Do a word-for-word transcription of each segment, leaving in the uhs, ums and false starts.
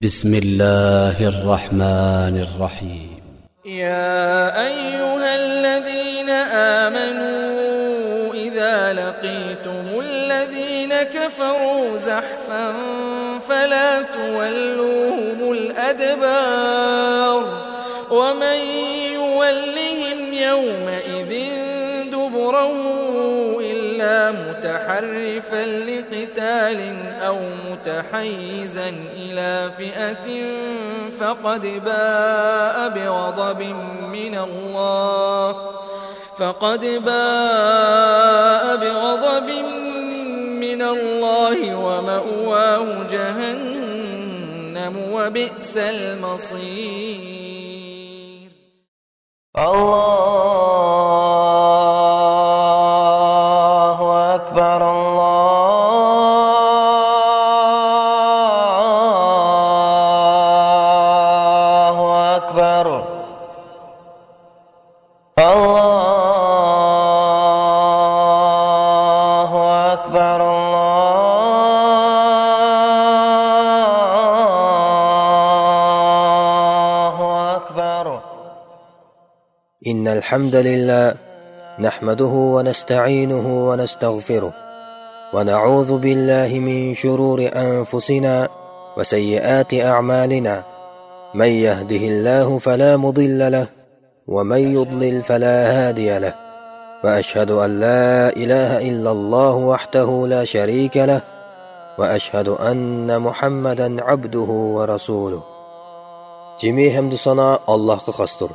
بسم الله الرحمن الرحيم. يا أيها الذين آمنوا إذا لقيتم الذين كفروا زحفا فلا تولوهم الأدبار، ومن يولهم يومئذ دبره إلا متحرفا لقتال أو متحيزا إلى فئة فقد باء بغضب من الله، فقد باء بغضب من الله ومأواه جهنم وبئس المصير. الله أكبر، الله أكبر، الله أكبر، الله أكبر. إن الحمد لله نحمده ونستعينه ونستغفره، ونعوذ بالله من شرور أنفسنا وسيئات أعمالنا. من يهده الله فلا مضل له، ومن يضلل فلا هادي له. وأشهد أن لا إله إلا الله وحده لا شريك له، وأشهد أن محمدا عبده ورسوله. جىمى ھەمدۇ سانا ئاللاھقا خاستۇر.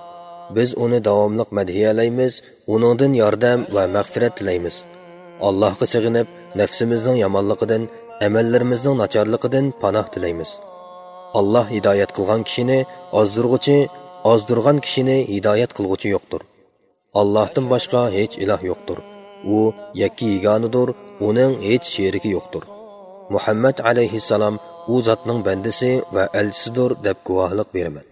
بىز ئۇنى داۋاملىق مەدھىيەلەيمىز، ئۇنىڭدىن ياردەم ۋە مەغپىرەت تىلەيمىز. ئاللاھقا سېغىنىپ، نەپسىمىزنىڭ يامانلىقىدىن، ئەمەللىرىمىزنىڭ ناچارلىقىدىن پاناھ تىلەيمىز. ئاللاھ ھىدايەت قىلغان كىشىنى ئازدۇرغۇچى، ئازدۇرغان كىشىنى ھىدايەت قىلغۇچى يوقتۇر. ئاللاھتىن باشقا ھېچ ئىلاھ يوقتۇر. ئۇ يەككە يېگانىدۇر، ئۇنىڭ ھېچ شېرىكى يوقتۇر. مۇھەممەد ئەلەيھىسسالام ئۇ زاتنىڭ بەندىسى ۋە ئەلچىسىدۇر دەپ گۇۋاھلىق بېرىمەن.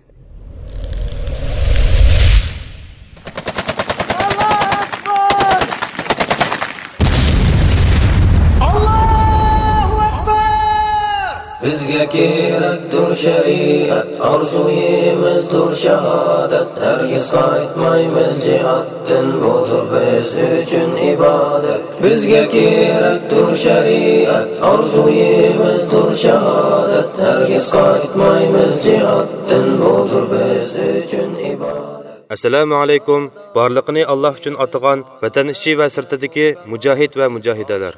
ئاللاھۇ ئەكبەر! بىزگە كېرەكتۇر شەرىئەت، ئارزۇيىمىزدۇر شاھادەت، ھەرگىز قايتمايمىز جىھادتىن، بۇدۇر بىز ئۈچۈن ئىبادەت. بىزگە كېرەكتۇر شەرىئەت، ئارزۇيىمىزدۇر شاھادەت، ھەرگىز قايتمايمىز جىھادتىن، بۇدۇر بىز ئۈچۈن ئىبادەت. ئەسسالامۇ ئەلەيكۇم، بارلىقىنى ئاللاھ ئۈچۈن ئاتىغان ۋەتەن ئىچى ۋە سىرتىدىكى مۇجاھىد ۋە مۇجاھىدەلەر.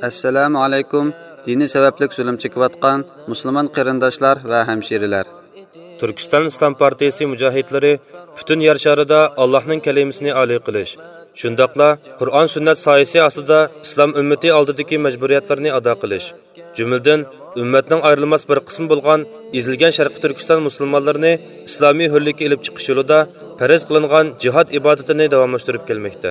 ئەسسالامۇ ئەلەيكۇم، دىنى سەۋەبلىك زۇلۇم چېكىۋاتقان مۇسۇلمان قېرىنداشلار ۋە ھەمشىرىلەر. تۈركىستان ئىسلام پارتىيىسى مۇجاھىدلىرى پۈتۈن يەر شارىدا ئاللاھنىڭ كەلىمىسىنى ئالىي قىلىش، شۇنداقلا قۇرئان سۈننەت سايىسى ئاستىدا ئىسلام ئۈممىتى ئالدىدىكى مەجبۇرىيەتلەرنى ئادا قىلىش، جۈملىدىن ئۈممەتنىڭ ئايرىلماس بىر قىسمى بولغان ئېزىلگەن شەرقىي تۈركىستان مۇسۇلمانلىرىنى ئىسلامىي ھۆرلۈككە ئېلىپ چىقىش يولىدا پەرز قىلىنغان جىھاد ئىبادىتىنى داۋاملاشتۇرۇپ كەلمەكتە.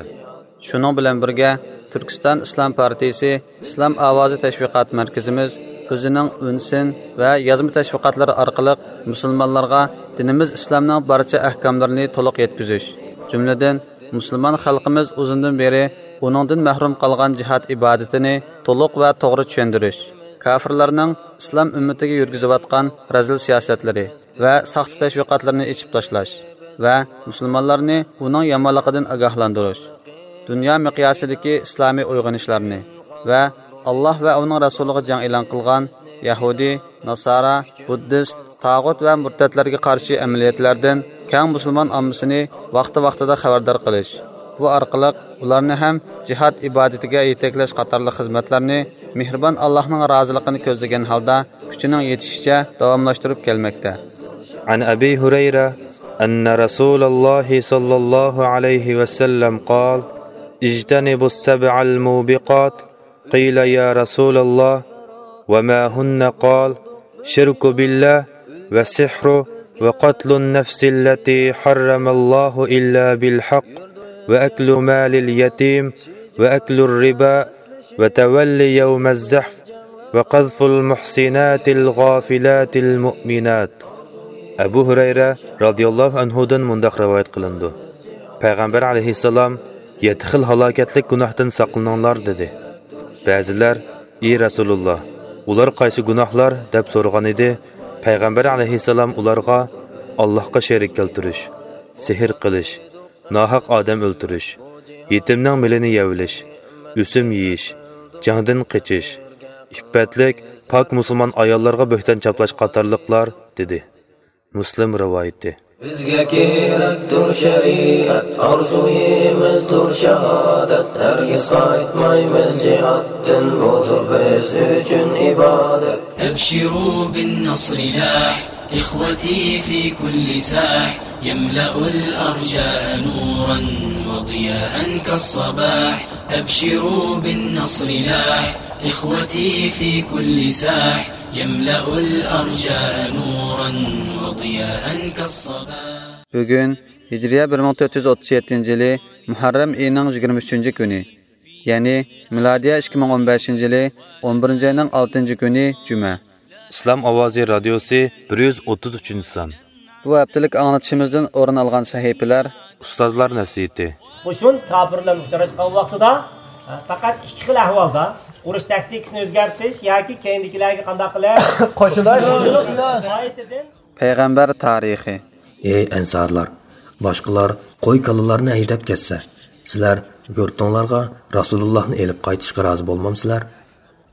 شۇنىڭ بىلەن بىرگە، تۈركىستان ئىسلام پارتىيىسى ئىسلام ئاۋازى تەشۋىقات مەركىزىمىز ئۆزىنىڭ ئۈن سىن ۋە يازما تەشۋىقاتلىرى ئارقىلىق مۇسۇلمانلارغا دىنىمىز ئىسلامنىڭ بارچە ئەھكاملىرىنى تولۇق يەتكۈزۈش، جۈملىدىن مۇسۇلمان خەلقىمىز ئۇزۇندىن بېرى ئۇنىڭدىن مەھرۇم قالغان جىھاد ئىبادىتىنى تولۇق ۋە توغرا چۈشەندۈرۈش، كاپىرلارنىڭ ئىسلام ئۈممىتىگە يۈرگۈزۈۋاتقان رەزىل سىياسەتلىرى ۋە ساختا تەشۋىقاتلىرىنى ئېچىپ تاشلاش ۋە مۇسۇلمانلارنى ئۇنىڭ يامانلىقىدىن ئاگاھلاندۇرۇش، دۇنيا مىقياسىدىكى ئىسلامىي ئويغىنىشلارنى ۋە ئاللاھ ۋە ئۇنىڭ رەسۇلىغا جەڭ ئېلان قىلغان يەھۇدىي، ناسارا، بۇددىست، تاغۇت ۋە مۇرتەتلەرگە قارشى ئەمەلىيەتلەردىن كەڭ مۇسۇلمان ئاممىسىنى ۋاقتى-ۋاقتىدا خەۋەردار قىلىش، بۇ ئارقىلىق ئۇلارنى ھەم جىھاد ئىبادىتىگە يېتەكلەش قاتارلىق خىزمەتلەرنى مېھرىبان ئاللاھنىڭ رازىلىقىنى كۆزلىگەن ھالدا كۈچىنىڭ يېتىشىچە داۋاملاشتۇرۇپ كەلمەكتە. عن أبي هريرة أن رسول الله صلى الله عليه وسلم قال: اجتنبوا السبع الموبقات. قيل: يا رسول الله، وما هن؟ قال: شرك بالله، والسحر، وقتل النفس التي حرم الله إلا بالحق، وأكل مال اليتيم، وأكل الربا، وتولي يوم الزحف، وقذف المحصنات الغافلات المؤمنات. ئەبۇ ھۇرەيرە رازىياللاھۇ ئەنھۇدىن مۇنداق رىۋايەت قىلىنىدۇ: پەيغەمبەر ئەلەيھىسسالام: يەتتە خىل ھالاكەتلىك گۇناھتىن ساقلىنىڭلار، دېدى. بەزىلەر: ئى رەسۇلۇللاھ، ئۇلار قايسى گۇناھلار؟ دەپ سورىغان ئىدى. پەيغەمبەر ئەلەيھىسسالام ئۇلارغا ئاللاھقا شېرىك كەلتۈرۈش، سېھىر قىلىش، ناھەق ئادەم ئۆلتۈرۈش، يېتىمنىڭ مېلىنى يەۋېلىش، ئۆسۈم يېيىش، جەڭدىن قېچىش، ئىپپەتلىك، پاك مۇسۇلمان ئاياللارغا بۆھتان چاپلاش قاتارلىقلار، دېدى. مۇسلىم رىۋايىتى. بىزگە كېرەكتۇر شەرىئەت، ئارزۇيىمىزدۇر شاھادەت، ھەرگىز قايتمايمىز جىھادتىن، بۇدۇر بىز ئۈچۈن ئىبادەت. أبشروا بالنصر لاح إخوتي في كل ساح، يملأ الأرجاء نورا وضياء كالصباح. أبشروا بالنصر لاح إخوتي في كل ساح، يملأ الأرجاء نورا وضياء كالصباح. بۈگۈن ھىجرىيە بىر مىڭ تۆت يۈز ئوتتۇز يەتتىنچى يىلى مۇھەررەم ئېيىنىڭ يىگىرمە ئۈچىنچى كۈنى، يەنى مىلادىيە ئىككى مىڭ ئون بەشىنچى يىلى ئون بىرىنچى ئاينىڭ ئالتىنچى كۈنى جۈمە. ئىسلام ئاۋازى رادىيوسى بىر يۈز ئوتتۇز ئۈچىنچى سان. بۇ ھەپتىلىك ئاڭلىتىشىمىزدىن ئورۇن ئالغان سەھىپىلەر. ئۇستازلار نەسىھىتى. قوشۇن كاپىر بىلەن ئۇچراشقان ۋاقتىدا، ئە، پەقەت ئىككى خىل ئەھۋالدا ئۇرۇش تاكتىكىسىنى ئۆزگەرتىش ياكى كەينىدىكىلەرگە قانداق قىلىپ قوشۇلۇش. قوشۇلۇش نىھايىتىدىن. پەيغەمبەر تارىخى. ئەي ئەنسارلار، باشقىلار قوي كالىلارنى ھەيدەپ كەتسە، سىلەر يۇرتۇڭلارغا رەسۇلۇللاھنى ئېلىپ قايتىشقا رازى بولمامسىلەر؟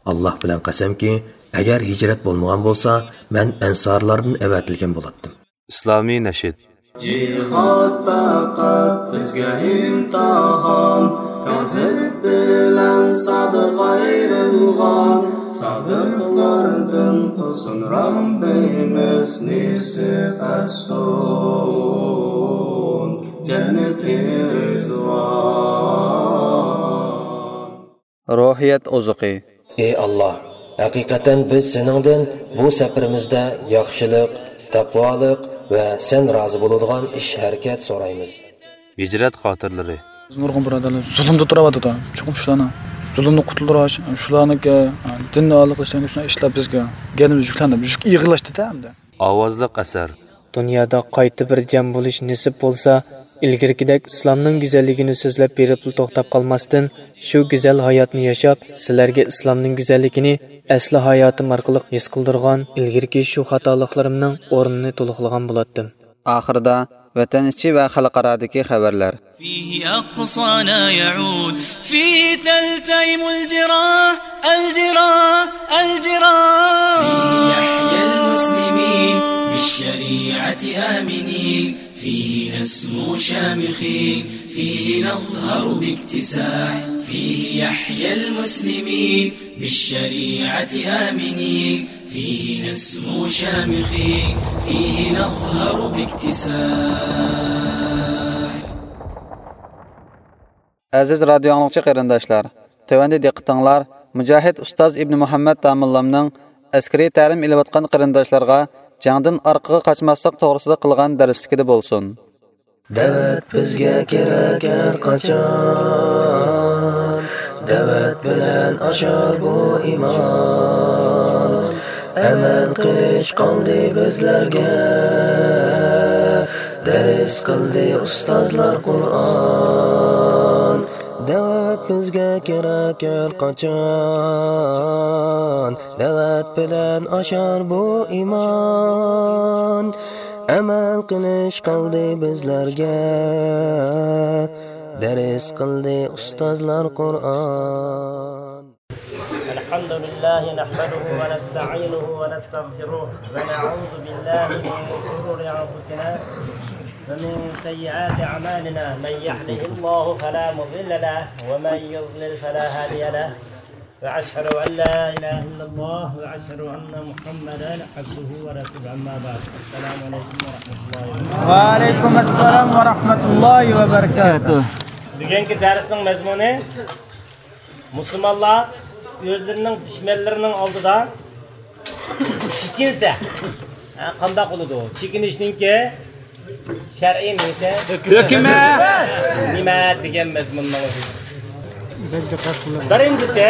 ئاللاھ بىلەن قەسەمكى، ئەگەر ھىجرەت بولمىغان بولسا، مەن ئەنسارلاردىن ئەۋەتىلگەن بولاتتىم. ئىسلامىي نەشىد. جىھاد پەقەت بىزگە ئىمتىھان، كازىب بىلەن سادىق ئايرىلغان، سادىقلاردىن قىلسۇن رەببىمىز نېسىپ ئەتسۇن جەننىتى رىزۋان. روھىيەت ئوزۇقى. ئەي ئاللاھ، ھەقىقەتەن بىز سېنىڭدىن بۇ سەپىرىمىزدە ياخشىلىق، تەقۋالىق ۋە سەن رازى بولىدىغان ئىش-ھەرىكەت سورايمىز. ھىجرەت خاتىرىلىرى. بىز نۇرغۇن بۇرادەرلەر زۇلۇمدا تۇرۇۋاتىدۇ، چوقۇم شۇلارنىڭ زۇلۇمنى قۇتۇلدۇرۇش، شۇلارنىڭكى دىننى ئالىي قىلىشلارنىڭكى شۇنداق ئىشلار بىزگە، گەدىنىمىز يۈكلەندى، يۈك ئېغىرلاشتى-دە ئەمدى. ئاۋازلىق ئەسەر. دۇنيادا قايتا بىر جەم بولۇش نېسىپ بولسا، ئىلگىرىكىدەك ئىسلامنىڭ گۈزەللىكىنى سۆزلەپ بېرىپلا توختاپ قالماستىن، شۇ گۈزەل ھاياتنى ياشاپ، سىلەرگە ئىسلامنىڭ گۈزەللىكىنى ئەسلى ھاياتىم ئارقىلىق ھېس قىلدۇرغان ئىلگىرىكى شۇ خاتالىقلىرىمنىڭ ئورنىنى تولۇقلىغان بولاتتىم. ئاخىرىدا ۋەتەن ئىچى ۋە خەلقئارادىكى خەۋەرلەر. فيه أقصانا يعود، فيه تلتئم الجراح، الجراح، الجراح. فيه يحيا المسلمين بالشريعة آمنين، فيه نسمو شامخين، فيه نظهر باكتساح، فيه يحيا المسلمين بالشريعة آمنين، فيه نسمو شامخين، فيه نظهر باكتساح. ئەزىز رادىيو ئاڭلىغۇچى قېرىنداشلار، تۆۋەندە دىققىتىڭلار مۇجاھىد ئۇستاز ئىبنى مۇھەممەد داموللامنىڭ ئەسكىرىي تەلىم ئېلىۋاتقان قېرىنداشلارغا جەڭدىن ئارقىغا قاچماسلىق توغرىسىدا قىلغان دەرسلىكىدە بولسۇن. دەۋەت بىزگە كېرەك ھەر قاچان، دەۋەت بىلەن ئاشار بۇ ئىمان. ئەمەل قىلىش قالدى بىزلەرگە، دەرس قىلدى ئۇستازلار قۇرئان. دەۋەت بىزگە كېرەك ھەر قاچان، دەۋەت بىلەن ئاشار بۇ ئىمان. ئەمەل قىلىش قالدى بىزلەرگە، دەرس قىلدى ئۇستازلار قۇرئان. الحمد لله نحمده ونستعينه ونستغفره ونعوذ بالله من شرور أنفسنا ومن سيئات أعمالنا. من يهده الله فلا مضل له ومن يضلل فلا هادي له. وأشهد أن لا إله إلا الله وأشهد أن محمدا عبده ورسوله. أما بعد. السلام عليكم ورحمة الله وبركاته. وعليكم السلام ورحمة الله وبركاته. بۈگۈنكى دەرسنىڭ مەزمۇنى، مۇسۇلمانلار ئۆزلىرىنىڭ دۈشمەنلىرىنىڭ ئالدىدا چېكىنسە، ھە، قانداق بولىدۇ؟ چېكىنىشنىڭكى شەرئىي نېمىسى؟ ھۆكمى. نېمە دېگەن مەزمۇننىڭ ئۆزى؟ بىرىنچىسى،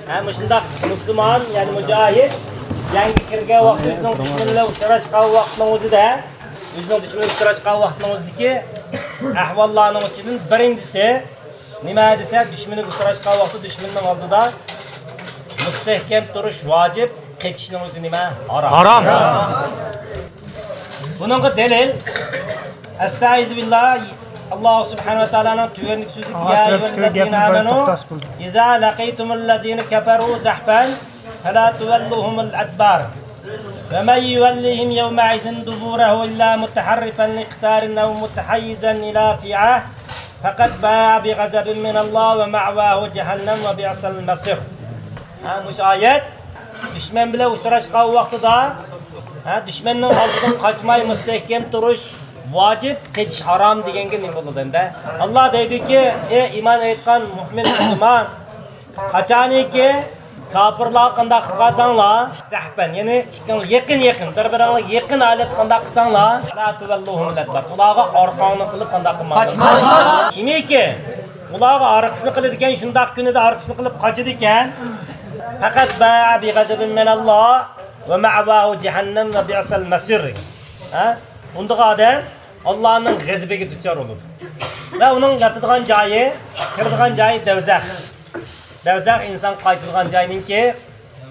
ھە، مۇشۇنداق مۇسۇلمان، يەنى مۇجاھىد جەڭگە كىرگەن ۋاقتى، ئۆزىنىڭ دۈشمىنى بىلەن ئۇچراشقان ۋاقتىنىڭ ئۆزىدە، ئۆزىنىڭ دۈشمىنى ئۇچراشقان ۋاقتىنىڭ ئۆزىدىكى ئەھۋاللارنىڭ ئىچىدىن بىرىنچىسى، نېمە دېسە، دۈشمىنىگە ئۇچراشقان ۋاقتىدا دۈشمىنىنىڭ ئالدىدا مۇستەھكەم تۇرۇش ۋاجىپ. قېچىشنىڭ ئۆزى نېمە؟ ھارام. ھارام. بۇنىڭغا دەلىل، ئەستەئىزۇبىللا، ئاللا سۇبھانەھۇ ۋە تائالانىڭ تۆۋەندىكى سۆزى، يا ئەييۇھەللەزىنە ئامەنۇ، ئىزا لەقىتۇمۇللەزىنە كەفەرۇ زەھفەن، فەلا تۇۋەللۇھۇمۇل ئەدبار. ومن يولهم يومئذ دبره إلا متحرفا لقتال أو متحيزا إلى فئة فقد باء بغضب من الله ومأواه جهنم وبئس المصير. ھە، مۇشۇ ئايەت دۈشمەن بىلەن ئۇچراشقان ۋاقتىدا، ھە، دۈشمەننىڭ ئالدىدىن قاچماي مۇستەھكەم تۇرۇش ۋاجىپ، قېچىش ھارام دېگەنگە نېمە بولىدۇ ئەمدى؟ ئاللا دەيدۇكى، ئەي ئىمان ئېيتقان مۆمىن مۇسۇلمان، قاچانكى كاپىرلارغا قانداق قىلىپ قالساڭلار، زەھپەن، يەنى ئىككىڭلار يېقىن يېقىن، بىر بىرىڭلار يېقىن ھالەتتە قانداق قىلساڭلار، فلا توللوھۇمۇل ئەدبار، ئۇلارغا ئارقاڭنى قىلىپ قانداق قىلماڭلار. قاچماڭلار. كىمكى ئۇلارغا ئارقىسىنى قىلىدىكەن، شۇنداق كۈنىدە ئارقىسىنى قىلىپ قاچىدىكەن، فەقەت باء بىغەزەبىن مىنەللاھ ۋە مەئۋاھۇ جەھەننەم ۋە بىئسەل مەسىر. ھە؟ ئۇنداق ئادەم ئاللانىڭ غەزىپىگە دۇچار بولىدۇ. ۋە ئۇنىڭ ياتىدىغان جايى، كىرىدىغان جايى دەۋزەخ. دەۋزەخ ئىنسان قايتىدىغان جاينىڭكى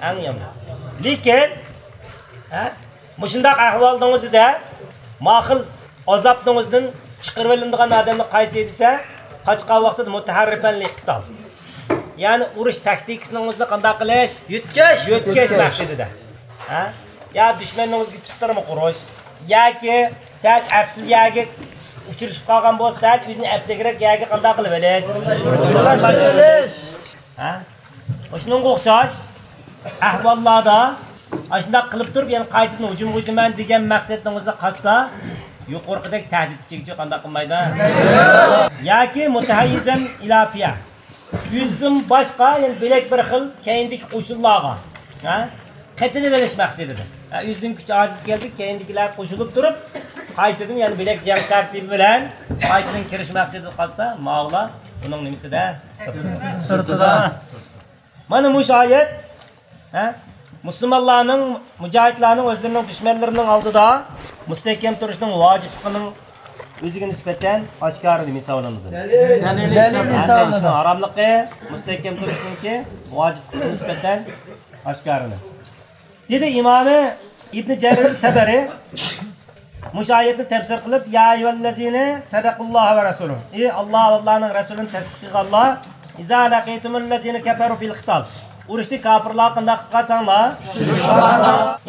ئەڭ يامىنى. لېكىن، ھە، مۇشۇنداق ئەھۋالنىڭ ئۆزىدە ما خىل ئازابنىڭ ئۆزىدىن چىقىرىۋېلىنىدىغان ئادەملەر قايسى دېسە، قاچقان ۋاقتىدا مۇتەھەررىفەن لىقتال. يەنى ئۇرۇش تاكتىكىسىنىڭ ئۆزىنى قانداق قىلىش؟ يۆتكەش. يۆتكەش مەقسىتىدە. ھە؟ يا دۈشمەننىڭ ئۆزىگە پىستىرما قۇرۇش. ياكى سەل ئەپسىز يەرگە ئۇچرىشىپ قالغان بولسا، سەل ئۆزىنى ئەپلىكرەك يەرگە قانداق قىلىۋېلىش؟ ھە؟ شۇنىڭغا ئوخشاش ئەھۋاللاردا ئاشۇنداق قىلىپ تۇرۇپ، يەنە قايتىدىن ھۇجۇمغا ئۆتىمەن دېگەن مەقسەتنىڭ ئۆزىدە قالسا، يۇقىرىقىدەك تەھدىت ئىچىگىچە قانداق قىلمايدۇ؟ ياكى مۇتەھەييىزەن ئىلا فىئە. ئۆزىدىن باشقا يەنە بۆلەك بىر خىل كەينىدىكى قوشۇنلارغا، ھە؟ قېتىلىۋېلىش مەقسىتىدە. ھە، ئۆزىنىڭ كۈچى ئاجىز كەلدى، كەينىدىكىلەر قوشۇلۇپ تۇرۇپ، قايتىدىن يەنە بۆلەك جەڭ تەرتىپى بىلەن قايتىدىن كىرىش مەقسىتىدە قالسا، ماۋۇلار ئۇنىڭ نېمىسىدە؟ سىرتىدا. مانا مۇشۇ ئايەت، ھە؟ مۇسۇلمانلارنىڭ، مۇجاھىدلارنىڭ ئۆزلىرىنىڭ دۈشمەنلىرىنىڭ ئالدىدا مۇستەھكەم تۇرۇشنىڭ ۋاجىپلىقىنىڭ ئۆزىگە نىسبەتەن ئاشكارا دېمەي ھېسابلىنىدۇ. دەلىل ھەمدە ھەمدە ئىشنىڭ ھاراملىقى مۇستەھكەم تۇرۇشنىڭكى ۋاجىپلىقىغا نىسبەتەن ئاشكارا ئەمەس. دېدى ئىمامى ئىبنى جەرىر تەبەرى مۇشۇ ئايەتنى تەپسىر قىلىپ، يا ئەييۇھەللەزىنە سەدەقەللاھۇ ۋە رەسۇلۇھ. ئى ئاللا ۋە ئاللانىڭ رەسۇلىنى تەستىق قىلغانلار، ئىزا لەقىتۇمۇللەزىنە كەفەرۇ فىل قىتال. ئۇرۇشتا كاپىرلارغا قانداق قىلىپ قالساڭلار،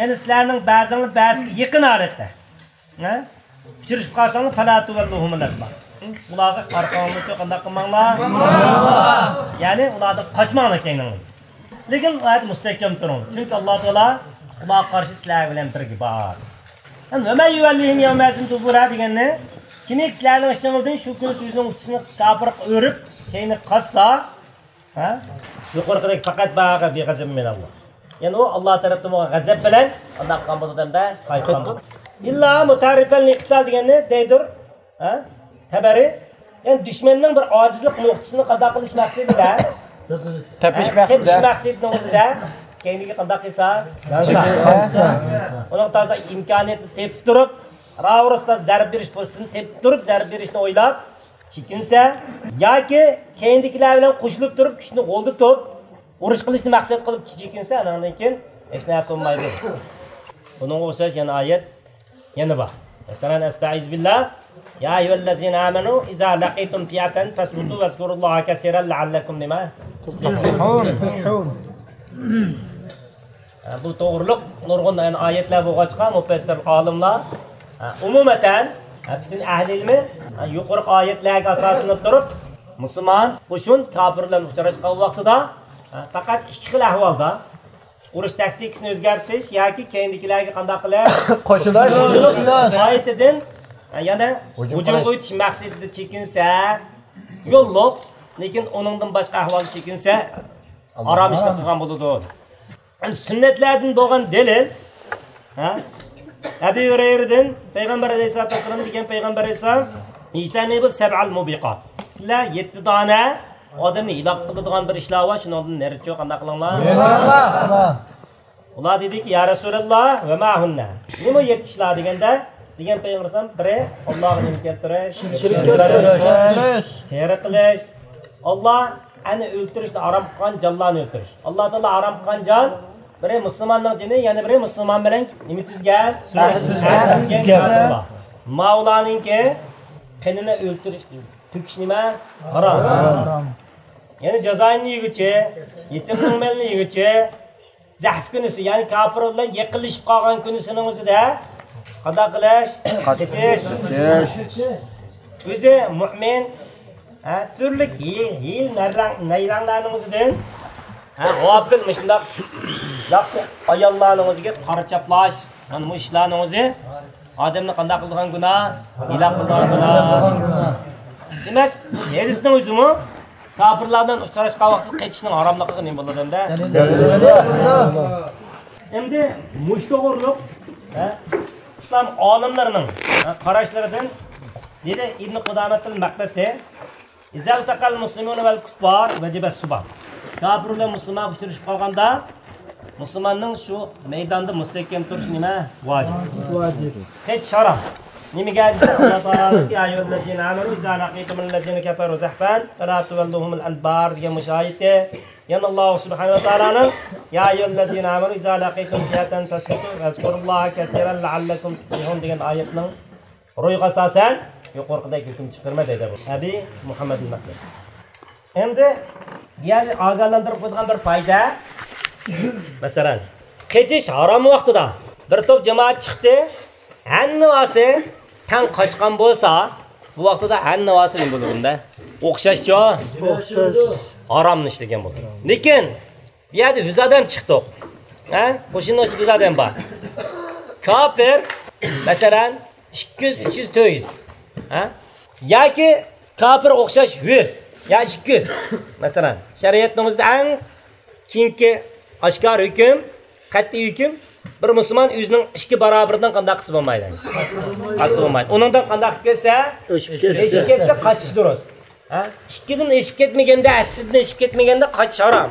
يەنى سىلەرنىڭ بەزىڭلار بەزىگە يېقىن ھالەتتە، ھە؟ ئۇچرىشىپ قالساڭلار، فەلا تۇۋەللۇھۇمۇل ئەدبار. ئۇلارغا ئارقاڭلارنى قانداق قىلماڭلار. يەنى ئۇلاردىن قاچماڭلار كەينىڭلار. لېكىن ئۇ يەردە مۇستەھكەم تۇرۇڭ. چۈنكى ئاللا تائالا ئۇلارغا قارشى سىلەر بىلەن بىرگە بار. ھەم ۋە مەن يۇۋەللىھىم يەۋمەئىزىن دۇبۇرە دېگەننى، كىمكى سىلەرنىڭ ئىچىڭلاردىن شۇ كۈنى ئۆزىنىڭ ئۇچىسىنى كاپىرغا ئۆرۈپ، كەينىگە قاچسا، ھە؟ يۇقىرىقىدەك فەقەت باء بىغەزەبىن مىنەللاھ. يەنى ئۇ ئاللا تەرەپتىن بولغان غەزەپ بىلەن قانداق قىلغان بولىدۇ دەمدە؟ قايتقان بولىدۇ. ئىللا مۇتەھەررىفەن لىقىتال دېگەننى دەيدۇر. ھە؟ تەبەرى. يەنى دۈشمەننىڭ بىر ئاجىزلىق نۇقتىسىنى قانداق قىلىش مەقسىتىدە؟ تېپىش ھە؟ مەقسىتىدە. تېپىش مەقسىتىنىڭ ئۆزىدە. كەينىگە قانداق قىلسا؟ يانسا. ئۇنىڭ تازا ئىمكانىيەتنى تېپىپ تۇرۇپ، راۋۇرۇستا زەربە بېرىش پۇرسىتىنى تېپىپ تۇرۇپ، زەربە بېرىشنى ئويلاپ، چېكىنسە، ياكى كەينىدىكىلەر بىلەن قوشۇلۇپ تۇرۇپ، كۈچنى غولىتىپ، ئۇرۇش قىلىشنى مەقسەت قىلىپ چېكىنسە، ئانىڭدىن كېيىن ھېچ نەرسە بولمايدۇ. بۇنىڭغا ئوخشاش يەنە ئايەت يەنە بار. مەسىلەن، ئەستەئىزۇبىللا، يا ئەييۇھەللەزىنە ئامەنۇ ئىزا لەقىتۇم فىئەتەن فەسبۇتۇ ۋەزكۇرۇللاھە كەسىرەن لەئەللەكۇم نېمە؟ تۇفلىھۇن. ھە، بۇ توغرۇلۇق نۇرغۇن، يەنى، ئايەتلەر بولغاچقا، مۇپەسسىر ئالىملار، ھە، ئومۇمەن، ھە، پۈتۈن ئەھلى ئىلمى، ھە، يۇقىرىقى ئايەتلەرگە ئاساسلىنىپ تۇرۇپ، مۇسۇلمان قوشۇن كاپىر بىلەن ئۇچراشقان ۋاقتىدا، ھە، پەقەت ئىككى خىل ئەھۋالدا، ئۇرۇش تاكتىكىسىنى ئۆزگەرتىش ياكى كەينىدىكىلەرگە قانداق قىلىش؟ قوشۇلۇش. قايتىدىن، ھە، يەنە ھۇجۇم ھۇجۇمغا قىلىش. ئۆتۈش مەقسىتىدە چېكىنسە، يوللۇق، لېكىن ئۇنىڭدىن باشقا ئەھۋالدا چېكىنسە، ھارام ئىشنى قىلغان بولىدۇ. ئەمدى سۈننەتلەردىن بولغان دەلىل، ھە؟ ئەبۇ ھۇرەيرىدىن پەيغەمبەر ئەلەيھىسسالاتۇ ۋەسسالام دېگەن، پەيغەمبەر ئەلەيھىسسالام، ئىجتەنىبۇ سەبئەل مۇبىقات. سىلەر يەتتە دانە ئادەمنى ھىلاك قىلىدىغان بىر ئىشلار بار، شۇنىڭدىن نېرى چوق قانداق قىلىڭلار. ئۇلار دېدىكى، يا رەسۇلاللا، ۋە ما ھۇننە؟ نېمە يەتتە ئىشلار دېگەندە، دېگەن پەيغەمبەر ئەلەيھىسسالام، بىرى، ئاللاغا نېمە كەلتۈرۈش؟ شېرىك كەلتۈرۈش. سېھىر قىلىش. ئاللا ئەنە ئۆلتۈرۈشنى ھارام قىلغان جانلارنى ئۆلتۈرۈش. ئاللا تائالا ھارام قىلغان جان، بىرى مۇسۇلماننىڭ جېنى، يەنە بىرى مۇسۇلمان بىلەن نېمە تۈزگەن؟ ئەھدى تۈزگەن. ئەھدى تۈزگەن كاپىرلار. ماۋۇلارنىڭكى قېنىنى ئۆلتۈرۈش، تۆكۈش نېمە؟ ھارام. ھارام. يەنى جازايىننى يېگۈچى، يېتىمنىڭ مېلىنى يېگۈچى، زەھف كۈنىسى، يەنى كاپىر بىلەن يېقىنلىشىپ قالغان كۈنىسىنىڭ ئۆزىدە قانداق قىلىش؟ قېچىش. قېچىش. ئۆزى مۇئمىن، ھە، تۈرلۈك ھىي-، ھىيلە نەيرەڭ-، نەيرەڭلەرنىڭ ئۆزىدىن، ھە، غاپىل مۇشۇنداق ياخشى ئاياللارنىڭ ئۆزىگە قارا چاپلاش، مانا بۇ ئىشلارنىڭ ئۆزى ئادەمنى قانداق قىلىدىغان گۇناھ؟ ھىلاك قىلىدىغان گۇناھ. دېمەك، ھەدىسنىڭ ئۆزىمۇ كاپىرلار بىلەن ئۇچراشقان ۋاقىتتا قېچىشنىڭ ھاراملىقىغا نېمە بولىدۇ ئەمدى؟ دەلىل. ئەمدى مۇشۇ توغرۇلۇق، ھە، ئىسلام ئالىملىرىنىڭ، ھە، قاراشلىرىدىن دېدى ئىبن قۇدامەتىل مەقدىسى، «إذا التقى المسلمون والكفار وجب الصبا.» كاپىر بىلەن مۇسۇلمان ئۇچرىشىپ قالغاندا، مۇسۇلماننىڭ شۇ مەيداندا مۇستەھكەم تۇرۇشى نېمە؟ ۋاجىپ. ۋاجىپ. قېچىش ھارام. نېمىگە دېسە، ئاللا تائالانىڭكى، «يا أيها الذين آمنوا إذا لقيتم الذين كفروا زحفا فلا تولوهم الأدبار» دېگەن مۇشۇ ئايىتى. يەنە ئاللا سۇبھانەھۇ ۋە تائالانىڭ، «يا أيها الذين آمنوا إذا لقيتم فئة فاثبتوا واذكروا الله كثيرا لعلكم تفلحون» دېگەن ئايەتنىڭ روھىغا ئاساسەن يۇقىرىقىدەك ھۆكۈم چىقىرىمەن دەيدۇ ئەبى مۇھەممەد مەقدىس. ئەمدى يەنى ئاگاھلاندۇرۇپ قويىدىغان بىر پايدا. مەسىلەن، قېچىش ھارام ۋاقتىدا بىر توپ جامائەت چىقتى، ھەممىۋاسى تەڭ قاچقان بولسا، بۇ ۋاقتىدا ھەممىۋاسى نېمە بولىدۇ بۇندا؟ ئوخشاشچۇ؟ ئوخشاش. ھارامنى ئىشلىگەن بولىدۇ. لېكىن بۇ يەردە يۈز ئادەم چىقتۇق. ھە؟ قوشۇندا يۈز ئادەم بار. كاپىر، مەسىلەن، ئىككى يۈز، ئۈچ يۈز، تۆت يۈز. ھە؟ ياكى كاپىر ئوخشاش يۈز يا ئىككى يۈز. مەسىلەن، شەرىئەتنىڭ ئۆزىدە ئەڭ كېيىنكى ئاشكارا ھۆكۈم، قەتئىي ھۆكۈم، بىر مۇسۇلمان ئۆزىنىڭ ئىككى باراۋىرىدىن قانداق قىلسا بولمايدۇ؟ قالسا بولمايدۇ. ئۇنىڭدىن قانداق قىلىپ كەتسە؟ ئۆچۈپ كەتسە. ئۆچۈپ كەتسە، قاچىش دۇرۇس. ھە؟ ئىككىدىن ئېشىپ كەتمىگەندە، ھەسسىدىن ئېشىپ كەتمىگەندە قاچىش ھارام.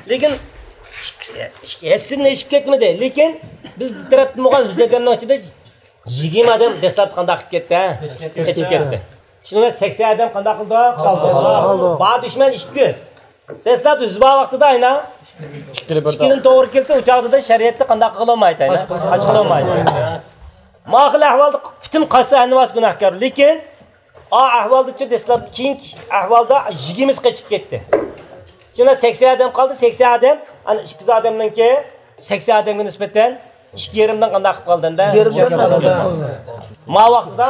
لېكىن ئىككىسى، ئىككى، ھەسسىدىن ئېشىپ كەتمىدى. لېكىن بىز تەرەپ بولغان يۈز ئادەمنىڭ ئىچىدە يىگىرمە ئادەم دەسلەپتە قانداق قىلىپ كەتتى؟ ھە؟ قېچىپ كەتتى. شۇنىڭ بىلەن سەكسەن ئادەم قانداق قىلدى؟ قالدى. بار دۈشمەن ئىككى يۈز. دەسلەپ يۈز بار ۋاقتىدا ئاينا ئىككىدىن توغرا كەلدى، ئۇ چاغدا شەرىئەتتە قانداق قىلالمايدۇ، ئاينا؟ قاچقىلى بولمايدۇ. ما خىل ئەھۋالدا پۈتۈن قاچسا ھەممىسى گۇناھكار. لېكىن ئا ئەھۋالدىچۇ دەسلەپتە كېيىنكى ئەھۋالدا يىگىرمىسى قېچىپ كەتتى. شۇندا سەكسەن ئادەم قالدى، سەكسەن ئادەم، ئانا ئىككى يۈز ئادەمنىڭكى سەكسەن ئادەمگە نىسبەتەن ئىككى يېرىمدىن قانداق قىلىپ قالدى ئەمدى؟ ئىككى يېرىمدىن قانداق قىلىپ قالدى؟ ما ۋاقتىدا،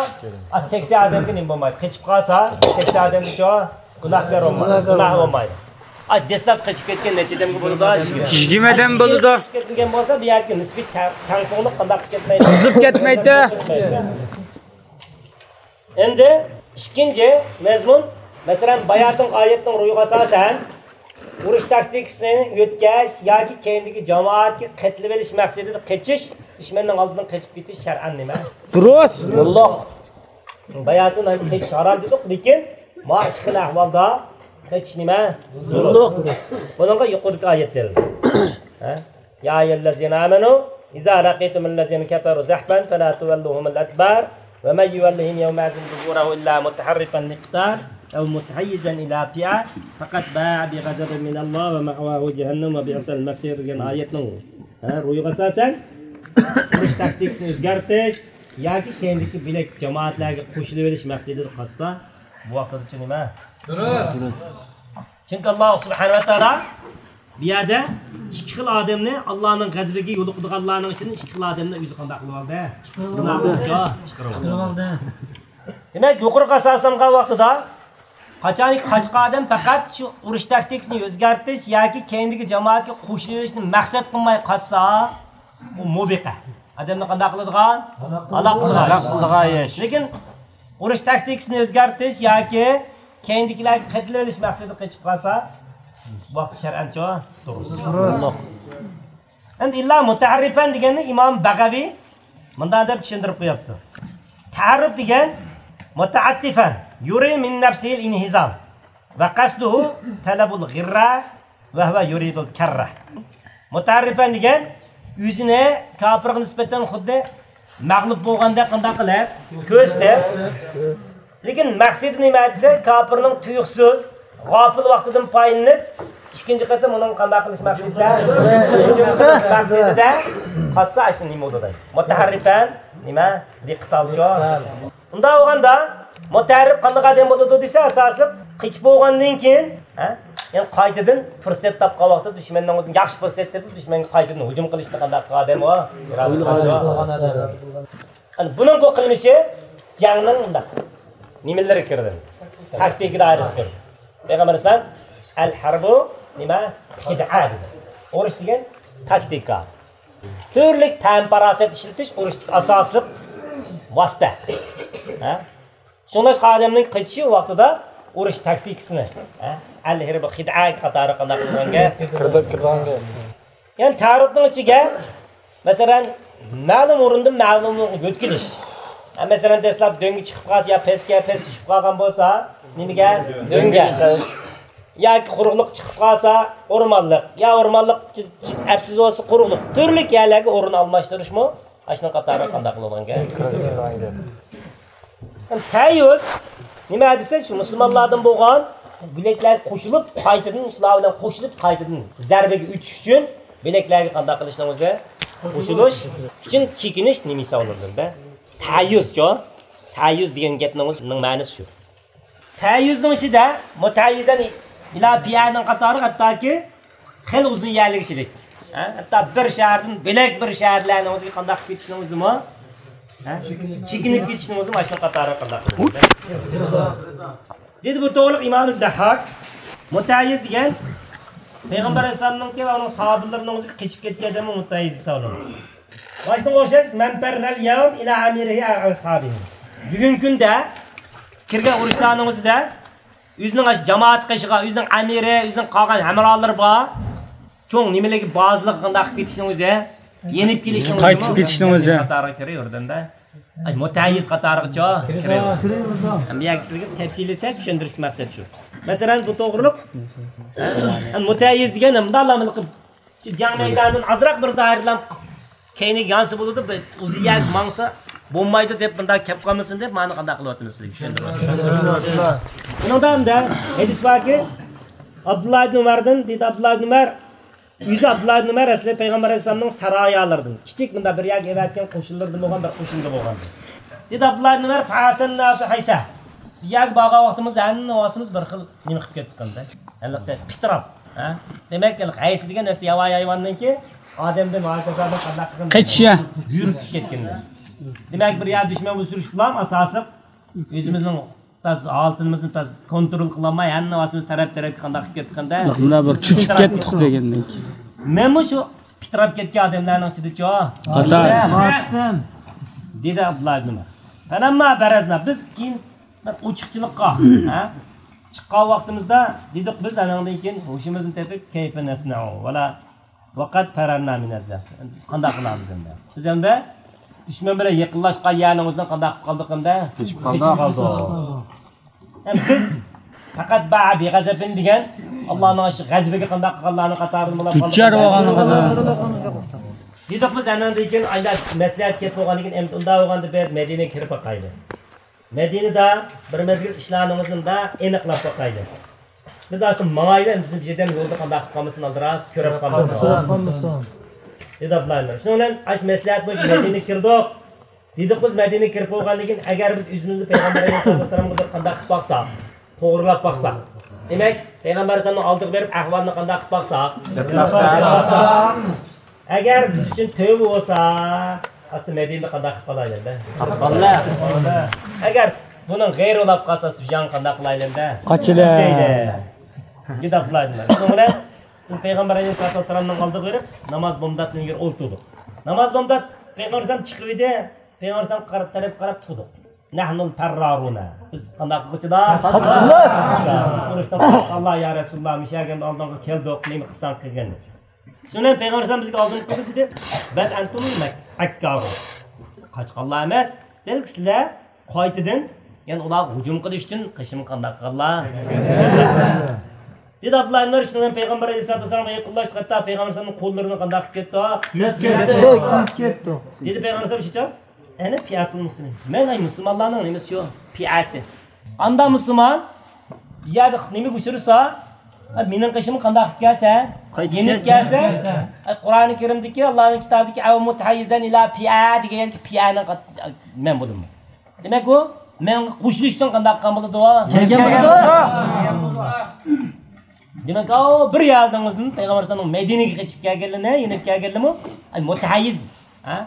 ئا، سەكسەن ئادەمگە نېمە بولمايدۇ؟ قېچىپ قالسا، سەكسەن ئادەمگىچۇ گۇناھكار بولمايدۇ. گۇناھ بولمايدۇ. ئا، دەسلەپ قېچىپ كەتكەن نەچچە ئادەمگە بولىدۇ؟ يىگىرمە ئادەم بولىدۇ. قېچىپ كەتمىگەن بولسا، بۇ يەردىكى نىسپىي تەڭ-، تەڭپۇڭلۇق قانداق قىلىپ كەتمەيدۇ؟ بۇزۇلۇپ كەتمەيدۇ. ئەمدى ئىككىنچى مەزمۇن، مەسىلەن، باياتىنقى ئايەتنىڭ روھىغا ئاساسەن، ئۇرۇش تاكتىكىسىنى يۆتكەش ياكى كەينىدىكى جامائەتكە قېتىلىۋېلىش مەقسىتىدە قېچىش، دۈشمەننىڭ ئالدىدىن قېچىپ كېتىش شەرئەن نېمە؟ دۇرۇس. يوللۇق. باياتىن قېچىش ھارام دېدۇق، لېكىن ما ئىككى خىل ئەھۋالدا قېچىش نېمە؟ يوللۇق. بۇنىڭغا يۇقىرىدىكى ئايەت دەلىل. ھە؟ يا أيها الذين آمنوا إذا لقيتم الذين كفروا زحفا فلا تولوهم الأدبار ومن يولهم يومئذ دبره إلا متحرفا لقتال أو متحيزا إلى فئة فقد باء بغضب من الله ومأواه جهنم وبئس المصير دېگەن ئايەتنىڭ، ھە، روھىغا ئاساسەن، ئۇرۇش تاكتىكىسىنى ئۆزگەرتىش ياكى كەينىدىكى بۆلەك جامائەتلەرگە قوشۇلۇۋېلىش مەقسىتىدە قاچسا، بۇ ۋاقىتتىچۇ نېمە؟ دۇرۇس. چۈنكى ئاللا سۇبھانەھۇ ۋە تائالا بۇ يەردە ئىككى خىل ئادەمنى ئاللانىڭ غەزىپىگە يولۇقىدىغانلارنىڭ ئىچىدىن ئىككى خىل ئادەمنى ئۆزى قانداق قىلىۋالدى؟ سىناپ چىقىرىۋالدى. دېمەك، يۇقىرىقى ئاساسلانغان ۋاقتىدا قاچانكى قاچقان ئادەم پەقەت شۇ ئۇرۇش تاكتىكىسىنى ئۆزگەرتىش ياكى كەينىدىكى جامائەتكە قوشۇلۇشنى مەقسەت قىلماي قاچسا، ئۇ مۇبىقە. ئادەمنى قانداق قىلىدىغان؟ ھالاك قىلىدىغان. ھالاك قىلىدىغان ئىش. لېكىن ئۇرۇش تاكتىكىسىنى ئۆزگەرتىش ياكى كەينىدىكىلەرگە قېتىلىۋېلىش مەقسىتىدە قېچىپ قالسا، بۇ ۋاقىتتا شەرئەنچۇ؟ دۇرۇس. دۇرۇس. ئەمدى ئىللا مۇتەھەررىپەن دېگەننى ئىمام بەغەۋى مۇنداق دەپ چۈشەندۈرۈپ قويۇپتۇ. تەھەررۇپ دېگەن مۇتەئەتتىفەن يۇرى مىن نەفسىھىل ئىنھىزام ۋە قەسدۇھۇ تەلەبۇل غىررە ۋە ھۇۋە يۇرىدۇل كەررە. مۇتەھەررىپەن دېگەن ئۆزىنى كاپىرغا نىسبەتەن خۇددى مەغلۇپ بولغاندەك قانداق قىلىپ كۆرسىتىپ، لېكىن مەقسىتى نېمە دېسە، كاپىرنىڭ تۇيۇقسىز، غاپىل ۋاقتىدىن پايدىلىنىپ، ئىككىنچى قېتىم ئۇنىڭ قانداق قىلىش مەقسىتىدە؟ مەقسىتىدە قالسا، ئاشۇ نېمە بولىدۇ دەي؟ مۇتەھەررىپەن، نېمە؟ دىققەت ئالچۇ. ئۇنداق بولغاندا، مۇتەھەررىپ قانداق ئادەم بولىدۇ دېسە، ئاساسلىق قېچىپ بولغاندىن كېيىن، ھە؟ يەنى قايتىدىن پۇرسەت تاپقان ۋاقىتتا دۈشمەننىڭ ئۆزىنى ياخشى پۇرسەت تېپىپ، دۈشمەنگە قايتىدىن ھۇجۇم قىلىشنى قانداق قىلغان ئادەم ئۇ؟ ئىرادە قىلغان ئادەم. ئەنە بۇنىڭ بۇ قىلمىشى جەڭنىڭ مۇنداق نېمىلىرى كىرىدۇ؟ تاكتىكا دائىرىسىگە كىرىدۇ. پەيغەمبەر ئەلەيھىسسالام، ئەل ھەربۇ نېمە؟ خىدئە دېدى. ئۇرۇش دېگەن تاكتىكا. تۈرلۈك پەن-پاراسەت ئىشلىتىش ئۇرۇشتىكى ئاساسلىق ۋاسىتە. ھە؟ شۇڭلاشقا ئادەمنىڭ قېچىشى ۋاقتىدا ئۇرۇش تاكتىكىسىنى، ھە؟ ئەل ھەربۇ خىدئە قاتارى قانداق قىلغان گەپ؟ كىرىدۇ، كىرىدىغان گەپ. يەنى تەئەررۇبنىڭ ئىچىگە، مەسىلەن، مەلۇم ئورۇندىن مەلۇم ئورۇنغا يۆتكىلىش. ھە، مەسىلەن، دەسلەپ دۆڭگە چىقىپ قالسا يا پەسكە، پەسكە چۈشۈپ قالغان بولسا، نېمىگە؟ دۆڭگە. ياكى قۇرۇقلۇق چىقىپ قالسا، ئورمانلىق. يا ئورمانلىق ئەپسىز بولسا، قۇرۇقلۇق. تۈرلۈك يەرلەرگە ئورۇن ئالماشتۇرۇشمۇ ئاشۇنىڭ قاتارىغا قانداق قىلىدىغان گەپ؟ تەييۇز نېمە دېسە، شۇ مۇسۇلمانلاردىن بولغان بۆلەكلەرگە قوشۇلۇپ، قايتىدىن شۇلار بىلەن قوشۇلۇپ، قايتىدىن زەربىگە ئۆتۈش ئۈچۈن بۆلەكلەرگە قانداق قىلىشنىڭ ئۆزى؟ قوشۇلۇش ئۈچۈن چېكىنىش نېمە ھېسابلىنىدۇ؟ تەييۇزچۇ؟ تەييۇز دېگەن گەپنىڭ ئۆزىنىڭ مەنىسى شۇ. تەييۇزنىڭ ئىچىدە مۇتەييىزەن ئىلا پىئەنىڭ قاتارى ھەتتاكى خېلى ئۇزۇن يەرلىگىچىلىك. ھە؟ ھەتتا بىر شەھەردىن بۆلەك بىر شەھەرلەرنىڭ ئۆزىگە قانداق كېتىشنىڭ ئۆزىمۇ؟ ھە؟ چېكىنىپ كېتىشنىڭ ئۆزىمۇ ئاشۇنىڭ قاتارى قانداق؟ دېدى بۇ توغرىلىق ئىمام زەھھاك، مۇتەييىز دېگەن پەيغەمبەر ئەلەيھىسسالامنىڭكى ۋە ئۇنىڭ ساھابىلىرىنىڭ ئۆزىگە قېچىپ كەتكەن ئادەممۇ مۇتەييىز ھېسابلىنىدۇ. مانا شۇنىڭغا ئوخشاش، مەن پەررەل يەۋم ئىلە ئەمىرىھى ئەۋ ئەسھابىھى. بۈگۈنكى كۈندە كىرگەن ئۇرۇشلارنىڭ ئۆزىدە ئۆزىنىڭ ئاشۇ جامائەت قېشىغا، ئۆزىنىڭ ئەمىرى، ئۆزىنىڭ قالغان ھەمراھلىرى بار چوڭ نېمىلىكى بازىلىققا قانداق قىلىپ كېتىشنىڭ ئۆزى، يېنىپ كېلىشنىڭ ئۆزى، قېچىپ كېتىشنىڭ ئۆزى قاتارىغا كىرىۋېرىدۇ-دە. ئاي، مۇتەييىز قاتارىغىچۇ كىرىۋېرىدۇ. ھەم بۇ يەرگە سىلەرگە تەپسىلىيچە چۈشەندۈرۈشتىكى مەقسەت شۇ. مەسىلەن، بۇ توغرۇلۇق مۇتەييىز دېگەن مۇنداق شۇ جەڭ مەيدانىدىن ئازراق بىر دائىرىلام كەينىگە يانسا بولىدۇ، بىر ئۇزۇن يەرگە ماڭسا بولمايدۇ دەپ، مۇنداق كەپ قالمىسۇن دەپ، مانا قانداق قىلىۋاتىمىز سىزگە چۈشەندۈرۈۋاتىمىز. بۇنىڭدا ئەمدى ھەدىس باركى، ئابدۇللا ئىبن ئۇمەردىن، دېدى ئابدۇللا ئىبن ئۇمەر، ئۆزى ئابدۇللا ئىبن ئۇمەر ئەسلى پەيغەمبەر ئەلەيھىسسالامنىڭ سارىيالىرىدىن، كىچىك مۇنداق بىر يەرگە ئەۋەتكەن قوشۇنلىرىدىن بولغان بىر قوشۇندا بولغان. دېدى ئابدۇللا ئىبن ئۇمەر، فەھەسەن ناسۇ ھەيسە. بىر يەرگە بارغان ۋاقتىمىزدا ھەممىمىز بىر خىل نېمە قىلىپ كەتتۇق ئەمدى. ھېلىقى پىتراپ، ھە؟ دېمەك، ھېلىقى ھەيسە دېگەن نەرسە ياۋايى ھايۋاندىنكى ئادەمدىن ھاكازادىن قانداق قىلغان؟ قېچىشى. يۈرۈپ كەتكەندە. دېمەك، بىر يەردە دۈشمەن بىلەن سۈرۈشۈپ بولام، ئاساسلىق ئۆزىمىزنىڭ تاز ھالىتىمىزنى تاز كونترول قىلالماي، ھەممە ۋاسىتىمىز تەرەپ-تەرەپكە قانداق قىلىپ كەتتى قانداق؟ مۇنداق بىر چۆچۈپ كەتتۇق دېگەندەك. مەنمۇ شۇ پىتراپ كەتكەن ئادەملەرنىڭ ئىچىدىچۇ. قاتار. دېدى ئابدۇللا ئىبن ئۇمەر. فەلەمما بەرەزنا، بىز كېيىن بىر ئوچۇقچىلىققا، ھە؟ چىققان ۋاقتىمىزدا دېدۇق بىز، ئاناندىن كېيىن ھوشىمىزنى تېپىپ، كەيفە نەسنەئۇ ۋەلا ۋەقەد پەرەرنا مىنەززە. بىز قانداق قىلامىز ئەمدى؟ بىز ئەمدى دۈشمەن بىلەن يېقىنلاشقان يەرنىڭ ئۆزىدىن قانداق قىلىپ قالدۇق ئەمدى؟ كېچىپ قالدۇق. كېچىپ قالدۇق. ھەم بىز پەقەت باء بىغەزەبىن دېگەن ئاللانىڭ شۇ غەزىپىگە قانداق قىلغانلارنىڭ قاتارىدا بولۇپ قالدۇق. دۇچار بولغانلىقىدا. دېدۇق بىز ئاناندىن كېيىن ئايدا مەسلىھەت كېلىپ بولغاندىن كېيىن ئەمدى ئۇنداق بولغاندا بىز مەدىنىگە كىرىپ باقايلى. مەدىنىدە بىر مەزگىل ئىشلارنىڭ ئۆزىنى ئېنىقلاپ باقايلى. بىز ئاستا ماڭايلى، بىزنى بىردەم يولدا قانداق قىلىپ قالمىسۇن، ئالدىراپ كۆرۈپ قالمىسۇن. دېدى ئابدۇللا ئىبن ئۇمەر. شۇنىڭ بىلەن ئاشۇ مەسلىھەت بويىچە مەدىنىگە كىردۇق. دېدۇق بىز مەدىنىگە كىرىپ بولغاندىن كېيىن، ئەگەر بىز ئۆزىمىزنى پەيغەمبەر ئەلەيھىسسالاتۇ ۋەسسالامغا بىر قانداق قىلىپ باقساق، توغرىلاپ باقساق. دېمەك، پەيغەمبەر ئەلەيھىسسالامنىڭ ئالدىغا بېرىپ ئەھۋالنى قانداق قىلىپ باقساق. ئەگەر بىز ئۈچۈن تۆۋە بولسا، ئاستا مەدىنىدە قانداق قىلىپ قالايلى ئەمدى؟ ئەگەر بۇنىڭ غەيرى بولاپ قالسا، بىز يەنە قانداق قىلايلى ئەمدى؟ قاچىلى. دېدى ئابدۇللا ئىبن ئۇمەر. شۇنىڭ بىلەن بىز پەيغەمبەر ئەلەيھىسسالاتۇ ۋەسسالامنىڭ ئالدىغا بېرىپ، ناماز بامداتنىڭ يېرى ئولتۇردۇق. ناماز بامدات پەيغەمبەر ئەلەيھىسسالام چىقىۋىدى، پەيغەمبەر ئەلەيھىسسالام قارا-، تەرەپكە قاراپ تۇردۇق. نەھنۇل پەررارۇنا. بىز قانداق قىلغۇچىلار؟ قاچقۇچىلار. ئۇرۇشتىن قاچقانلار، يا رەسۇلاللا، مۇشۇ يەرگە ئالدىڭغا كەلدۇق، نېمە قىلساڭ قىلغىن. شۇنىڭ بىلەن پەيغەمبەر ئەلەيھىسسالام بىزگە ئالدىن قىلدى دېدى. بەل ئەنتۇمۇل مەك-، ئەككارۇ. قاچقانلار ئەمەس، بەلكى سىلەر قايتىدىن، يەنى ئۇلارغا ھۇجۇم قىلىش ئۈچۈن قېشىمغا قانداق قىلغانلار؟ دېدى ئابدۇللا ئىبن ئۇمەر. شۇنىڭ بىلەن پەيغەمبەر ئەلەيھىسسالاتۇ ۋەسسالامغا يېقىنلاشتۇق، ھەتتا پەيغەمبەر ئەلەيھىسسالامنىڭ قوللىرىنى قانداق قىلىپ كەتتۇق؟ سۈزۈپ كەتتۇق. كەتتۇق. دېدى پەيغەمبەر ئەلەيھىسسالام شۇچە، ئەنە پىئەتۇل مۇسلىمىن. مەن ئەي مۇسۇلمانلارنىڭ نېمىسى شۇ؟ پىئەسى. ئاندا مۇسۇلمان بىر يەردە نېمىگە ئۇچرىسا، ئە، مېنىڭ قېشىمغا قانداق قىلىپ كەلسە؟ قايتىپ يېنىپ كەلسە؟ كەلسە؟ ئە، قۇرئانى كەرىمدىكى، ئاللانىڭ كىتابىدىكى «ئەۋ مۇتەھەييىزەن ئىلا پىئە» دېگەن يەردىكى پىئەنىڭ قات-، مەن بولدۇم. دېمەك، ئۇ مەن قوشۇلۇش ئۈچۈن قانداق قىلغان بولىدۇ؟ كەلگەن بولىدۇ. دېمەك، ئاۋۇ بىر يەردىن ئۆزىنىڭ پەيغەمبەر ئەلەيھىسسالام مەدىنىگە قېچىپ كەلگەنلىرىنى، يېنىپ كەلگەنلىرىمۇ، ئەي، مۇتەھەييىز، ھە؟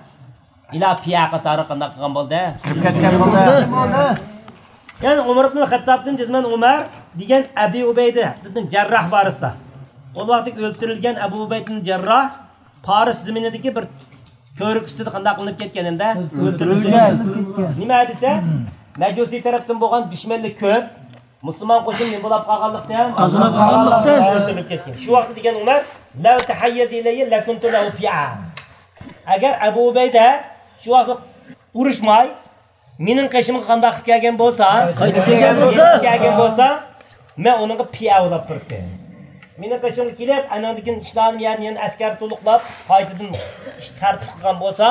ئىلا پىئە قاتارى قانداق قىلغان بولدى؟ كىرىپ كەتكەن بولدى. يەنى ئۆمەر ئىبن خەتتابتىن جەزمەن ئۆمەر دېگەن ئەبى ئۇبەيدە ئىبن جەرراھ بارىسىدا. ئۇ ۋاقىتتا ئۆلتۈرۈلگەن ئەبۇ ئۇبەيدە ئىبن جەرراھ پارس زېمىنىدىكى بىر كۆۋرۈك ئۈستىدە قانداق قىلىنىپ كەتكەن ئەمدى؟ ئۆلتۈرۈلگەن. نېمە دېسە، مەجۇسىي تەرەپتىن بولغان دۈشمەنلىك كۆپ. مۇسۇلمان قوشۇن نېمە بولۇپ قالغانلىقتىن؟ ئازلاپ قالغانلىقتىن. ئۆلتۈرۈلۈپ كەتكەن. شۇ ۋاقىتتا دېگەن ئۆمەر، «لەۋ تەھەييەزە ئىلەييە لەكۇنتۇ لەھۇ پىئە.» ئەگەر ئەبۇ ئۇبەيدە شۇ ۋاقىتتا ئۇرۇشماي، مېنىڭ قېشىمغا قانداق قىلىپ كەلگەن بولسا، قايتىپ كەلگەن بولسا، كەلگەن بولسا، مەن ئۇنىڭغا پىئە بولاپ تۇراتتىم. مېنىڭ قېشىمغا كېلىپ، ئانىڭدىن كېيىن ئىشلارنى يەنە، يەنە ئەسكەر تولۇقلاپ، قايتىدىن ئىش تەرتىپ قىلغان بولسا،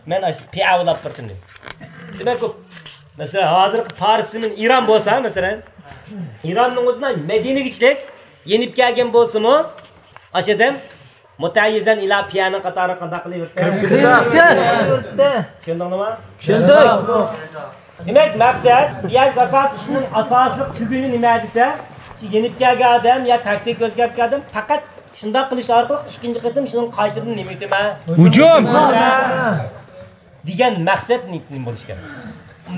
مەن ئاشۇ پىئە بولاپ تۇراتتىم. دېمەك، ئۇ، مەسىلەن، ھازىرقى پارس زېمىن ئىران بولسا، مەسىلەن، ئىراننىڭ ئۆزىنىڭ مەدىنىگىچىلىك يېنىپ كەلگەن بولسىمۇ، ئاشۇ ئادەم مۇتەھەييىزەن ئىلا پىئەنىڭ قاتارىغا قانداق قىلىۋېرىپتۇ؟ كىرىپتۇ. چۈشەندىڭلىما؟ چۈشەندۇق. دېمەك، مەقسەت، بۇ يەردىكى ئاساس ئىشنىڭ ئاساسلىق تۈگۈنى نېمە دېسە، شۇ يېنىپ كەلگەن ئادەم يا تاكتىكا ئۆزگەرتكەن ئادەم پەقەت شۇنداق قىلىش ئارقىلىق ئىككىنچى قېتىم شۇنىڭغا قايتىدىن نېمە ئېيتىمەن؟ ھۇجۇم! دېگەن مەقسەت نېمە بولۇشى كېرەك؟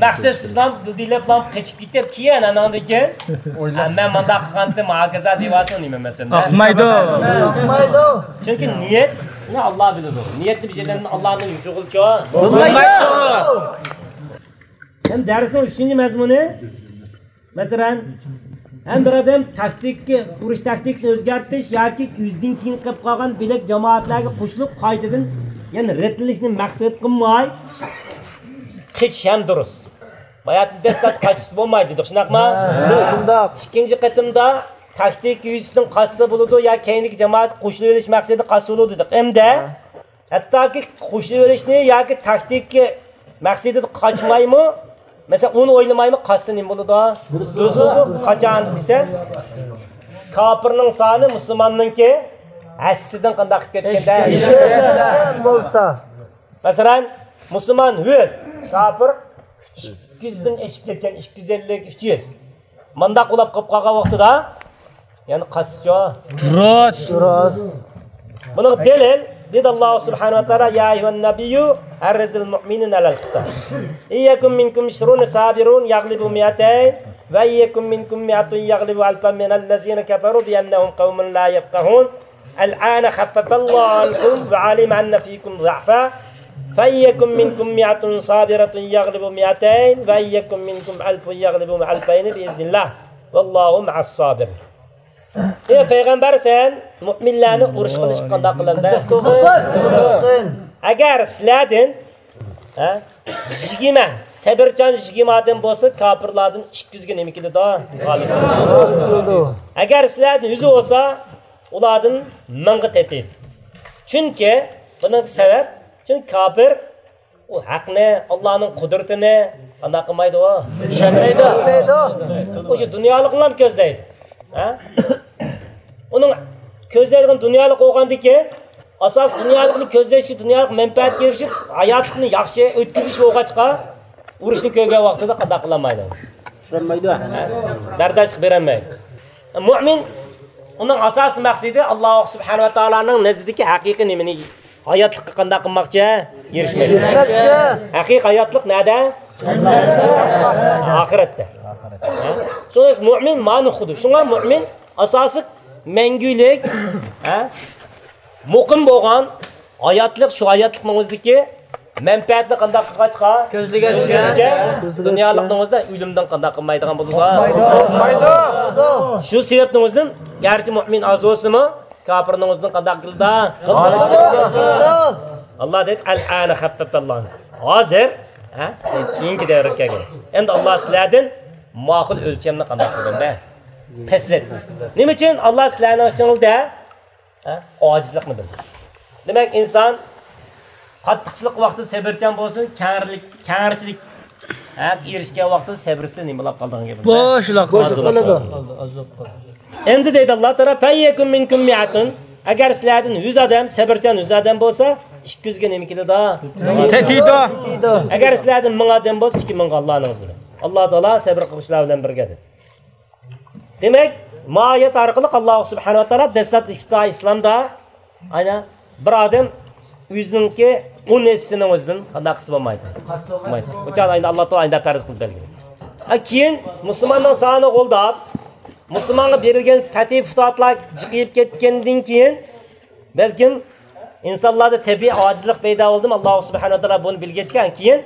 مەقسەتسىزلا، دىلدىلەپلا قېچىپ كېتىپ، كېيىن ئاناندىن كېيىن، «ھە، مەن مانداق قىلغانتىم، ھاكازا» دەۋالسا نېمە مەسىلە؟ ئاقمايدۇ. ئاقمايدۇ. چۈنكى نىيەتنى ئاللا بىلىدۇ. نىيەتنى بىلىدىغان ئاللانىڭ يوشۇرغىلى چوڭ. بولمايدۇ. ھەم دەرسنىڭ ئۈچىنچى مەزمۇنى، مەسىلەن، ھەم بىر ئادەم تاكتىكا، ئۇرۇش تاكتىكىسىنى ئۆزگەرتىش ياكى ئۆزىدىن كېيىن قېلىپ قالغان بۆلەك جامائەتلەرگە قوشۇلۇپ، قايتىدىن يەنە رەتلىنىشنى مەقسەت قىلماي، قېچىش ھەم دۇرۇس. باياتىن دەسلەپتە قاچسا بولمايدۇ دېدۇق، شۇنداقما؟ ھە، شۇنداق. ئىككىنچى قېتىمدا تاكتىكا يۈزىسىدىن قاچسا بولىدۇ يا كەينىدىكى جامائەتكە قوشۇلۇۋېلىش مەقسىتىدە قاچسا بولىدۇ دېدۇق. ئەمدى ھەتتاكى قوشۇلۇۋېلىشنى ياكى تاكتىكا مەقسىتىدە قاچمايمۇ، مەسىلەن، ئۇنى ئويلىمايمۇ قاچسا نېمە بولىدۇ؟ دۇرۇس بولىدۇ. قاچان دېسە، كاپىرنىڭ سانى مۇسۇلماننىڭكى ھەسسىدىن قانداق قىلىپ كەتكەندە؟ بولسا. مەسىلەن، مۇسۇلمان يۈز، كاپىر ئىككى يۈزدىن ئېشىپ كەتكەن، ئىككى يۈز ئەللىك، ئۈچ يۈز. مانداق ئۇلاپ قېلىپ قالغان ۋاقتىدا، يەنى قاچسىچۇ؟ دۇرۇس. دۇرۇس. بۇنىڭغا دەلىل، دېدى ئاللا سۇبھانەھۇ ۋە تائالا، يا ئەييۇھەن نەبىييۇ ھەررىزىل مۇئمىنىنە ئەلەل قىتال. ئىن يەكۇن مىنكۇم ئىشرۇنە سابىرۇن يەغلىبۇ مىئەتەين ۋە ئىن يەكۇن مىنكۇم مىئەتۇن يەغلىبۇ ئەلفەن مىنەللەزىنە كەفەرۇ بىئەننەھۇم قەۋمۇن لا يەفقەھۇن. الآن خفف الله عنكم وعلم أن فيكم ضعفا فإن يكن منكم مائة صابرة يغلبوا مائتين وإن يكن منكم ألف يغلبوا ألفين بإذن الله والله مع الصابرين. ئەي پەيغەمبەر، سەن مۇئمىنلەرنى ئۇرۇش قىلىشقا قانداق قىلامدۇ؟ ئەگەر سىلەردىن، ھە، يىگىرمە، سەبرچان يىگىرمە ئادەم بولسا، كاپىرلاردىن ئىككى يۈزگە نېمە كېلىدۇ؟ غالىب كېلىدۇ. ئەگەر سىلەردىن يۈزى بولسا، ئۇلاردىن مىڭغا تېتىيدۇ. چۈنكى، بۇنىڭ سەۋەب، چۈنكى كاپىر ئۇ ھەقنى، ئاللانىڭ قۇدرىتىنى قانداق قىلمايدۇ ئۇ؟ چۈشەنمەيدۇ. ئۇ شۇ دۇنيالىقنىلا كۆزلەيدۇ. ھە؟ ئۇنىڭ كۆزلەيدىغان دۇنيالىق بولغاندىكىن، ئاساس دۇنيالىقنى كۆزلەشى، دۇنيالىق مەنپەئەتكە ئېرىشىپ، ھاياتلىقنى ياخشى ئۆتكۈزۈش بولغاچقا، ئۇرۇشنى كۆرگەن ۋاقتىدا قانداق قىلالمايدۇ؟ چىدىمايدۇ. بەرداشلىق بېرەلمەيدۇ. مۇئمىن، ئۇنىڭ ئاساسىي مەقسىتى ئاللا سۇبھانەھۇ ۋە تائالانىڭ نەزىرىدىكى ھەقىقىي نېمىنى، ھاياتلىققا قانداق قىلماقچى؟ ئېرىشمەكچى. ئېرىشمەكچى. ھەقىقىي ھاياتلىق نەدە؟ ئاخىرەتتە. ھە؟ شۇڭا مۇئمىن مانا خۇددى. شۇڭا مۇئمىن ئاساسلىق مەڭگۈلۈك، ھە؟ مۇقىم بولغان ھاياتلىق، شۇ ھاياتلىقنىڭ ئۆزىدىكى مەنپەئەتنى قانداق قىلغاچقا؟ كۆزلىگەچكە. كۆزلىگەچكە. دۇنيالىقنىڭ ئۆزىدە ئۆلۈمدىن قانداق قىلمايدىغان بولىدۇ؟ قورقمايدۇ. شۇ سەۋەبنىڭ ئۆزىدىن، گەرچە مۇئمىن ئاز بولسىمۇ، كاپىرنىڭ ئۆزىدىن قانداق قىلىدۇ؟ غالىب كېلىدۇ. ئاللا دەيدۇ، «ئەلئانە خەففەفەللاھ.» ھازىر، ھە؟ كېيىنكى دەۋرگە كەلگەن. ئەمدى ئاللا سىلەردىن ماقۇل ئۆلچەمنى قانداق قىلدى؟ پەسلەتتى. نېمە ئۈچۈن؟ ئاللا سىلەرنىڭ ئىچىڭلاردا ھە؟ ئاجىزلىقنى بىلدى. دېمەك، ئىنسان قاتتىقچىلىق ۋاقتىدا سەۋرچان بولسۇن، كەڭرىلىك، كەڭرىچىلىك، ھە، ئېرىشكەن ۋاقتىدا سەۋرسىز نېمە بولاپ قالىدىغان گەپ. بوشلا قالىدۇ. ئاز بولاپ قالىدۇ. ئەمدى دەيدۇ ئاللا تائالا، فَإِنْ يَكُنْ مِنْكُمْ مِائَةٌ، ئەگەر سىلەردىن يۈز ئادەم سەۋرچان، يۈز ئادەم بولسا، ئىككى يۈزگە نېمە كېلىدۇ؟ تېتىيدۇ. ئەگەر سىلەردىن مىڭ ئادەم بولسا، ئىككى مىڭغا ئاللانىڭ ئىزنى بىلەن. ئاللا تائالا سەۋر قىلغۇچىلار بىلەن بىرگە دېدى. دېمەك، ما ئايەت ئارقىلىق ئاللا سۇبھانەھۇ ۋە تائالا دەسلەپتە ئىپتىدائىي ئىسلامدا، ئەنە، بىر ئادەم ئۆزىنىڭكى ئون ھەسسىسىنىڭ ئۆزىدىن قانداق قىلسا بولمايدۇ؟ بولمايدۇ. ئۇ چاغدا ئەمدى ئاللا تائالا ئەمدى پەرز قىلىپ بەرگەن. ھە، كېيىن مۇسۇلماننىڭ سانى غولداپ، مۇسۇلمانغا بېرىلگەن پەتھى پۇتۇھاتلار جىقىيىپ كەتكەندىن كېيىن، بەلكىم ئىنسانلاردا تەبىئىي ئاجىزلىق پەيدا بولدىمۇ، ئاللا سۇبھانەھۇ ۋە تائالا بۇنى بىلگەچكە، كېيىن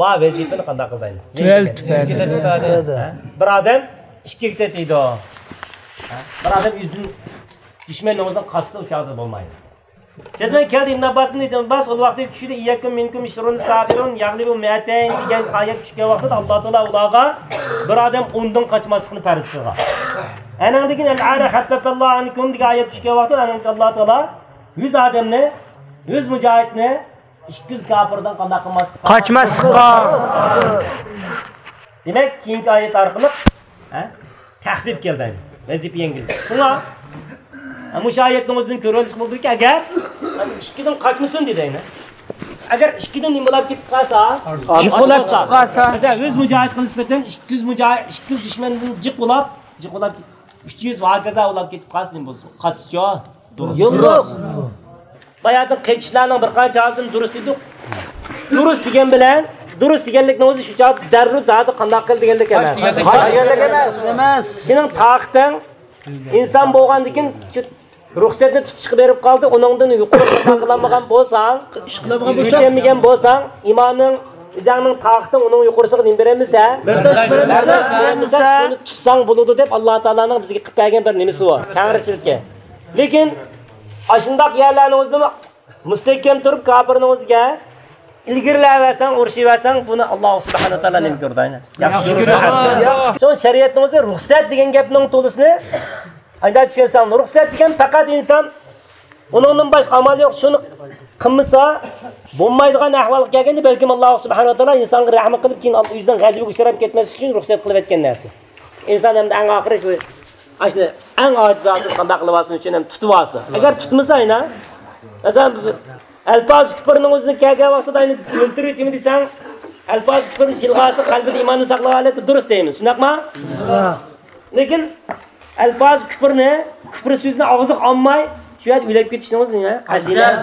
ما ۋەزىپىنى قانداق قىلدى؟ تۆۋەنلىتىپ بەردى. ھە؟ بىر ئادەم ئىككىگە تېتىيدۇ. ھە؟ بىر ئادەم ئۆزىدىن دۈشمەننىڭ ئۆزىنى قاسسا، ئۇ چاغدا بولمايدۇ. جەزمەن كەلدى ئىبن ئابباستىن، ئىبن ئابباس ئۇ ۋاقىتتا چۈشىدە، «إن يكن منكم عشرون صابرون يغلبوا مئتين» دېگەن ئايەت چۈشكەن ۋاقتىدا ئاللا تائالا ئۇلارغا بىر ئادەم ئوندىن قاچماسلىقنى پەرز قىلغان. ئەنەڭدىن كېيىن «الآن خفف الله عنكم» دېگەن ئايەت چۈشكەن ۋاقتىدا ئەنەڭدىن كېيىن ئاللا تائالا يۈز ئادەمنى، يۈز مۇجاھىدنى ئىككى يۈز كاپىردىن قانداق قىلماسلىققا؟ قاچماسلىققا. دېمەك، كېيىنكى ئايەت ئارقىلىق، ھە، تەخپىپ كەلدى، ۋەزىپە يەڭگىل. شۇڭا، ھە، مۇشۇ ئايەتنىڭ ئۆزىدىن كۆرۈۋېلىشقا بولىدۇكى، ئەگەر ئىككىدىن قاچمىسۇن دېدى، ئەگەر ئىككىدىن نېمە بولاپ كېتىپ قالسا، جىق بولاپ كېتىپ قالسا، مەسىلەن، يۈز مۇجاھىدقا نىسبەتەن ئىككى يۈز مۇجاھىد، ئىككى يۈز دۈشمەندىن جىق بولاپ، جىق بولاپ، ئۈچ يۈز ۋە ھاكازا بولاپ كېتىپ قالسا نېمە بولسۇن؟ قاچسىچۇ؟ دۇرۇس. يوللۇق. باياتىن قېچىشلارنىڭ بىر قانچە ھالىتىنى دۇرۇس دېدۇق. دۇرۇس دېگەن بىلەن، دۇرۇس دېگەنلىكنىڭ ئۆزى شۇ چاغدا دەررۇ زادى قانداق قىل دېگەنلىك ئەمەس. قاچ دېگەنلىك ئەمەس. سېنىڭ تاقىتىڭ ئىنسان بولغاندىكىن شۇ رۇخسەتنى تۇتۇشقا بېرىپ قالدى، ئۇنىڭدىن يۇقىرى قىلالمىغان بولساڭ، ئىش قىلالمىغان بولساڭ، يېتەلمىگەن بولساڭ، ئىمانىڭ، ئۆزۈڭنىڭ تاقىتىڭ ئۇنىڭ يۇقىرىسىغا نېمە بېرەلمىسە، بەرداشلىق بېرەلمىسە، بەرداشلىق بېرەلمىسە، شۇنى تۇتساڭ بولىدۇ دەپ ئاللا تائالانىڭ بىزگە قىلىپ بەرگەن بىر نېمىسى بار، تەڭرىچىلىكى. لېكىن ئاشۇنداق يەرلەرنىڭ ئۆزىدىمۇ مۇستەھكەم تۇرۇپ، كاپىرنىڭ ئۆزىگە ئىلگىرىلەۋەرسەڭ، ئۇرۇشۇۋەرسەڭ، بۇنى ئاللا سۇبھانەھۇ ۋە تائالا نېمە كۆرىدۇ؟ ياخشى كۆرىدۇ. شۇڭا شەرىئەتنىڭ ئۆزى رۇخسەت دېگەن گەپنىڭ تولىسىنى ئانداق چۈشەنسەڭ، رۇخسەت دېگەن پەقەت ئىنسان ئۇنىڭدىن باشقا ئامال يوق، شۇنى قىلمىسا بولمايدىغان ئەھۋالغا كەلگەندە، بەلكىم ئاللا سۇبھانەھۇ ۋە تائالا ئىنسانغا رەھمەت قىلىپ، كېيىن ئۆزىنىڭ غەزىپىگە ئۇچراپ كەتمەسلىك ئۈچۈن رۇخسەت قىلىۋەتكەن نەرسە. ئىنسان ئەمدى ئەڭ ئاخىرى شۇ، ئاشۇ ئەڭ ئاجىز ھالەتتە قانداق قىلىۋالسۇن ئۈچۈن ھەم تۇتۇۋالسا. ئەگەر تۇتمىسا، ئەينا، مەسىلەن، ئەلپاز كۇپرنىڭ ئۆزىنى كەلگەن ۋاقتىدا ئەينا ئۆلتۈرۈۋېتىمەن دېسەڭ، ئەلپاز كۇپرنى تىلغا ئالسا، قەلبىدە ئىماننى ساقلىغان ھالەتتە دۇرۇس دەيمىز. شۇنداقمۇ؟ لېكىن ئەلپاز كۇپرنى، كۇپر سۆزىنى ئاغزىغا ئالماي، شۇ يەردە ئۆلۈپ كېتىشنىڭ ئۆزى نېمە؟ پەزىلەت.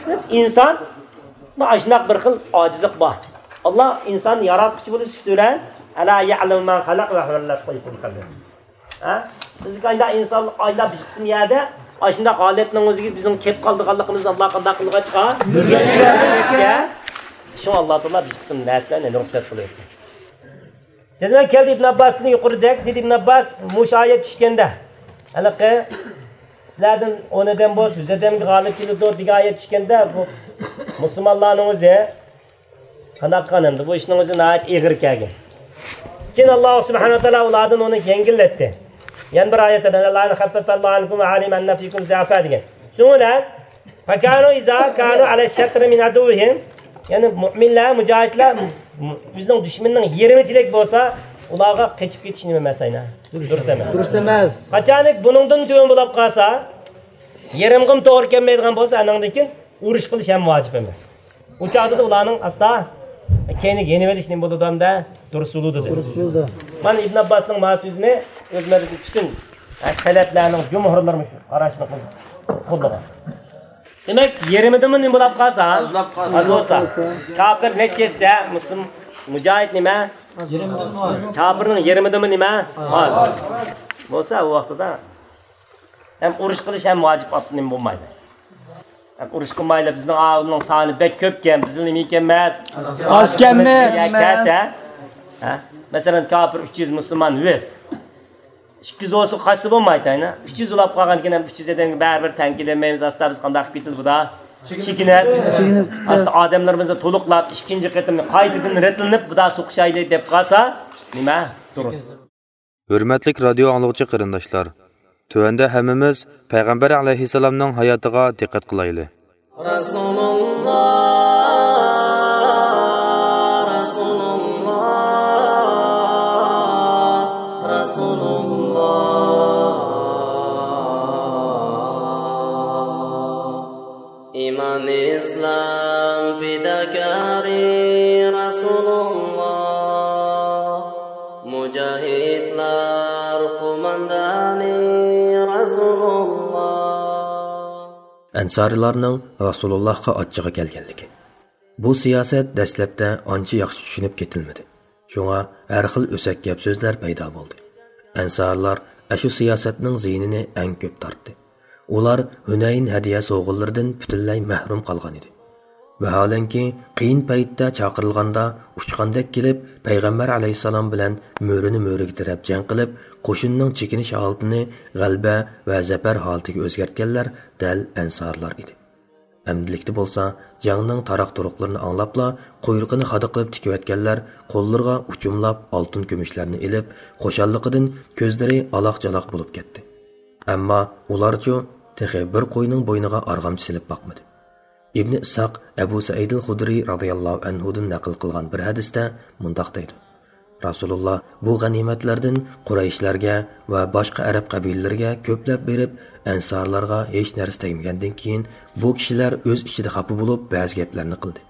بىز ئىنسان، ئاشۇنداق بىر خىل ئاجىزلىق بار. ئاللا ئىنساننى ياراتقۇچى بولۇش سۈپىتى بىلەن، «ألا يعلم من خلق وهو اللطيف الخبير». ھە؟ بىزگە ئايدا ئىنسان ئايدا بىر قىسىم يەردە ئاشۇنداق ھالەتنىڭ ئۆزىگە بىزنىڭ كەپ قالىدىغانلىقىمىزنى ئاللا قانداق قىلغاچقا؟ شۇڭا ئاللا تائالا بىر قىسىم نەرسىلەرنى رۇخسەت قىلىۋەتكەن. جەزمەن كەلدى ئىبن ئابباستىن يۇقىرىدەك، دېدى ئىبن ئابباس، مۇشۇ ئايەت چۈشكەندە، ھېلىقى سىلەردىن ئون ئادەم بولسا، يۈز ئادەمگە غالىب كېلىدۇ دېگەن ئايەت چۈشكەندە، بۇ مۇسۇلمانلارنىڭ ئۆزى قانداق قىلغان ئەمدى؟ بۇ ئىشنىڭ ئۆزى ناھايىتى ئېغىر كەلگەن. كېيىن ئاللا سۇبھانەھۇ ۋە تائالا ئۇلاردىن ئۇنى يەڭگىللەتتى. يەنە بىر ئايەتتە، «الآن خفف الله عنكم وعلم أن فيكم ضعفا» دېگەن. شۇنىڭ بىلەن، «فكانوا إذا كانوا على الشطر من عدوهم»، يەنى مۇئمىنلار، مۇجاھىدلار ئۆزىنىڭ دۈشمىنىنىڭ يېرىمىچىلىك بولسا، ئۇلارغا قېچىپ كېتىش نېمە ئەمەس، ئەينا؟ دۇرۇس ئەمەس. دۇرۇس ئەمەس. قاچانكى بۇنىڭدىن تۆۋەن بولۇپ قالسا، يېرىمغىمۇ توغرا كەلمەيدىغان بولسا، ئانىڭدىن كېيىن ئۇرۇش قىلىش ھەم ۋاجىپ ئەمەس. ئۇ چاغدا ئۇلارنىڭ ئاستا كەينىگە يېنىۋېلىش نېمە بولىدۇ ئەمدى؟ دۇرۇس بولىدۇ دېدى. دۇرۇس بولىدۇ. مانا ئىبن ئابباسنىڭ ما سۆزىنى ئۆزلىرى پۈتۈن سەلەپلەرنىڭ جۇمھۇرلىرى مۇشۇ قاراشنى قوللىغان. دېمەك، يېرىمىدىنمۇ نېمە بولاپ قالسا، ئازلاپ قالسا. ئاز بولسا، كاپىر نەچچە يەتسە، مۇسلىم، مۇجاھىد نېمە؟ يېرىمىدىنمۇ ئاز. كاپىرنىڭ يېرىمىدىنمۇ نېمە؟ ئاز. بولسا، ئۇ ۋاقتىدا ھەم ئۇرۇش قىلىش ھەم ۋاجىپ ئات نېمە بولمايدۇ. ھەم ئۇرۇش قىلمايلى، بىزنىڭ ئاۋۇلنىڭ سانى بەك كۆپكەن، بىزنىڭ نېمە ئىكەنمىز؟ ئازكەنمىز. كەلسە، ھە؟ مەسىلەن، كاپىر ئۈچ يۈز، مۇسۇلمان يۈز. ئىككى يۈز بولسا قاچسا بولمايدۇ، ئەينە. ئۈچ يۈز بولاپ قالغاندىكىن ھەم ئۈچ يۈز ئادەمگە بەرىبىر تەڭ كېلەلمەيمىز. ئاستا بىز قانداق قىلىپ كېتىلدى بۇدا؟ چېكىنىپ. چېكىنىپ. ئاستا ئادەملىرىمىزنى تولۇقلاپ، ئىككىنچى قېتىم قايتىدىن رەتلىنىپ، بۇدا سوقۇشايلى دەپ قالسا، نېمە؟ دۇرۇس. ھۆرمەتلىك رادىيو ئاڭلىغۇچى قېرىنداشلار، تۆۋەندە ھەممىمىز پەيغەمبەر ئەلەيھىسسالامنىڭ ھاياتىغا دىققەت قىلايلى. رەسۇلۇللا، رەسۇلۇللا، رەسۇلۇللا. ئەنسارىيلارنىڭ رەسۇلۇللاھقا ئاچچىقى كەلگەنلىكى. بۇ سىياسەت دەسلەپتە ئانچە ياخشى چۈشىنىپ كېتىلمىدى. شۇڭا ھەر خىل ئۆسەك گەپ-سۆزلەر پەيدا بولدى. ئەنسارىيلار ئاشۇ سىياسەتنىڭ زىيىنىنى ئەڭ كۆپ تارتتى. ئۇلار ھۈنەين ھەدىيە سوۋغىلىرىدىن پۈتۈنلەي مەھرۇم قالغان ئىدى. ۋەھالەنكى، قىيىن پەيتتە چاقىرىلغاندا ئۇچقاندەك كېلىپ، پەيغەمبەر ئەلەيھىسسالام بىلەن مۈرىنى مۈرىگە تىرەپ جەڭ قىلىپ، قوشۇننىڭ چېكىنىش ھالىتىنى غەلىبە ۋە زەپەر ھالىتىگە ئۆزگەرتكەنلەر دەل ئەنسارلار ئىدى. ئەمدىلىكتە بولسا، جەڭنىڭ تاراق-تۇرۇقلىرىنى ئاڭلاپلا، قۇيرۇقىنى خادا قىلىپ تىكىۋەتكەنلەر قوللىرىغا ئۇچۇملاپ ئالتۇن-كۈمۈشلەرنى ئېلىپ، خۇشاللىقىدىن كۆزلىرى ئالاق-چالاق بولۇپ كەتتى. ئەمما ئۇلارچۇ تېخى بىر قوينىڭ بوينىغا ئارغامچا سېلىپ باقمىدى. ئىبنى ئىسھاق ئەبۇ سەئىدىل خۇدرى رازىياللاھۇ ئەنھۇدىن نەقىل قىلغان بىر ھەدىستە مۇنداق دەيدۇ: رەسۇلۇللا بۇ غەنىيمەتلەردىن قۇرەيشلەرگە ۋە باشقا ئەرەب قەبىلىلىرىگە كۆپلەپ بېرىپ، ئەنسارلارغا ھېچ نەرسە تەگمىگەندىن كېيىن، بۇ كىشىلەر ئۆز ئىچىدە خاپا بولۇپ، بەزى گەپلەرنى قىلدى.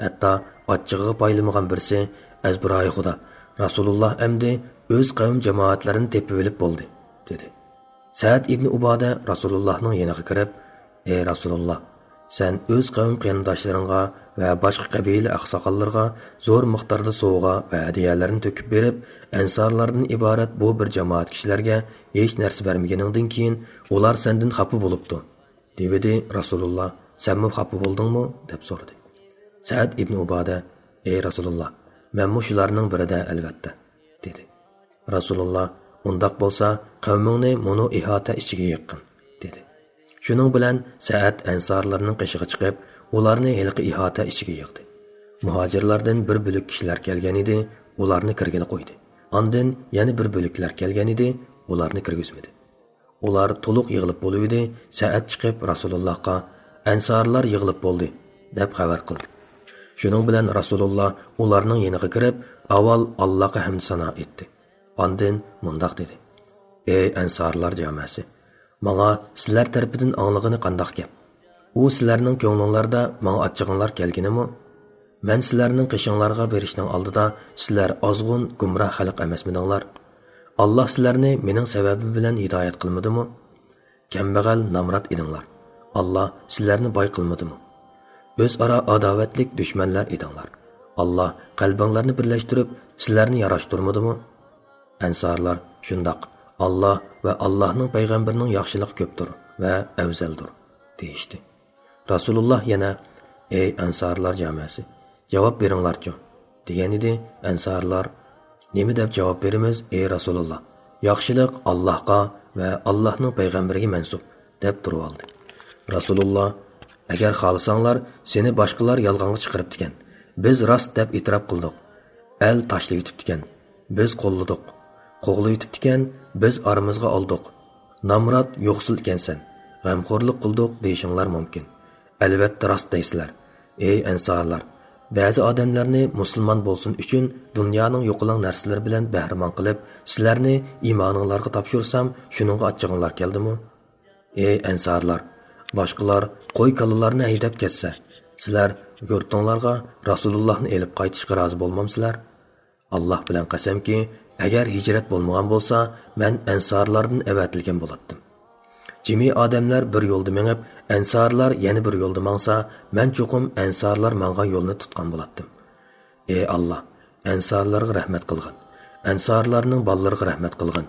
ھەتتا ئاچچىقىغا پايلىمىغان بىرسى، ئەزبىرايى خۇدا، رەسۇلۇللا ئەمدى ئۆز قەۋم جامائەتلىرىنى تېپىۋېلىپ بولدى، دېدى. سەئەد ئىبنى ئۇبادە رەسۇلۇللانىڭ يېنىغا كىرىپ، ئەي رەسۇلۇللا، سەن ئۆز قەۋم قېرىنداشلىرىڭغا ۋە باشقا قەبىلە ئاقساقاللىرىغا زور مىقداردا سوۋغا ۋە ھەدىيەلەرنى تۆكۈپ بېرىپ، ئەنسارلاردىن ئىبارەت بۇ بىر جامائەت كىشىلەرگە ھېچ نەرسە بەرمىگىنىڭدىن كېيىن، ئۇلار سەندىن خاپا بولۇپتۇ، دېۋىدى. رەسۇلۇللا، سەنمۇ خاپا بولدۇڭمۇ؟ دەپ سورىدى. سەئەد ئىبنى ئۇبادە، ئەي رەسۇلۇللا، مەنمۇ شۇلارنىڭ بىرىدە ئەلۋەتتە، دېدى. رەسۇلۇللا، ئۇنداق بولسا، قەۋمىڭنى مۇنۇ ئىھاتە ئىچىگە يىغقىن، دېدى. شۇنىڭ بىلەن سەئەد ئەنسارلارنىڭ قېشىغا چىقىپ، ئۇلارنى ھېلىقى ئىھاتە ئىچىگە يىغدى. مۇھاجىرلاردىن بىر بۆلەك كىشىلەر كەلگەن ئىدى، ئۇلارنى كىرگىلى قويدى. ئاندىن يەنە بىر بۆلەكلەر كەلگەن ئىدى، ئۇلارنى كىرگۈزمىدى. ئۇلار تولۇق يىغىلىپ بولۇۋىدى، سەئەد چىقىپ رەسۇلۇللاھقا، ئەنسارلار يىغىلىپ بولدى، دەپ خەۋەر قىلدى. شۇنىڭ بىلەن رەسۇلۇللا ئۇلارنىڭ يېنىغا كىرىپ، ئاۋۋال ئاللاھقا ھەمد سانا ئېيتتى. ئاندىن مۇنداق دېدى: ئەي ئەنسارلار جامەسى! ماڭا سىلەر تەرىپىدىن ئاڭلىغىنى قانداق گەپ؟ ئۇ سىلەرنىڭ كۆڭلۈڭلاردا ماڭا ئاچچىقىڭلار كەلگىنىمۇ؟ مەن سىلەرنىڭ قېشىڭلارغا بېرىشنىڭ ئالدىدا سىلەر ئازغۇن، گۇمراھ خەلق ئەمەسمىدىڭلار؟ ئاللاھ سىلەرنى مېنىڭ سەۋەبىم بىلەن ھىدايەت قىلمىدىمۇ؟ كەمبەغەل، نامرات ئىدىڭلار. ئاللاھ سىلەرنى باي قىلمىدىمۇ؟ ئۆزئارا ئاداۋەتلىك دۈشمەنلەر ئىدىڭلار. ئاللاھ قەلبىڭلارنى بىرلەشتۈرۈپ، سىلەرنى ياراشتۇرمىدىمۇ؟ ئەنسارلار، شۇنداق، ئاللاھ ۋە ئاللاھنىڭ پەيغەمبىرىنىڭ ياخشىلىقى كۆپتۇر ۋە ئەۋزەلدۇر، دېيىشتى. رەسۇلۇللاھ يەنە، ئەي ئەنسارلار جامەسى، جاۋاب بېرىڭلارچۇ، دېگەنىدى. ئەنسارلار، نېمە دەپ جاۋاب بېرىمىز، ئەي رەسۇلۇللاھ؟ ياخشىلىق ئاللاھقا ۋە ئاللاھنىڭ پەيغەمبىرىگە مەنسۇپ، دەپ تۇرۇۋالدى. رەسۇلۇللاھ، ئەگەر خالىساڭلار، سېنى باشقىلار يالغانغا چىقىرىپتىكەن، بىز راست دەپ ئېتىراپ قىلدۇق. ئەل تاشلىۋېتىپتىكەن، بىز قوللىدۇق. قوغلىۋېتىپتىكەن، بىز ئارىمىزغا ئالدۇق. نامرات، يوقسۇل ئىكەنسەن، غەمخورلۇق قىلدۇق دېيىشىڭلار مۇمكىن. ئەلۋەتتە راست دەيسىلەر، ئەي ئەنسارلار! بەزى ئادەملەرنى مۇسۇلمان بولسۇن ئۈچۈن دۇنيانىڭ يوقىلاڭ نەرسىلىرى بىلەن بەھرىمەن قىلىپ، سىلەرنى ئىمانىڭلارغا تاپشۇرسام، شۇنىڭغا ئاچچىقىڭلار كەلدىمۇ؟ ئەي ئەنسارلار! باشقىلار قوي-كالىلارنى ھەيدەپ كەتسە، سىلەر يۇرتۇڭلارغا رەسۇلۇللاھنى ئېلىپ قايتىشقا رازى بولمامسىلەر؟ ئاللاھ بىلەن قەسەمكى، ئەگەر ھىجرەت بولمىغان بولسا، مەن ئەنسارلاردىن ئەۋەتىلگەن بولاتتىم. جىمى ئادەملەر بىر يولدا مېڭىپ، ئەنسارلار يەنە بىر يولدا ماڭسا، مەن چوقۇم ئەنسارلار ماڭغان يولنى تۇتقان بولاتتىم. ئەي ئاللاھ، ئەنسارلارغا رەھمەت قىلغىن، ئەنسارلارنىڭ بالىلىرىغا رەھمەت قىلغىن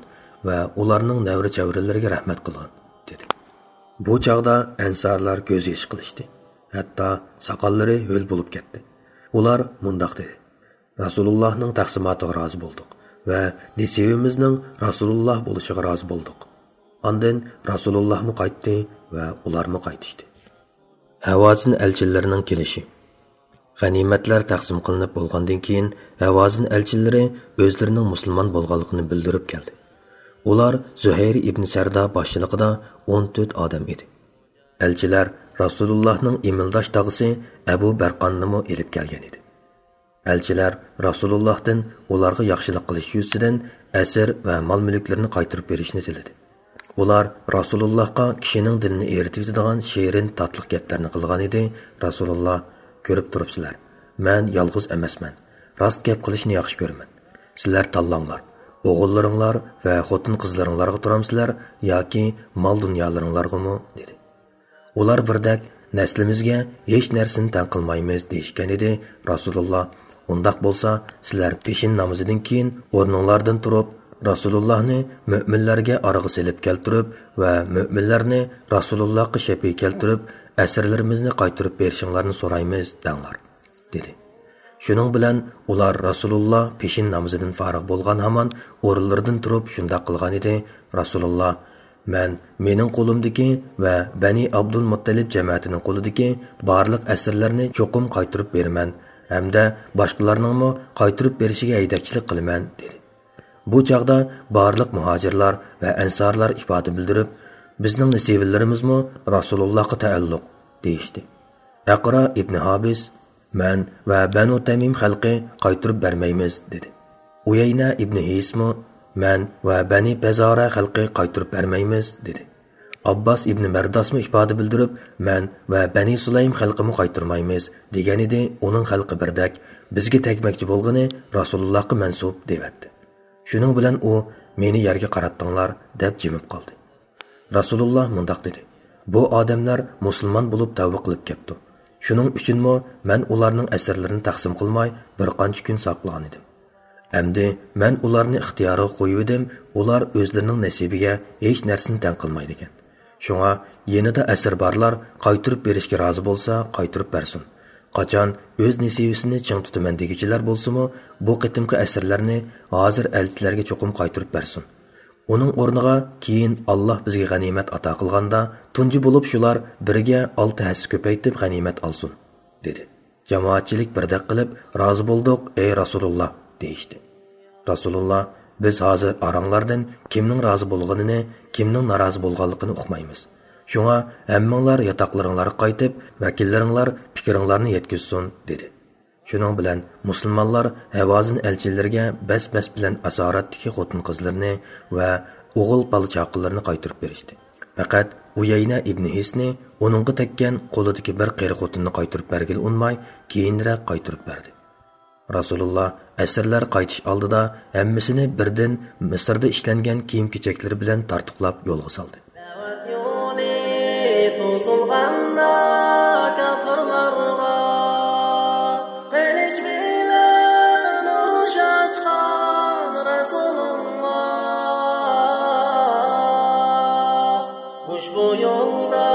ۋە ئۇلارنىڭ نەۋرە-چەۋرىلىرىگە رەھمەت قىلغىن، دېدى. بۇ چاغدا ئەنسارلار كۆز يېشى قىلىشتى، ھەتتا ساقاللىرى ھۆل بولۇپ كەتتى. ئۇلار مۇنداق دېدى: رەسۇلۇللاھنىڭ تەقسىماتىغا رازى بولدۇق ۋە نېسىۋىمىزنىڭ رەسۇلۇللاھ بولۇشىغا رازى بولدۇق. ئاندىن رەسۇلۇللاھمۇ قايتتى ۋە ئۇلارمۇ قايتىشتى. ھاۋازىن ئەلچىلىرىنىڭ كېلىشى. غەنىيمەتلەر تەقسىم قىلىنىپ بولغاندىن كېيىن، ھاۋازىن ئەلچىلىرى ئۆزلىرىنىڭ مۇسۇلمان بولغانلىقىنى بىلدۈرۈپ كەلدى. ئۇلار زۇھەير ئىبنى سەردا باشچىلىقىدا ئون تۆت ئادەم ئىدى. ئەلچىلەر رەسۇلۇللاھنىڭ ئىمىلداش تاغىسى ئەبۇ بەرقاننىمۇ ئېلىپ كەلگەن ئىدى. ئەلچىلەر رەسۇلۇللاھتىن ئۇلارغا ياخشىلىق قىلىش يۈزىسىدىن ئەسىر ۋە مال-مۈلۈكلىرىنى قايتۇرۇپ بېرىشنى تىلىدى. ئۇلار رەسۇلۇللاھقا كىشىنىڭ دىلىنى ئېرىتىۋېتىدىغان شېرىن، تاتلىق گەپلەرنى قىلغان ئىدى. رەسۇلۇللاھ، كۆرۈپ تۇرۇپسىلەر، مەن يالغۇز ئەمەسمەن. راست گەپ قىلىشنى ياخشى كۆرىمەن. سىلەر تاللاڭلار، ئوغۇللىرىڭلار ۋە خوتۇن-قىزلىرىڭلارغا تۇرامسىلەر ياكى مال-دۇنيالىرىڭلارغىمۇ؟ دېدى. ئۇلار بىردەك، نەسلىمىزگە ھېچ نەرسىنى تەڭ قىلمايمىز دېيىشكەن ئىدى. رەسۇلۇللا، ئۇنداق بولسا، سىلەر پېشىن نامىزىدىن كېيىن ئورنۇڭلاردىن تۇرۇپ، رەسۇلۇللانى مۆمىنلەرگە ئارىغا سېلىپ كەلتۈرۈپ ۋە مۆمىنلەرنى رەسۇلۇللاغا شەپىئىي كەلتۈرۈپ، ئەسىرلىرىمىزنى قايتۇرۇپ بېرىشىڭلارنى سورايمىز، دەڭلار، دېدى. شۇنىڭ بىلەن ئۇلار رەسۇلۇللا پېشىن نامىزىدىن فارىغ بولغان ھامان ئورۇنلىرىدىن تۇرۇپ شۇنداق قىلغان ئىدى. رەسۇلۇللا، مەن مېنىڭ قولۇمدىكى ۋە بەنى ئابدۇلمۇتتەلىپ جەمەتىنىڭ قولىدىكى بارلىق ئەسىرلەرنى چوقۇم قايتۇرۇپ بېرىمەن ھەمدە باشقىلارنىڭمۇ قايتۇرۇپ بېرىشىگە ھەيدەكچىلىك قىلىمەن، دېدى. بۇ چاغدا بارلىق مۇھاجىرلار ۋە ئەنسارلار ئىپادە بىلدۈرۈپ، بىزنىڭ نېسىۋىلىرىمىزمۇ رەسۇلۇللاغا تەئەللۇق، دېيىشتى. ئەقرا ئىبنى ھابىس، مەن ۋە بەنۇ تەمىم خەلقى قايتۇرۇپ بەرمەيمىز، دېدى. ئۇيەينە ئىبنى ھىسمۇ، مەن ۋە بەنى پەزارە خەلقى قايتۇرۇپ بەرمەيمىز، دېدى. ئابباس ئىبنى مەرداسمۇ ئىپادە بىلدۈرۈپ، مەن ۋە بەنى سۇلەيم خەلقىمۇ قايتۇرمايمىز، دېگەنىدى. ئۇنىڭ خەلقى بىردەك، بىزگە تەگمەكچى بولغىنى رەسۇلۇللاغا مەنسۇپ، دېۋەتتى. شۇنىڭ بىلەن ئۇ مېنى يەرگە قاراتتىڭلار، دەپ جىمىپ قالدى. رەسۇلۇللا مۇنداق دېدى، بۇ ئادەملەر مۇسۇلمان بولۇپ تەۋبە قىلىپ كەپتۇ. شۇنىڭ ئۈچۈنمۇ مەن ئۇلارنىڭ ئەسىرلىرىنى تەقسىم قىلماي بىر قانچە كۈن ساقلىغانىدىم. ئەمدى مەن ئۇلارنى ئىختىيارىغا قويۇۋىدىم، ئۇلار ئۆزلىرىنىڭ نېسىبىگە ھېچ نەرسىنى تەڭ قىلمايدىكەن. شۇڭا يېنىدا ئەسىر بارلار قايتۇرۇپ بېرىشكە رازى بولسا قايتۇرۇپ بەرسۇن. قاچان ئۆز نېسىۋىسىنى چىڭ تۇتىمەن دېگۈچىلەر بولسىمۇ، بۇ قېتىمقى ئەسىرلەرنى ھازىر ئەلچىلەرگە چوقۇم قايتۇرۇپ بەرسۇن. ئۇنىڭ ئورنىغا كېيىن ئاللاھ بىزگە غەنىيمەت ئاتا قىلغاندا، تۇنجى بولۇپ شۇلار بىرگە ئالتە ھەسسە كۆپەيتىپ غەنىيمەت ئالسۇن، دېدى. جامائەتچىلىك بىردەك قىلىپ، رازى بولدۇق، ئەي رەسۇلۇللا، دېيىشتى. رەسۇلۇللا، بىز ھازىر ئاراڭلاردىن كىمنىڭ رازى بولغىنىنى، كىمنىڭ نارازى بولغانلىقىنى ئۇقمايمىز. شۇڭا ھەممىڭلار ياتاقلىرىڭلارغا قايتىپ، ۋەكىللىرىڭلار پىكرىڭلارنى يەتكۈزسۇن، دېدى. شۇنىڭ بىلەن مۇسۇلمانلار ھەۋازىن ئەلچىلىرىگە بەس-بەس بىلەن ئاسارەتتىكى خوتۇن-قىزلىرىنى ۋە ئوغۇل بالا-چاقىلىرىنى قايتۇرۇپ بېرىشتى. پەقەت ئۇيەينە ئىبنى ھىسنى ئۇنىڭغا تەگكەن قولىدىكى بىر قېرى خوتۇننى قايتۇرۇپ بەرگىلى ئۇنىماي، كېيىنرەك قايتۇرۇپ بەردى. رەسۇلۇللا ئەسىرلەر قايتىش ئالدىدا ھەممىسىنى بىردىن مىسىردا ئىشلەنگەن كىيىم-كېچەكلىرى بىلەن تارتۇقلاپ يولغا سالدى. دەۋەت يولى توسۇلغاندا كاپىرلارغا، قىلىچ بىلەن ئۇرۇش ئاچقان رەسۇلۇللا. ئۇشبۇ يولدا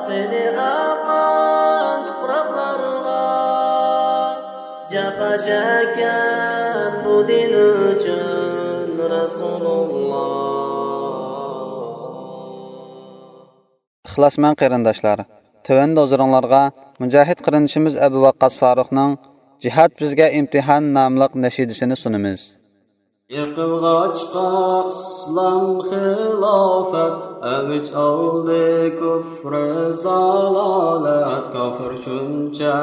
قېنى ئاققان تۇپراقلارغا، جاپا چەككەن بۇ دىن ئۈچۈن رەسۇلۇللا. ئىخلاسمەن قېرىنداشلار، تۆۋەندە ھۇزۇرۇڭلارغا مۇجاھىد قېرىندىشىمىز ئەبۇ ۋەققاس فاروقنىڭ جىھاد بىزگە ئىمتىھان ناملىق نەشىدىسىنى سۇنىمىز. يىقىلغاچقا ئىسلام خىلاپەت، ئەۋج ئالدى كۇفرى زالالەت. كافىر شۇنچە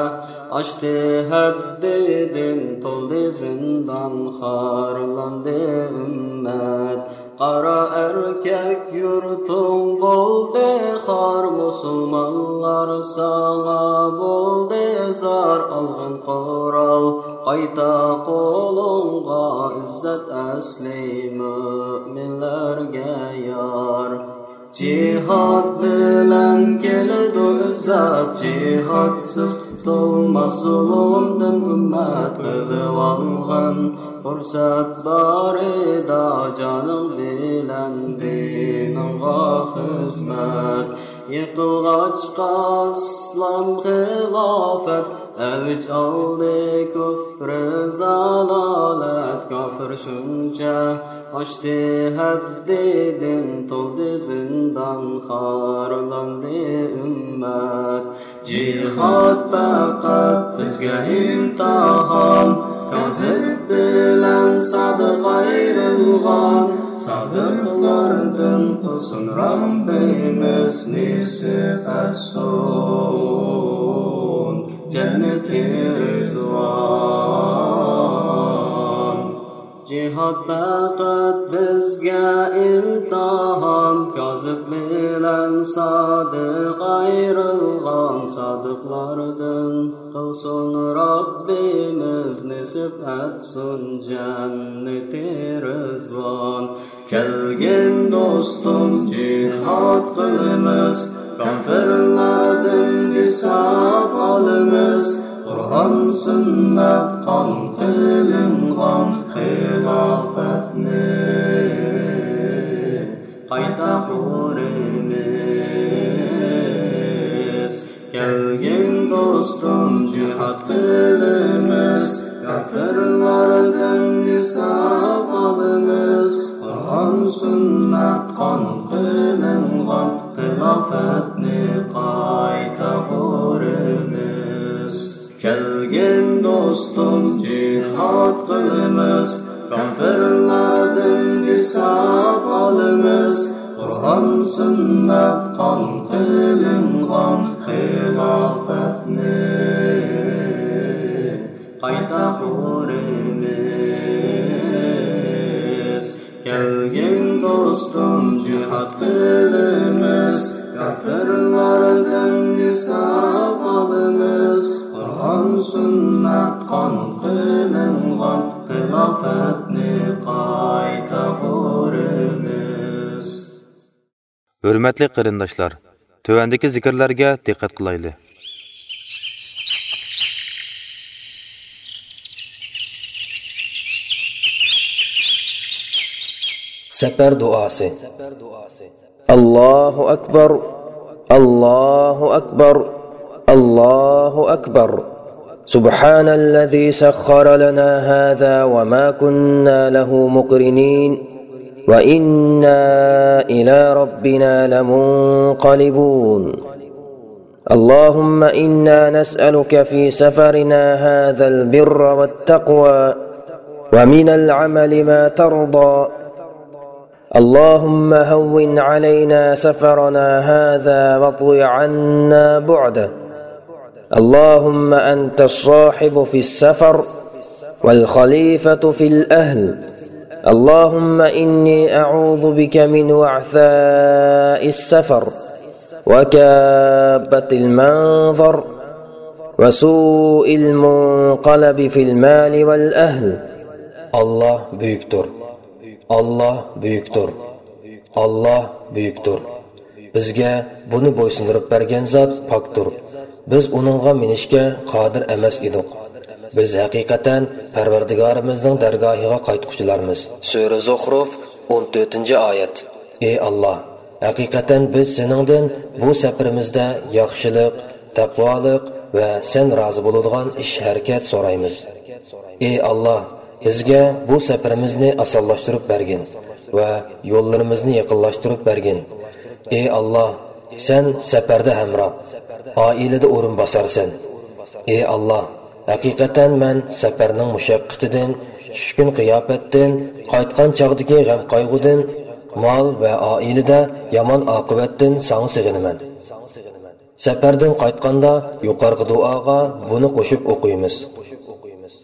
ئاشتى ھەددىدىن، تولدى زىندان، خارلاندى ئۈممەت. قارا ئەركەك يۇرتۇڭ بولدى خار، مۇسۇلمانلار ساڭا بولدى زار. ئالغىن قورال قايتا قولۇڭغا، ئىززەت ئەسلى مۆمىنلەرگە يار. جىھاد بىلەن كېلىدۇ ئىززەت، جىھادسىز قۇتۇلماس زۇلۇمدىن ئۈممەت. قىلىۋالغىن پۇرسەت بارىدا، جانىڭ بىلەن دىنىڭغا خىزمەت. يىقىلغاچقا ئىسلام خىلاپەت، ئەۋج ئالدى كۇفرى زالالەت. كافىر شۇنچە ئاشتى ھەددىدىن، تولدى زىندان، خارلاندى ئۈممەت. جىھاد پەقەت بىزگە ئىمتىھان، كازىب بىلەن سادىق ئايرىلغان. سادىقلاردىن قىلسۇن رەببىمىز نېسىپ ئەتسۇن جەننىتى رىزۋان. جىھاد پەقەت بىزگە ئىمتىھان، كازىب بىلەن سادىق ئايرىلغان. سادىقلاردىن قىلسۇن رەببىمىز، نېسىپ ئەتسۇن جەننىتى رىزۋان. كەلگىن دوستۇم، جىھاد قىلىمىز، كاپىرلاردىن ھېساب ئالىمىز، قۇرئان سۈننەت قان قىلىنغان خىلاپەتنى قايتا قۇرىمىز. كەلگىن دوستۇم، جىھاد قىلىمىز، كاپىرلاردىن ھېساب ئالىمىز، قۇرئان سۈننەت قان قىلىنغان خىلاپەتنى قايتا قۇرىمىز. كەلگىن دوستۇم، جىھاد قىلىمىز، كاپىرلاردىن ھېساب ئالىمىز، قۇرئان سۈننەت قان قىلىنغان خىلاپەتنى قايتا قۇرىمىز. كەلگىن دوستۇم، جىھاد قىلىمىز، كاپىرلاردىن ھېساب ئالىمىز، قۇرئان سۈننەت قان قىلىنغان خىلاپەتنى قايتا قۇرىمىز. ھۆرمەتلىك قېرىنداشلار، تۆۋەندىكى زىكىرلەرگە دىققەت قىلايلى. سەپەر دۇئاسى. الله أكبر، الله أكبر، الله أكبر. سبحان الذي سخر لنا هذا وما كنا له مقرنين، وإنا إلى ربنا لمنقلبون. اللهم إنا نسألك في سفرنا هذا البر والتقوى، ومن العمل ما ترضى. اللهم هون علينا سفرنا هذا واطو عنا بعده. اللهم أنت الصاحب في السفر والخليفة في الأهل. اللهم إني أعوذ بك من وعثاء السفر وكآبة المنظر وسوء المنقلب في المال والأهل. ئاللاھ بۈيۈكتۇر. ئاللاھ بۈيۈكتۇر. ئاللاھ بۈيۈكتۇر. بىزگە بۇنى بويسۇندۇرۇپ بەرگەن زات پاكتۇر. بىز ئۇنىڭغا مىنىشكە قادىر ئەمەس ئىدۇق. بىز ھەقىقەتەن پەرۋەردىگارىمىزنىڭ دەرگاھىغا قايتقۇچىلارمىز. سۈرە زۇخرۇف، ئون تۆتىنچى ئايەت. ئى ئاللاھ، ھەقىقەتەن بىز سېنىڭدىن بۇ سەپىرىمىزدە ياخشىلىق، تەقۋالىق ۋە سەن رازى بولىدىغان ئىش-ھەرىكەت سورايمىز. ئى ئاللاھ، بىزگە بۇ سەپىرىمىزنى ئاسانلاشتۇرۇپ بەرگىن ۋە يوللىرىمىزنى يېقىنلاشتۇرۇپ بەرگىن. ئى ئاللاھ، سەن سەپەردە ھەمراھ، ئائىلىدە ئورۇن باسارسەن. ئى ئاللاھ، ھەقىقەتەن مەن سەپەرنىڭ مۇشەققىتىدىن، چۈشكۈن قىياپەتتىن، قايتقان چاغدىكى غەم-قايغۇدىن، مال ۋە ئائىلىدە يامان ئاقىۋەتتىن ساڭا سېغىنىمەن. سەپەردىن قايتقاندا يۇقىرىقى دۇئاغا بۇنى قوشۇپ ئوقۇيمىز.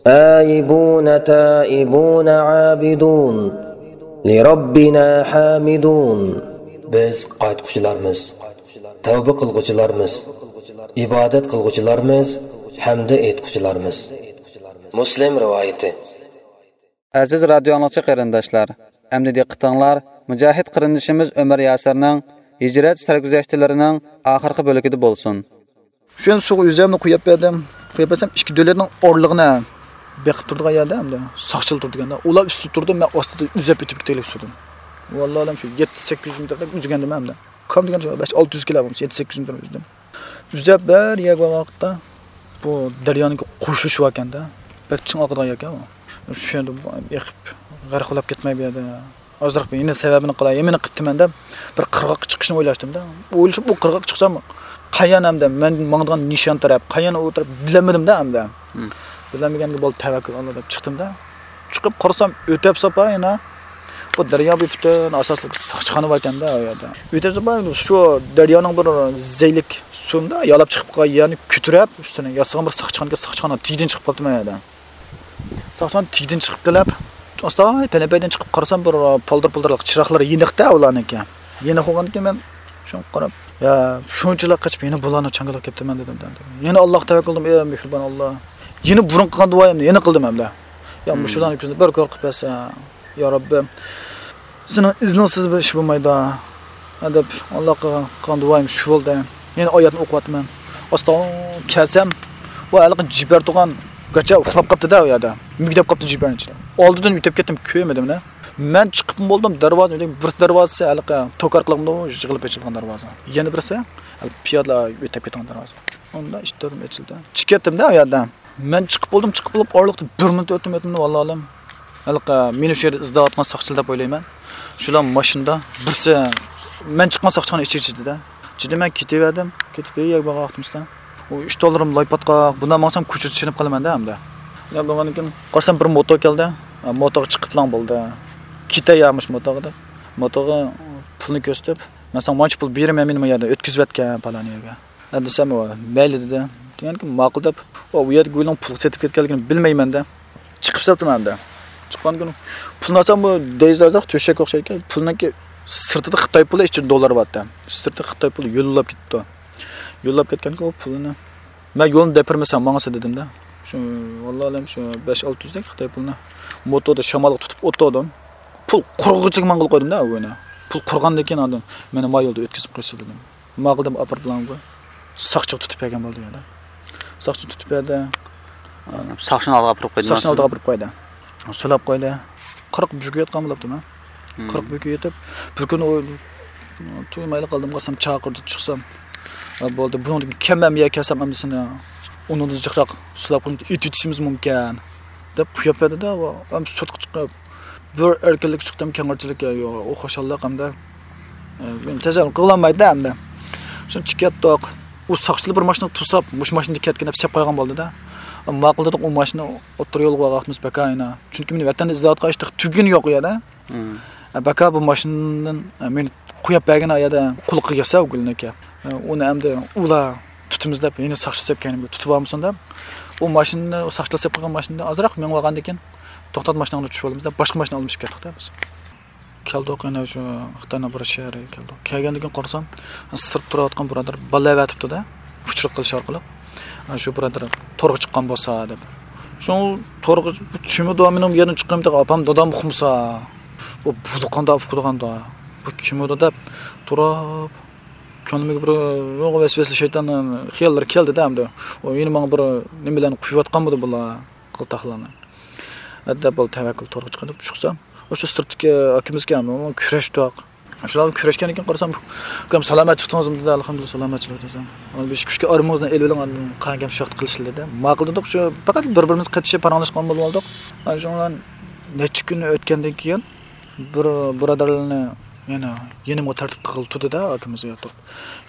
آيبون تائبون عابدون لربنا حامدون. بىز قايتقۇچىلارمىز، تەۋبە قىلغۇچىلارمىز، ئىبادەت قىلغۇچىلارمىز، ھەمدە ئېيتقۇچىلارمىز. مۇسلىم رىۋايىتى. ئەزىز رادىيو ئاڭلىغۇچى قېرىنداشلار، ئەمدى دىققىتىڭلار مۇجاھىد قېرىندىشىمىز ئۆمەر ياسىرنىڭ ھىجرەت سەرگۈزەشتلىرىنىڭ ئاخىرقى بۆلىكىدە بولسۇن. شۇ يەردە سۇغا ئۆزۈمنى قويۇپ بەردىم. قويۇپ بەرسەم، ئىككى دۆلەتنىڭ ئارىلىقىنى بېقىپ تۇرىدىغان يەردە ئەمدى ساقچىلار تۇرىدىكەن. ئۇلار ئۈستىدە تۇردى، مەن ئاستىدا ئۈزۈپ ئۆتۈپ كېتەيلى سۇدىن. ۋاللاھىلەم شۇ يەتتە سەككىز يۈز مېتىردەك ئۈزگەندىم ئەمدى. كام دېگەن شۇ بەش ئالتە يۈز كىلو بولمىسا، يەتتە سەككىز يۈز مېتىر ئۈزدۈم. ئۈزۈپ بىر يەرگە بارغان ۋاقىتتا، بۇ دەريانىڭكى قوشۇلۇشى باركەن-دە. بەك چىڭ ئاقىدىغان يەركەن ئۇ. شۇ يەردە ئېقىپ، غەرق بولۇپ كەتمەي بۇ يەردە. ئازراق يەنە سەۋەبىنى قىلاي، يەنە قىپتىمەن دەپ، بىر قىرغاققا چىقىشنى ئويلاشتىم-دە. ئويلىشىپ، ئۇ قىرغاققا چىقسام، قايان ئەمدى مەن ماڭىدىغان نىشان تەرەپ، قايان ئۇ تەرەپ بىلەلمىدىم-دە ئەمدى. مم. بىلەلمىگەنگە بولدى، تەۋەككۈل ئاللا دەپ چىقتىم-دە. چىقىپ قارىسام، ئۆتەپ ساپا يەنە بۇ دەريا بويى پۈتۈن ئاساسلىق بىر ساقچىخانا باركەن-دە ئۇ يەردە. ئۆتەپ ساپا شۇ دەريانىڭ بىر زەيلىك سۇندا يالاپ چىقىپ قالغان يەرنى كۆتۈرۈپ، ئۈستىنى ياسىغان بىر ساقچىخانىكەن، ساقچىخانا تېگىدىن چىقىپ قاپتىمەن ئۇ يەردە. ساقچىخانا تېگىدىن چىقىپ قېلىپ، ئاستا پەلەمپەيدىن چىقىپ قارىسام، بىر پالدىر-پۇلدۇرلۇق چىراغلار يېنىقتا ئۇلارنىڭكى. يېنىق بولغاندىكىن مەن شۇڭا قاراپ، يا، شۇنچىلا قېچىپ يەنە بۇلارنىڭ چاڭگىلىغا كەپتىمەن دېدىم. يەنە ئاللاغا تەۋەككۈل قىلدىم، ئەي مېھرىبان ئاللا. يەنە بۇرۇن قىلغان دۇئايىمنى يەنە قىلدىم ئەمدى. يا، مۇشۇلارنى كۆزۈمدە بىر كۆر قىلىپ بەرسە، يا رەببى، سېنىڭ ئىزنىڭسىز بىر ئىش بولمايدۇ. دەپ، ئاللا قىلغان دۇئايىم شۇ بولدى. يەنە ئايەتنى ئوقۇۋاتىمەن. ئاستا كەلسەم، ئۇ ھېلىقى جىپەر تۇرغان گاچا ئۇخلاپ قاپتۇ-دە ئۇ يەردە. مۈگدەپ قاپتۇ جىپەرنىڭ ئىچىدە. ئالدىدىن ئۆتۈپ كەتتىم، كۆرمىدىم-دە. مەن چىقىپمۇ بولدۇم، دەرۋازا، بىرسى دەرۋازىسى ھېلىقى توكار قىلىپ ئىشىپ قالغان دەرۋازا. يەنە بىرسى ھېلىقى پىيادىلەر ئۆتۈپ كەتكەن دەرۋازا. ئۇندا ئىشىك تۈرىدىن ئېچىلدى. چىقىپ كەتتىم-دە ئۇ يەردىن. مەن چىقىپ بولدۇم، چىقىپ بولۇپ ئارىلىقتا بىر مىنۇت ئۆتتىمۇ ئۆتمىدىمۇ، ۋاللاھالىم. ھېلىقى مېنى شۇ يەردە ئىزدەۋاتقان ساقچىلار دەپ ئويلايمەن. شۇلار ماشىنىدا، بىرسى، مەن چىققان ساقچىخانا ئىچى ئىچىدە. ئىچىدە مەن كېتىۋەردىم. كېتىپ بىر يەرگە بارغان ۋاقتىمىزدا، ئۇ ئۈچ تاللىرىم لاي پاتقاق، بۇنداق ماڭسام كوچىدا چېلىنىپ قالىمەن-دە ئەمدى. يا بولغاندىن كېيىن قارىسام بىر موتور كەلدى. موتورغا چىقىپلا بولدى. كېتەي يا مۇشۇ موتورغا دەپ. موتورغا پۇلنى كۆرسىتىپ، مەن ساڭا مانچە پۇل بېرىمەن، مېنى ما يەردە ئۆتكۈزۈۋەتكەن پالان يەرگە. ھە دېسەم، ئۇ مەيلى دېدى. دېگەنكى ماقۇل دەپ، ئۇ يەردە گۇيلۇڭ پۇلغا سېتىپ كەتكەنلىكىنى بىلمەيمەن-دە. چىقىپ سەپتىم ئەمدى. چىققاندىن كېيىن پۇلنى ئالسام، بۇ دەيزازاق تۆشەك ئوخشايدىكەن. پۇلنىڭكى سىرتىدا خىتاي پۇلى، ئىچىدە دوللار بارتى. سىرتىدا خىتاي پۇلى يوللاپ كېتىپتۇ. يوللاپ كەتكەنكى ئۇ پۇلنى، مەن يولنى دەپ بەرمىسەم ماڭىسەن دېدىم-دە. شۇ، ۋاللاھالىم شۇ بەش ئالتە يۈزدەك خىتاي پۇلىنى موتوردا شامالغا تۇتۇپ ئولتۇردۇم. پۇل قۇرۇغۇچىغا ماڭغىلى قويدۇم-دە ئۇ كۈنى. پۇل قۇرغاندىن كېيىن ئاندىن مېنى ما يولدا ئۆتكۈزۈپ قويسۇن دېدىم. ماقۇل دەپ ئاپىرىپ بىلەن ساقچىغا تۇتۇپ بەرگەن بولدى يەنە. ساقچى تۇتۇپ بەردى. ساقچىنى ئالدىغا ئاپىرىپ قويدى. ساقچىنى ئالدىغا ئاپىرىپ قويدى. سولاپ قويدى. قىرىق بۈگۈ ياتقان بولۇپتىمەن. قىرىق بۈگۈ يېتىپ، بىر كۈنى ئۇ تۇيمايلا قالدىم، قارىسام چاقىردى، چىقسام. «ھە، بولدى، بۇنىڭدىن كېيىن كەلمەم، يا كەلسەم ئەمدى سېنى ئۇنىڭدىن جىقراق سولاپ قويۇپ ئېتىۋېتىشىمىز مۇمكىن» دەپ قويۇپ بەردى-دە، ئەمدى سىرتقا چىقىپ، بىر ئەركىنلىك چىقتىم، كەڭرىچىلىك، ئۇ خۇشاللىق ئەمدى. ئە، تەسەۋۋۇر قىلالمايدۇ ئەمدى. شۇنچە كەتتۇق. ئۇ ساقچىلار بىر ماشىنا توساپ، مۇشۇ ماشىنىدا كەتكىن دەپ سېلىپ قويغان بولدى-دە. ماقۇل دېدۇق، ئۇ ماشىنا ئوتتۇرا يولغا بارغان ۋاقتىمىز بەكا ئاينا. چۈنكى مېنى ۋەتەندە ئىزدەۋاتقان ھېچ تۈگۈن يوق ئۇ يەردە. ئە، بەكا بۇ ماشىنىدىن، ئە، مېنى قويۇپ بەرگەن ئايەدە قۇلىقىغا كەلسە ئۇ گۈلنىڭكى. ئە، ئۇنى ئەمدى ئۇلا تۇتىمىز دەپ، يەنە ساقچى سېلىپ كەينىمگە تۇتۇپ ئالمىسۇن دەپ، ئۇ ماشىنىنى، ئۇ ساقچىلار سېلىپ قويغان ماشىنىنى ئازراق مېڭىپ ئالغاندىن كېيىن، توختات، ماشىناڭنى چۈشۈرۈۋالىمىز دەپ، باشقا ماشىنا ئالمىشىپ كەتتۇق-دە بىز. كەلدۇق، يەنە شۇ خىتاينىڭ بىر شەھىرىگە كەلدۇق. كەلگەندىن كېيىن قارىسام، سىرتتا تۇرۇۋاتقان بۇرادەر بالا ئەۋەتىپتۇ-دە، ئۇچۇر قىلىش ئارقىلىق. شۇ بۇرادەر تورغا چىققان بولسا دەپ. شۇ تورغا، بۇ چۈمۈدۇ، مېنىڭ بۇ يەردىن چىققىنىمنى ئاپام، دادام ئۇقمىسا، بۇ بۇلۇقاندا ئۇقىدىغاندا، بۇ كىمىدۇ دەپ تۇرۇپ، كۆڭلۈمگە بىر ۋەسۋەسە شەيتان خىياللىرى كەلدى-دە ئەمدى. ئۇ يەنە ماڭا بىر نېمىلەرنى قۇيۇۋاتقانمىدى بۇلار، قىلتاقلارنى. دەپ بولدى، تەۋەككۈل تورغا چىقىدۇ. چىقسام، ئۇ شۇ سىرتتىكى ئاكىمىزكەن، ئۇ كۈرەشتۇق. شۇلار كۈرەشكەندىن كېيىن قارىسام، «ئۇكام، سالامەت چىقتىڭىزمۇ؟» دېدى. «ئەلھەمدۇلىللا، سالامەت چىقتىم» دېسەم، «ئانا بېشى كۈچكە ئارمىڭىزنى ئېلىۋېلىڭ، ئاندىن قايان كەم شۇ ۋاقىت قىلىشىلى» دېدى. ماقۇل دېدۇق، شۇ پەقەت بىر-بىرىمىزگە قېتىشىپ پاراڭلاشقان بولۇۋالدۇق. ئانا شۇنىڭ بىلەن نەچچە كۈن ئۆتكەندىن كېيىن بىر بۇرادەرلەرنى يەنە يېنىمغا تارتىپ قىلغىلى تۇردى-دە، ئاكىمىزغا ياتۇق.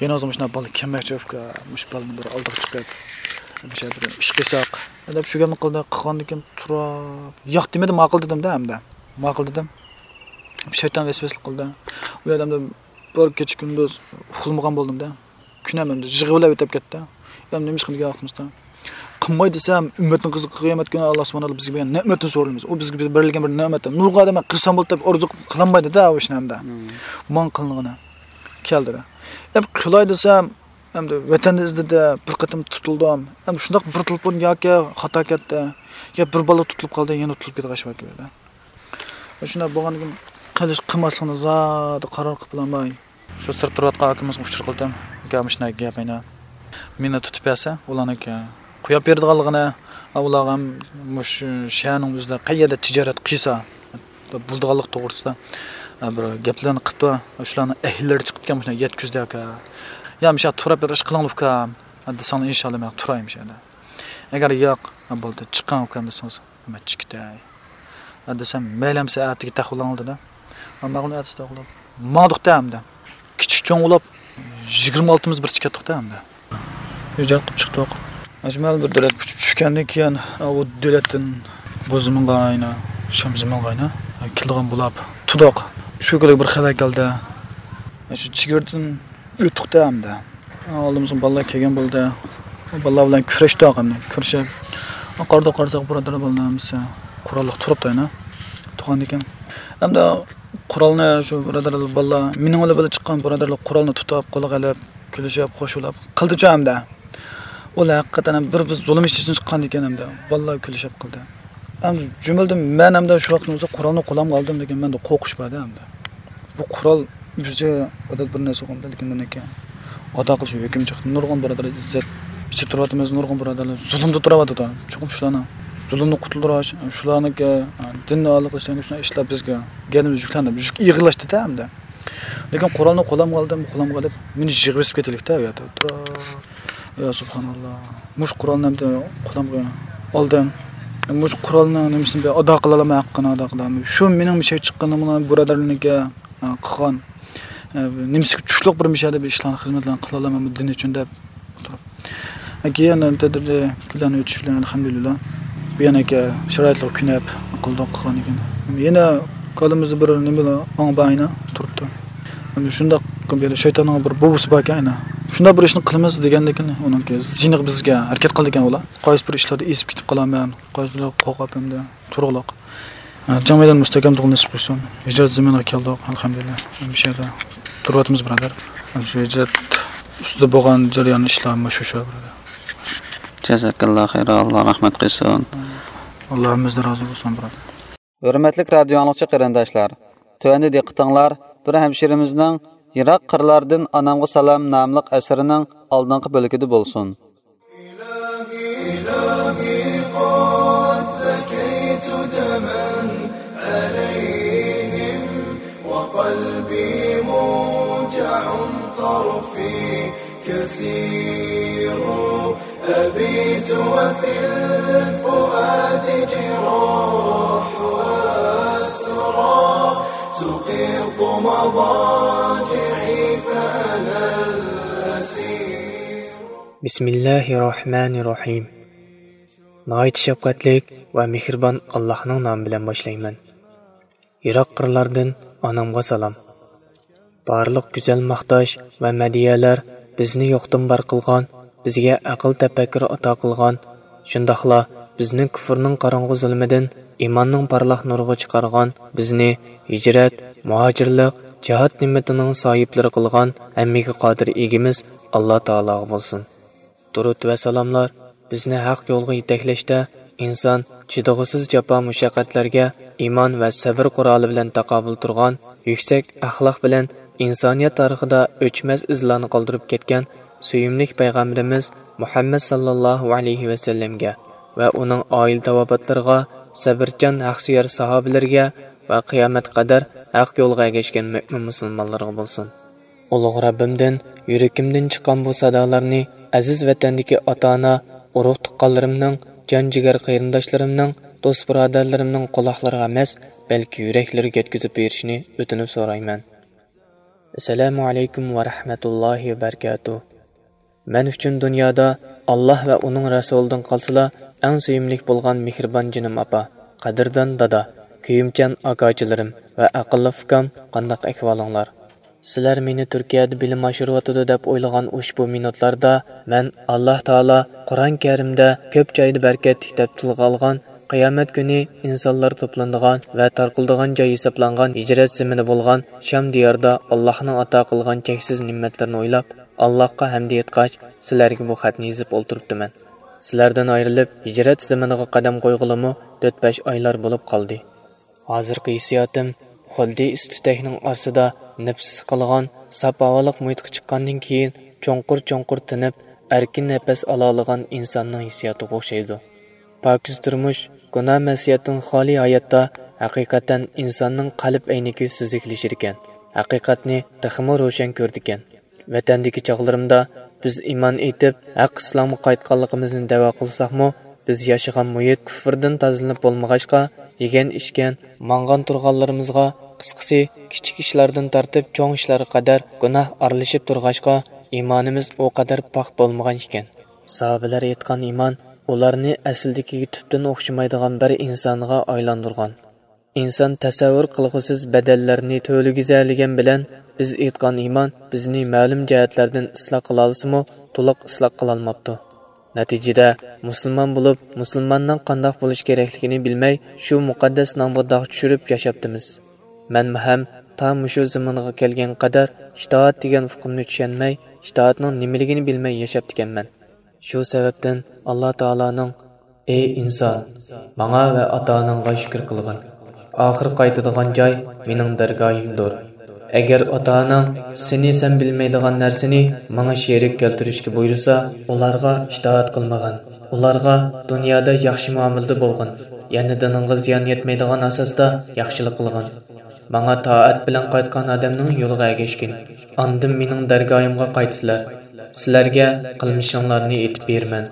يېنىڭىزغا مۇشۇنداق بالا كەلمەكچى ئۇكا، مۇشۇ بالىنى بىر ئالدىغا چىقىپ، مۇشۇ بىر ئىش قىلساق دەپ شۇ گەپنى قىلدى. قىلغاندىن كېيىن تۇرۇپ، ياق دېمىدى، ماقۇل دېدىم-دە ئەمدى. ماقۇل دېدىم. شەيتان ۋەسۋەسىلىك قىلدى. ئۇ يەردە ئەمدى بىر كېچە كۈندۈز ئۇخلىمىغان بولدۇم-دە. كۈنەم ئەمدى يىغا بىلەن ئۆتۈپ كەتتى. ئەمدى نېمە ئىش قىلىدىغان ۋاقتىمىزدا؟ قىلماي دېسەم، ئۈممەتنىڭ قىزى قىيامەت كۈنى ئاللا سۇبھانەللا بىزگە بەرگەن نېمەتتىن سورىلىمىز. ئۇ بىزگە بېرىلگەن بىر نېمەت. نۇرغۇن ئادەم قىلسام بولدى دەپ ئارزۇ قىلالمايدۇ-دە ئۇ ئىشنى ئەمدى. ماڭا قىلىنغىنى كەلدى-دە. ئەمدى قىلاي دېسەم، ئەمدى ۋەتەندە ئىزدىدى، بىر قېتىم تۇتۇلدۇم. ئەمدى شۇنداق بىر تېلېفون ياكى خاتا كەتتى، يا بىر بالا تۇتۇلۇپ قالدى، يەنە تۇتۇلۇپ كېتىدىغان ئىش بار كېلىدۇ. شۇنداق بولغاندىن كېيىن قىلىش قىلماسلىقنى زادى قارار قىلىپ بولالماي، شۇ سىرتتا تۇرۇۋاتقان ئاكىمىزغا ئۇچۇر قىلدىم. «ئاكا، مۇشۇنداق گەپ ئەينە. مېنى تۇتۇپ بەرسە، ئۇلارنىڭكى قويۇپ بېرىدىغانلىقىنى، ئۇلارغا ھەم مۇشۇ شەھەرنىڭ ئۆزىدە قەيەردە تىجارەت قىلسا بولىدىغانلىق توغرىسىدا بىر گەپلەرنى قىپتۇ. شۇلارنىڭ ئەھلىلىرى چىقىپتىكەن، مۇشۇنداق يەتكۈزدى ئاكا. يا مۇشۇ تۇرۇپ بېرىپ ئىش قىلىڭلار ئۇكام دېسەڭلار، ئىنشاللا مەن تۇراي مۇشۇ يەردە. ئەگەر ياق، بولدى، چىقىڭ ئۇكام دېسىڭىز، مەن چىقىتەي دېسەم، مەيلى ئەمسە ئەتىگە تەخۇللاڭ دېدى. ماقۇل ئەتىسى تەخۇللاپ ماڭدۇق-دە ئەمدى. كىچىك چوڭ بولۇپ، يىگىرمە ئالتىمىز بىر چىقىپ كەتتۇق-دە ئەمدى. ئىجاد قىلىپ چىقتۇق. ئەجمەل بىر دۆلەت كۈچۈپ چۈشكەندىن كېيىن، ئۇ دۆلەتتىن بۇ زېمىنغا ئاينا، شام زېمىنغا ئاينا، كېلىدىغان بولۇپ تۇردۇق. شۇ كۈنى بىر خەۋەر كەلدى. شۇ چېگرىدىن ئۆتتۇق-دە ئەمدى. ئالدىمىزغا بالىلار كەلگەن بولدى. بالىلار بىلەن كۈرەشتۇق ئەمدى، كۈرىشىپ. قارىدۇق، قارىساق بۇرادەر بالىلار ھەممىسى قوراللىق تۇرۇپتۇ يەنە. تۇرغاندىكىن ئەمدى قورالنى شۇ بۇرادەر بالىلار، مېنىڭ بىلەن بىللە چىققان بۇرادەرلەر قورالنى تۇتۇپ، قولىغا ئېلىپ، كۈلۈشۈپ، خوش بولۇپ قىلدىچۇ ئەمدى. ئۇلار ھەقىقەتەن ھەم بىر بىز زۇلۇم ئىچىدىن چىققاندىكىن ئەمدى بالىلار كۈلۈشۈپ قىلدى. ئەمدى جۈملىدىن مەن ئەمدى شۇ ۋاقىتتا قورالنى قولۇمغا ئالدىم، لېكىن مەندە قورقۇش بار ئەمدى. بۇ قورال بىزچە ئادەت بىر نەرسە بولغاندا، لېكىن بۇنىڭكى ئادا قىلىش ھۆكۈم چىقتى. نۇرغۇن بۇرادەر ئىززەت ئىچىدە تۇرۇۋاتىمىز، نۇرغۇن بۇرادەرلەر زۇلۇمدا تۇرۇۋاتىدۇ. چوقۇم شۇلارنى زۇلۇمدىن قۇتۇلدۇرۇش، شۇلارنىڭكى دىننى ئالا قىلىشتىن شۇنداق ئىشلار بىزگە گەدىمىز يۈكلەندى، يۈك ئېغىرلاشتى-دە ئەمدى. لېكىن قورالنى قولۇمغا ئالدىم، قولۇمغا ئېلىپ، مېنى يىغىۋېسىپ كېتەيلىك-دە ئۇ يەردە. يا سۇبھاناللا. مۇشۇ قورالنى ئەمدى قولۇمغا ئالدىم. مۇشۇ قورالنىڭ نېمىسىنى بىر ئادا قىلالماي، ھەققىنى ئادا قىلالماي. شۇ مېنىڭ مىشەي چىققىنىم بۇرادەرلىرىمگە، ئە، قىلغان، ئە، نېمىسىگە چۈشلۈك بىر مىشەدە بىر ئىشلارنى، خىزمەتلەرنى قىلالمايمەن دىن ئۈچۈن دەپ ئولتۇرۇپ. كېيىن تەدرىجىي كۈنلەرنى ئۆتۈش بىلەن، ئەلھەمدۇلىللا، بۇ يەنىكى شارائىتلارغا كۆنۈپ قىلدۇق قىلغان ئىكەن. يەنە كاللىمىزدا بىر نېمە ئاڭ بار ئاينا تۇرۇپتۇ. شۇنداق بىر شەيتاننىڭ بىر بوۋىسى باركەن ئاينا. شۇنداق بىر ئىشنى قىلىمىز دېگەندىكىن ئۇنىڭكى زىينىغا بىزگە ھەرىكەت قىلىدىكەن ئۇلار. قايسى بىر ئىشلاردا ئېزىپ كېتىپ قالامەن، قايسى بىر قورقۇپ ئەمدى تۇرۇقلۇق. جاڭ مەيدان مۇستەھكەم تۇرغىنى نېسىپ قىلسۇن. ھىجرەت زېمىنىغا كەلدۇق، ئەلھەمدۇلىللا. مۇشۇ يەردە تۇرۇۋاتىمىز، بۇرادەر. شۇ ھىجرەت ئۈستىدە بولغان جەريان ئىشلار مۇشۇ، شۇ، بۇرادەر. جازاكاللا خەيرا، ئاللا رەھمەت قىلسۇن. ئاللا ھەممىمىزدىن رازى بولسۇن، بۇرادەر. ھۆرمەتلىك رادىيو ئاڭلىغۇچى قېرىنداشلار، تۆۋەندە دىققىتىڭلار بىر ھەمشىرىمىزنىڭ يىراق قىرلاردىن ئانامغا سالام ناملىق ئەسىرىنىڭ ئالدىنقى بۆلىكىدە بولسۇن. إلهي، إلهي، قد بكيت دما عليهم، وقلبي موجع طرفي كسير. أبيت وفي الفؤاد جراح وأسرى، تقيض مضاجعي فأنا الأسير. بسم الله الرحمن الرحيم. ناھايىتى شەپقەتلىك ۋە مېھرىبان ئاللاھنىڭ نامى بىلەن باشلايمەن. يىراق قىرلاردىن ئانامغا سالام. بارلىق گۈزەل ماختاش ۋە مەدھىيەلەر بىزنى يوقتىن بار قىلغان، بىزگە ئەقىل تەپەككۇر ئاتا قىلغان، شۇنداقلا بىزنى كۇفرنىڭ قاراڭغۇ زۇلمىدىن ئىماننىڭ پارلاق نۇرىغا چىقارغان، بىزنى ھىجرەت، مۇھاجىرلىق، جىھاد نېمىتىنىڭ ساھىبلىرى قىلغان ھەممىگە قادىر ئىگىمىز ئاللا تائالاغا بولسۇن. دۇرۇت ۋە سالاملار بىزنى ھەق يولغا يېتەكلەشتە ئىنسان چىدىغۇسىز جاپا مۇشەققەتلەرگە ئىمان ۋە سەبر قورالى بىلەن تاقابىل تۇرغان، يۈكسەك ئەخلاق بىلەن ئىنسانىيەت تارىخىدا ئۆچمەس ئىزلارنى قالدۇرۇپ كەتكەن سۆيۈملۈك پەيغەمبىرىمىز مۇھەممەد ساللاللاھۇ ئەلەيھى ۋەسەللەمگە ۋە ئۇنىڭ ئائىلە تاۋابىئاتلىرىغا سەبرچان ھەقسۆيەر ساھابىلىرىگە ۋە قىيامەتكە قەدەر ھەق يولغا ئەگەشكەن مۆمىن مۇسۇلمانلارغا بولسۇن. ئۇلۇغ رەببىمدىن يۈرىكىمدىن چىققان بۇ سادالارنى ئەزىز ۋەتەندىكى ئاتا-ئانا، ئۇرۇق-تۇغقانلىرىمنىڭ، جان-جىگەر قېرىنداشلىرىمنىڭ، دوست-بۇرادەرلىرىمنىڭ قۇلاقلىرىغا ئەمەس، بەلكى يۈرەكلىرىگە يەتكۈزۈپ بېرىشىنى ئۆتۈنۈپ سورايمەن. ئەسسالامۇ ئەلەيكۇم ۋە رەھمەتۇللاھى ۋە بەرىكاتۇھ. مەن ئۈچۈن دۇنيادا ئاللا ۋە ئۇنىڭ رەسۇلىدىن قالسىلا ئەڭ سۆيۈملۈك بولغان مېھرىبان جېنىم ئاپا، قەدىردان دادا، كۆيۈمچان ئاكاجىلىرىم ۋە ئەقىللىق ئۇكام، قانداق ئەھۋالىڭلار؟ سىلەر مېنى تۈركىيەدە بىلىم ئاشۇرۇۋاتىدۇ دەپ ئويلىغان ئۇشبۇ مىنۇتلاردا مەن ئاللا تائالا قۇرئان كەرىمدە كۆپ جايدا بەرىكەتلىك دەپ تىلغا ئالغان، قىيامەت كۈنى ئىنسانلار توپلىنىدىغان ۋە تارقىلىدىغان جاي ھېسابلانغان ھىجرەت زېمىنى بولغان شام دىياردا ئاللاھنىڭ ئاتا قىلغان چەكسىز نېمەتلىرىنى ئويلاپ، ئاللاھقا ھەمدە ئېيتقاچ، سىلەرگە بۇ خەتنى يېزىپ ئولتۇرۇپتىمەن. سىلەردىن ئايرىلىپ، ھىجرەت زېمىنىغا قەدەم قويغىلىمۇ تۆت-بەش ئايلار بولۇپ قالدى. ھازىرقى ھېسسىياتىم خۇددى ئىس-تۈتەكنىڭ ئاستىدا نەپىس سىقىلغان ساپ ھاۋالىق مۇھىتقا چىققاندىن كېيىن چوڭقۇر-چوڭقۇر تىنىپ، ئەركىن نەپەس ئالالىغان ئىنساننىڭ ھېسسىياتىغا ئوخشايدۇ. پاكىز تۇرمۇش، گۇناھ-مەسىيەتتىن خالىي ھاياتتا ھەقىقەتەن ئىنساننىڭ قەلب ئەينىكى سۈزۈكلىشىدىكەن، ھەقىقەتنى تېخىمۇ روشەن كۆرىدىكەن. ۋەتەندىكى چاغلىرىمدا بىز ئىمان ئېيتىپ، ھەق ئىسلامغا قايتقانلىقىمىزنى دەۋا قىلساقمۇ، بىز ياشىغان مۇھىت كۇفرىدىن تازىلىنىپ بولمىغاچقا، يېگەن-ئىچكەن، ماڭغان-تۇرغانلىرىمىزغا، قىسقىسى، كىچىك ئىشلاردىن تارتىپ چوڭ ئىشلارغا قەدەر گۇناھ ئارىلىشىپ تۇرغاچقا، ئىمانىمىز ئۇ قەدەر پاك بولمىغان ئىكەن. ساھابىلەر ئېيتقان ئىمان ئۇلارنى ئەسلىدىكىگە تۈپتىن ئوخشىمايدىغان بىر ئىنسانغا ئايلاندۇرغان. ئىنسان تەسەۋۋۇر قىلغۇسىز بەدەللەرنى تۆلىگۈزەلىگەن بىلەن، بىز ئېيتقان ئىمان بىزنى مەلۇم جەھەتلەردىن ئىسلاھ قىلالىسىمۇ، تولۇق ئىسلاھ قىلالماپتۇ. نەتىجىدە، مۇسۇلمان بولۇپ، مۇسۇلماننىڭ قانداق بولۇش كېرەكلىكىنى بىلمەي، شۇ مۇقەددەس نامغا داغ چۈشۈرۈپ ياشاپتىمىز. مەنمۇ ھەم تا مۇشۇ زېمىنغا كەلگەنگە قەدەر ئىتائەت دېگەن ئۇقۇمنى چۈشەنمەي، ئىتائەتنىڭ نېمىلىكىنى بىلمەي ياشاپتىكەنمەن. شۇ سەۋەبتىن ئاللا تائالانىڭ، «ئەي ئىنسان، ماڭا ۋە ئاتا-ئاناڭغا شۈكۈر قىلغىن. ئاخىر قايتىدىغان جاي مېنىڭ دەرگاھىمدۇر. ئەگەر ئاتا-ئاناڭ سېنى سەن بىلمەيدىغان نەرسىنى ماڭا شېرىك كەلتۈرۈشكە بۇيرۇسا، ئۇلارغا ئىتائەت قىلمىغىن. ئۇلارغا دۇنيادا ياخشى مۇئامىلىدە بولغىن. يەنە دىنىڭغا زىيان يەتمەيدىغان ئاساستا ياخشىلىق قىلغىن. ماڭا تائەت بىلەن قايتقان ئادەمنىڭ يولىغا ئەگەشكىن. ئاندىن مېنىڭ دەرگاھىمغا قايتىسىلەر. سىلەرگە قىلمىشىڭلارنى ئېيتىپ بېرىمەن.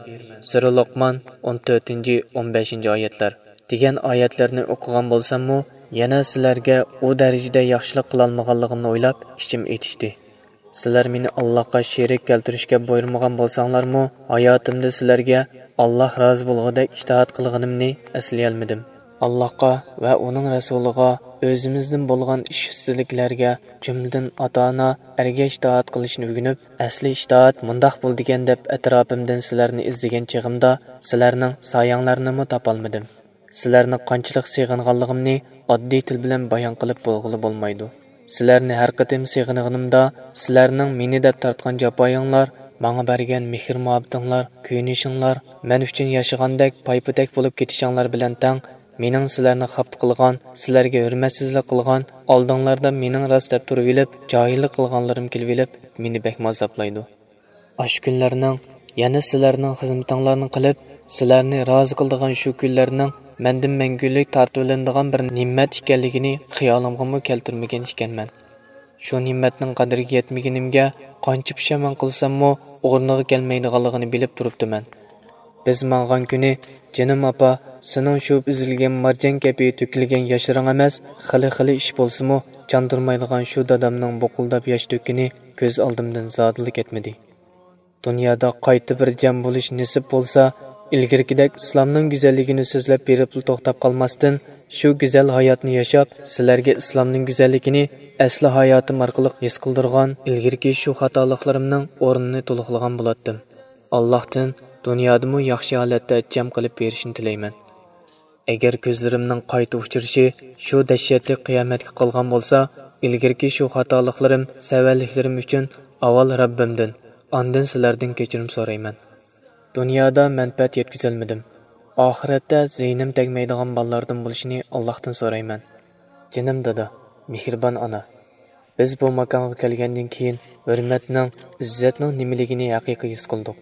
سۈرە لوقمان، ئون تۆتىنچى، ئون بەشىنچى ئايەتلەر. دېگەن ئايەتلەرنى ئوقۇغان بولساممۇ، يەنە سىلەرگە ئۇ دەرىجىدە ياخشىلىق قىلالمىغانلىقىمنى ئويلاپ، ئىچىم ئېتىشتى. سىلەر مېنى ئاللاھقا شېرىك كەلتۈرۈشكە بۇيرۇمىغان بولساڭلارمۇ، ھاياتىمدا سىلەرگە ئاللاھ رازى بولغۇدەك ئىتائەت قىلغىنىمنى ئەسلىيەلمىدىم. ئاللاھقا ۋە ئۇنىڭ رەسۇلىغا، ئۆزىمىزدىن بولغان ئىش ئۈستىدىكىلەرگە، جۈملىدىن ئاتا-ئانا، ئەرگە ئىتائەت قىلىشنى ئۆگىنىپ، ئەسلى ئىتائەت مۇنداق بولىدىكەن دەپ ئەتراپىمدىن سىلەرنى ئىزدىگەن چېغىمدا، سىلەرنىڭ سايەڭلارنىمۇ تاپالمىدىم. سىلەرنى قانچىلىك سېغىنغانلىقىمنى ئاددىي تىل بىلەن بايان قىلىپ بولغىلى بولمايدۇ. سىلەرنى ھەر قېتىم سېغىنغىنىمدا، سىلەرنىڭ مېنى دەپ تارتقان جاپايىڭلار، ماڭا بەرگەن مېھىر-مۇھەببىتىڭلار، كۆيۈنۈشۈڭلار، مەن ئۈچۈن ياشىغاندەك پايپىدەك بولۇپ كېتىشىڭلار بىلەن تەڭ، مېنىڭ سىلەرنى خاپا قىلغان، سىلەرگە ھۆرمەتسىزلىك قىلغان، ئالدىڭلاردا مېنىڭ راست دەپ تۇرۇۋېلىپ، جاھىللىق قىلغانلىرىم كېلىۋېلىپ، مېنى بەكمۇ ئازابلايدۇ. ئاشۇ كۈنلەرنىڭ، يەنە سىلەرنىڭ خىزمىتىڭلارنى قىلىپ، سىلەرنى رازى قىلىدىغان شۇ كۈنلەرنىڭ مەندىن مەڭگۈلۈك تارتىۋېلىنىدىغان بىر نېمەت ئىكەنلىكىنى خىيالىمغىمۇ كەلتۈرمىگەن ئىكەنمەن. شۇ نېمەتنىڭ قەدرىگە يەتمىگىنىمگە قانچە پۇشايمان قىلساممۇ، ئورنىغا كەلمەيدىغانلىقىنى بىلىپ تۇرۇپتىمەن. بىز ماڭغان كۈنى، جېنىم ئاپا، سېنىڭ شۇ ئۈزۈلگەن مارجان كەبى تۆكۈلگەن ياشلىرىڭ ئەمەس، خېلى-خېلى ئىش بولسىمۇ، چاندۇرمايدىغان شۇ دادامنىڭ بۇقۇلداپ ياش تۆككىنى كۆز ئالدىمدىن زادىلا كەتمىدى. دۇنيادا قايتا بىر جەم بولۇش نېسىپ بولسا، ئىلگىرىكىدەك ئىسلامنىڭ گۈزەللىكىنى سۆزلەپ بېرىپلا توختاپ قالماستىن، شۇ گۈزەل ھاياتنى ياشاپ، سىلەرگە ئىسلامنىڭ گۈزەللىكىنى ئەسلى ھاياتىم ئارقىلىق ھېس قىلدۇرغان ئىلگىرىكى شۇ خاتالىقلىرىمنىڭ ئورنىنى تولۇقلىغان بولاتتىم. ئاللاھتىن دۇنيادىمۇ ياخشى ھالەتتە جەم قىلىپ بېرىشنى تىلەيمەن. ئەگەر كۆزلىرىمنىڭ قايتا ئۇچرىشى شۇ دەھشەتلىك قىيامەتكە قالغان بولسا، ئىلگىرىكى شۇ خاتالىقلىرىم، سەۋەنلىكلىرىم ئۈچۈن ئاۋۋال رەببىمدىن، ئاندىن سىلەردىن كەچۈرۈم سورايمەن. دۇنيادا مەنپەئەت يەتكۈزەلمىدىم. ئاخىرەتتە زىيىنىم تەگمەيدىغان بالىلاردىن بولۇشىنى ئاللاھتىن سورايمەن. جېنىم دادا، مېھرىبان ئانا. بىز بۇ ماكانغا كەلگەندىن كېيىن، ھۆرمەتنىڭ، ئىززەتنىڭ نېمىلىكىنى ھەقىقىي ھېس قىلدۇق.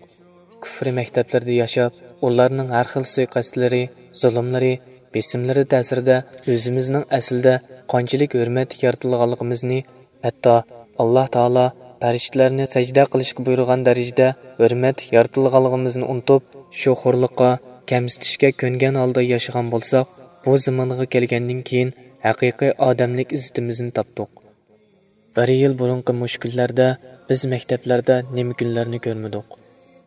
كۇفرى مەكتەپلىرىدە ياشاپ، ئۇلارنىڭ ھەر خىل سۇيىقەستلىرى، زۇلۇملىرى، بېسىملىرى تەسىرىدە ئۆزىمىزنىڭ ئەسلىدە قانچىلىك ھۆرمەتلىك يارىتىلغانلىقىمىزنى، ھەتتا ئاللاھ تائالا پەرىشتىلەرنى سەجدە قىلىشقا بۇيرۇغان دەرىجىدە ھۆرمەتلىك يارىتىلغانلىقىمىزنى ئۇنتۇپ، شۇ خورلۇققا، كەمسىتىشكە كۆنگەن ھالدا ياشىغان بولساق، بۇ زېمىنغا كەلگەندىن كېيىن ھەقىقىي ئادەملىك ئىززىتىمىزنى تاپتۇق. بىر يىل بۇرۇنقى مۇشۇ كۈنلەردە بىز مەكتەپلەردە نېمە كۈنلەرنى كۆرمىدۇق؟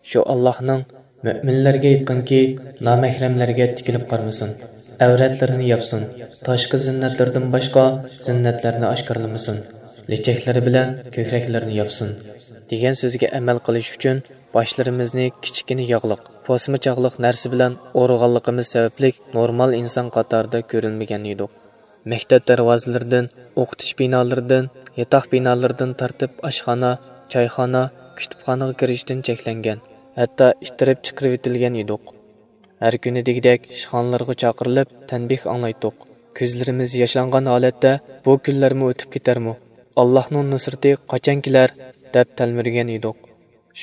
شۇ ئاللاھنىڭ، مۆمىنلەرگە ئېيتقىنكى، نامەھرەملەرگە تىكىلىپ قارىمىسۇن، ئەۋرەتلىرىنى ياپسۇن، تاشقى زىننەتلىرىدىن باشقا زىننەتلەرنى ئاشكارىلىمىسۇن، لېچەكلىرى بىلەن كۆكرەكلىرىنى ياپسۇن، دېگەن سۆزگە ئەمەل قىلىش ئۈچۈن باشلىرىمىزنى كىچىككىنە ياغلىق، پوسما چاغلىق نەرسە بىلەن ئورىغانلىقىمىز سەۋەبلىك نورمال ئىنسان قاتارىدا كۆرۈلمىگەن ئىدۇق. مەكتەپ دەرۋازىلىرىدىن، ئوقۇتۇش بىنالىرىدىن، ياتاق بىنالىرىدىن تارتىپ ئاشخانا، چايخانا، كۇتۇپخانىغا كىرىشتىن چەكلەنگەن، ھەتتا ئىتتىرىپ چىقىرىۋېتىلگەن ئىدۇق. ھەر كۈنى دېگۈدەك ئىشخانىلارغا چاقىرىلىپ تەنبىھ ئاڭلايتتۇق. كۆزلىرىمىز ياشلانغان ھالەتتە بۇ كۈنلەرمۇ ئۆتۈپ كېتەرمۇ؟ ئاللاھنىڭ نۇسرىتى قاچان كېلەر؟ دەپ تەلمۈرگەن ئىدۇق.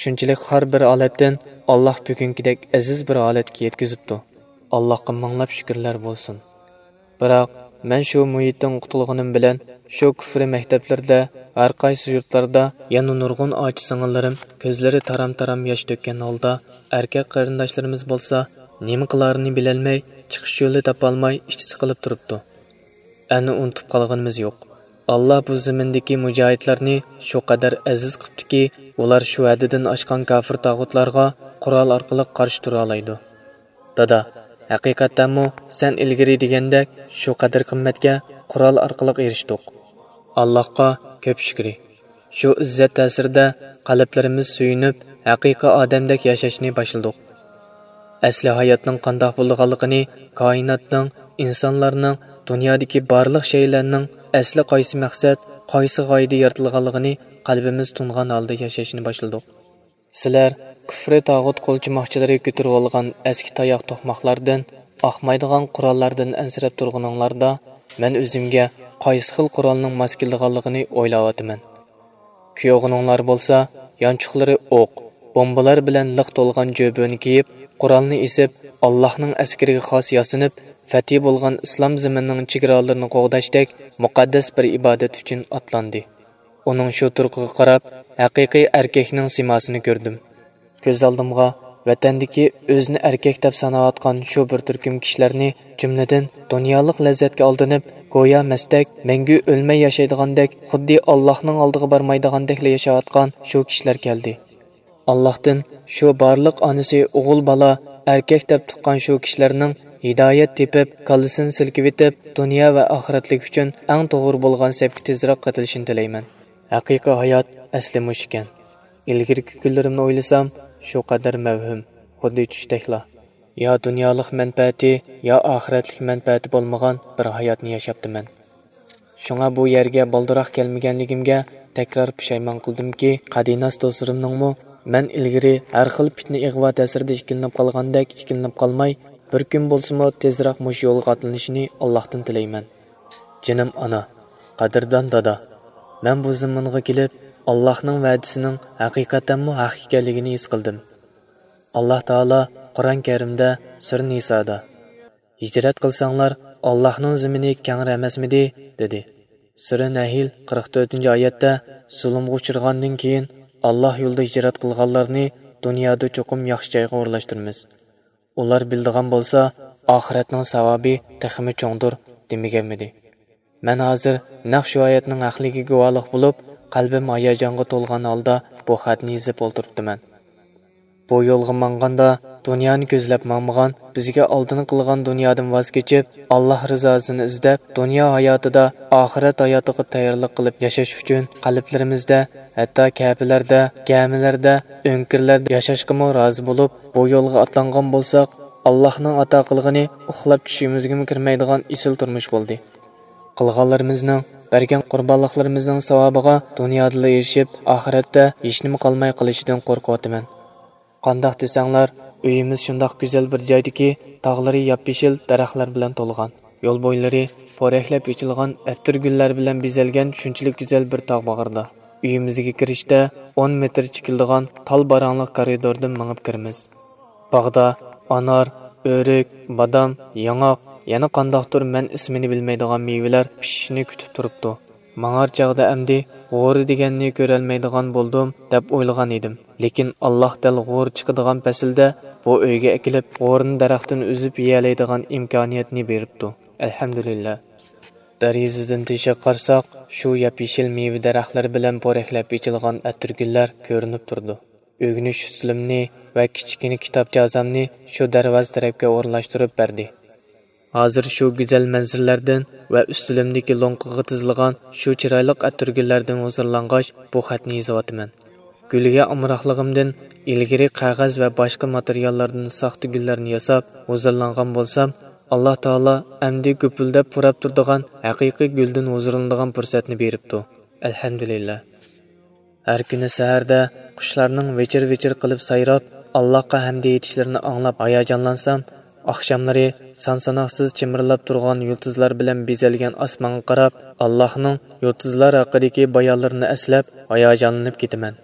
شۇنچىلىك خار بىر ھالەتتىن ئاللاھ بۈگۈنكىدەك ئەزىز بىر ھالەتكە يەتكۈزۈپتۇ. ئاللاھقا مىڭلاپ شۈكۈرلەر بولسۇن. بىراق، مەن شۇ مۇھىتتىن قۇتۇلغىنىم بىلەن، شۇ كۇفرى مەكتەپلىرىدە، ھەر قايسى يۇرتلاردا يەنە نۇرغۇن ئاچا-سىڭىللىرىم كۆزلىرى تارام-تارام ياش تۆككەن ھالدا، ئەركەك قېرىنداشلىرىمىز بولسا نېمە قىلارىنى بىلەلمەي، چىقىش يولى تاپالماي ئىچى سىقىلىپ تۇرۇپتۇ. ئەنە ئۇنتۇپ قالغىنىمىز يوق. ئاللاھ بۇ زېمىندىكى مۇجاھىدلارنى شۇ قەدەر ئەزىز قىپتۇكى، ئۇلار شۇ ھەددىدىن ئاشقان كاپىر تاغۇتلارغا قورال ئارقىلىق قارشى تۇرالايدۇ. دادا، ھەقىقەتەنمۇ سەن ئىلگىرى دېگەندەك شۇ قەدىر قىممەتكە قورال ئارقىلىق ئېرىشتۇق. ئاللاھقا كۆپ شۈكرى. شۇ ئىززەت تەسىرىدە قەلبلىرىمىز سۆيۈنۈپ، ھەقىقىي ئادەمدەك ياشاشنى باشلىدۇق. ئەسلى ھاياتنىڭ قانداق بولىدىغانلىقىنى، كائىناتنىڭ، ئىنسانلارنىڭ، دۇنيادىكى بارلىق شەيئىلەرنىڭ ئەسلى قايسى مەقسەت، قايسى غايىدە يارىتىلغانلىقىنى قەلبىمىز تونۇغان ھالدا ياشاشنى باشلىدۇق. سىلەر كۇفرى تاغۇت قولچىماقچىلىرى كۆتۈرۈۋالغان ئەسكى تاياق توقماقلاردىن، ئاقمايدىغان قوراللاردىن ئەنسىرەپ تۇرغىنىڭلاردا، مەن ئۆزۈمگە قايسى خىل قورالنىڭ ماس كېلىدىغانلىقىنى ئويلاۋاتىمەن. كۈيئوغلۇڭلار بولسا يانچۇقلىرى ئوق، بومبىلار بىلەن لىق تولغان جۆبىنى كىيىپ، قورالنى ئېسىپ، ئاللاھنىڭ ئەسكىرىگە خاس ياسىنىپ، پەتھى بولغان ئىسلام زېمىنىنىڭ چېگرالىرىنى قوغداشتەك مۇقەددەس بىر ئىبادەت ئۈچۈن ئاتلاندى. ئۇنىڭ شۇ تۇرقىغا قاراپ، ھەقىقىي ئەركەكنىڭ سىيماسىنى كۆردۈم. كۆز ئالدىمغا ۋەتەندىكى ئۆزىنى ئەركەك دەپ ساناۋاتقان شۇ بىر تۈركۈم كىشىلەرنى، جۈملىدىن دۇنيالىق لەززەتكە ئالدىنىپ، گويا مەستەك، مەڭگۈ ئۆلمەي ياشايدىغاندەك، خۇددى ئاللاھنىڭ ئالدىغا بارمايدىغاندەكلا ياشاۋاتقان شۇ كىشىلەر كەلدى. ئاللاھتىن شۇ بارلىق ئانىسى ئوغۇل بالا ئەركەك دەپ تۇغقان شۇ كىشىلەرنىڭ ھىدايەت تېپىپ، كاللىسىنى سىلكىۋېتىپ، دۇنيا ۋە ئاخىرەتلىك ئۈچۈن ئەڭ توغرا بولغان سەپكە تېزراق قېتىلىشىنى تىلەيمەن. ھەقىقىي ھايات ئەسلى مۇشۇ ئىكەن. ئىلگىرىكى كۈنلىرىمنى ئويلىسام، شۇ قەدەر مەۋھۇم، خۇددى چۈشتەكلا. يا دۇنيالىق مەنپەئەتى، يا ئاخىرەتلىك مەنپەئەتى بولمىغان بىر ھاياتنى ياشاپتىمەن. شۇڭا بۇ يەرگە بالدۇراق كەلمىگەنلىكىمگە تەكرار پۇشايمان قىلدىمكى، قەدىناس دوستلىرىمنىڭمۇ مەن ئىلگىرى ھەر خىل پىتنە-ئىغۋا تەسىرىدە ئىككىلىنىپ قالغاندەك ئىككىلىنىپ قالماي، بىر كۈن بولسىمۇ تېزراق مۇشۇ يولغا ئاتلىنىشىنى ئاللاھتىن تىلەيمەن. جېنىم ئانا، قەدىردان دادا، مەن بۇ زېمىنغا كېلىپ، ئاللاھنىڭ ۋەدىسىنىڭ ھەقىقەتەنمۇ ھەق ئىكەنلىكىنى ھېس قىلدىم. ئاللاھ تائالا قۇرئان كەرىمدە سۈرە نىسادا، «ھىجرەت قىلساڭلار، ئاللاھنىڭ زېمىنى كەڭرى ئەمەسمىدى؟» دېدى. سۈرە نەھل قىرىق تۆتىنچى ئايەتتە، «زۇلۇمغا ئۇچرىغاندىن كېيىن، ئاللاھ يولىدا ھىجرەت قىلغانلارنى دۇنيادا چوقۇم ياخشى جايغا ئورۇنلاشتۇرىمىز. ئۇلار بىلىدىغان بولسا، ئاخىرەتنىڭ ساۋابى تېخىمۇ چوڭدۇر» دېمىگەنمىدى؟ مەن ھازىر نەق شۇ ئايەتنىڭ ھەقلىكىگە گۇۋاھلىق بولۇپ، قەلبىم ھاياجانغا تولغان ھالدا بۇ خەتنى يېزىپ ئولتۇرۇپتىمەن. بۇ يولغا ماڭغاندا، دۇنيانى كۆزلەپ ماڭمىغان، بىزگە ئالدىن قىلغان دۇنيادىن ۋاز كېچىپ، ئاللاھ رىزاسىنى ئىزدەپ، دۇنيا ھاياتىدا ئاخىرەت ھاياتىغا تەييارلىق قىلىپ ياشاش ئۈچۈن قەلبلىرىمىزدە، ھەتتا كەپىلەردە، گەمىلەردە، ئۆڭكۈرلەردە ياشاشقىمۇ رازى بولۇپ، بۇ يولغا ئاتلانغان بولساق، ئاللاھنىڭ ئاتا قىلغىنى ئۇخلاپ چۈشىمىزگىمۇ كىرمەيدىغان ئېسىل تۇرمۇش بولدى. قىلغانلىرىمىزنىڭ، بەرگەن قۇربانلىقلىرىمىزنىڭ ساۋابىغا دۇنيادىلا ئېرىشىپ، ئاخىرەتتە ھېچنېمە قالماي قېلىشىدىن قورقۇۋاتىمەن. قانداق دېسەڭلار، ئۆيىمىز شۇنداق گۈزەل بىر جايدىكى، تاغلىرى ياپيېشىل دەرەخلەر بىلەن تولغان. يول بويلىرى پورەكلەپ ئېچىلغان ئەتىر گۈللەر بىلەن بېزەلگەن شۇنچىلىك گۈزەل بىر تاغ باغرىدا. ئۆيىمىزگە كىرىشتە ئون مېتىر چېكىلىدىغان تال باراڭلىق كارىدوردىن مېڭىپ كىرىمىز. باغدا ئانار، ئۆرۈك، بادام، ياڭاق، يەنە قانداقتۇر مەن ئىسمىنى بىلمەيدىغان مېۋىلەر پىشىشىنى كۈتۈپ تۇرۇپتۇ. ماڭار چاغدا ئەمدى غورى دېگەننى كۆرەلمەيدىغان بولدۇم، دەپ ئويلىغان ئىدىم. لېكىن ئاللاھ دەل غورى چىقىدىغان پەسىلدە بۇ ئۆيگە ئەكېلىپ، غورىنى دەرەختىن ئۈزۈپ يېيەلەيدىغان ئىمكانىيەتنى بېرىپتۇ. ئەلھەمدۇلىللا. دەرىزىدىن تېشىغا قارىساق، شۇ ياپيېشىل مېۋە دەرەخلىرى بىلەن پورەكلەپ ئېچىلغان ئەتىرگۈللەر كۆرۈنۈپ تۇرىدۇ. ئۆگىنىش ئۈستىلىمنى ۋە كىچىككىنە كىتابجازامنى شۇ دەرۋازا تەرەپكە ئورۇنلاشتۇرۇپ بەردى. ھازىر شۇ گۈزەل مەنزىرىلەردىن ۋە ئۈستىلىمدىكى لوڭقىغا تىزىلغان شۇ چىرايلىق ئەتىرگۈللەردىن ھۇزۇرلانغاچ، بۇ خەتنى يېزىۋاتىمەن. گۈلگە ئامراقلىقىمدىن ئىلگىرى قەغەز ۋە باشقا ماتېرىياللاردىن ساختا گۈللەرنى ياساپ ھۇزۇرلانغان بولسام، ئاللاھ تائالا ئەمدى گۈپۈلدەپ پۇراپ تۇرىدىغان ھەقىقىي گۈلدىن ھۇزۇرلىنىدىغان پۇرسەتنى بېرىپتۇ. ئەلھەمدۇلىللا. ھەر كۈنى سەھەردە قۇشلارنىڭ ۋىچىر-ۋىچىر قىلىپ سايراپ، ئاللاھقا ھەمدە ئېيتىشلىرىنى ئاڭلاپ ھاياجانلانسام، ئاخشاملىرى سان-ساناقسىز چىمىرلاپ تۇرغان يۇلتۇزلار بىلەن بېزەلگەن ئاسمانغا قاراپ، ئاللاھنىڭ يۇلتۇزلار ھەققىدىكى بايانلىرىنى ئەسلەپ ھاياجانلىنىپ كېتىمەن.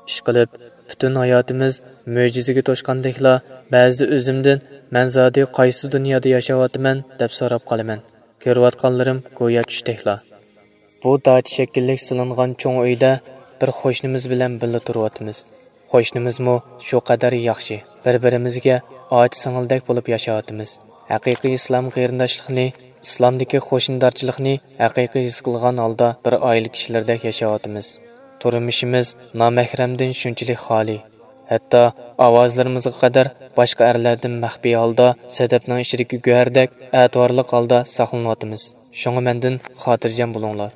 ئىشقىلىپ، پۈتۈن ھاياتىمىز مۆجىزىگە توشقاندەكلا، بەزىدە ئۆزۈمدىن، «مەن زادى قايسى دۇنيادا ياشاۋاتىمەن؟» دەپ سوراپ قالىمەن. كۆرۈۋاتقانلىرىم گويا چۈشتەكلا. بۇ داچا شەكىللىك سېلىنغان چوڭ ئۆيدە بىر قوشنىمىز بىلەن بىللە تۇرۇۋاتىمىز. قوشنىمىزمۇ شۇ قەدەر ياخشى، بىر-بىرىمىزگە ئاچا-سىڭىلدەك بولۇپ ياشاۋاتىمىز. ھەقىقىي ئىسلام قېرىنداشلىقىنى، ئىسلامدىكى قوشنىدارچىلىقنى ھەقىقىي ھېس قىلغان ھالدا بىر ئائىلە كىشىلىرىدەك ياشاۋاتىمىز. تۇرمۇشىمىز نامەھرەمدىن شۇنچىلىك خالىي. ھەتتا ئاۋازلىرىمىزغا قەدەر باشقا ئەرلەردىن مەخپىي ھالدا سەدەپنىڭ ئىچىدىكى گۆھەردەك ئەتىۋارلىق ھالدا ساقلىنىۋاتىمىز. شۇڭا مەندىن خاتىرجەم بولۇڭلار.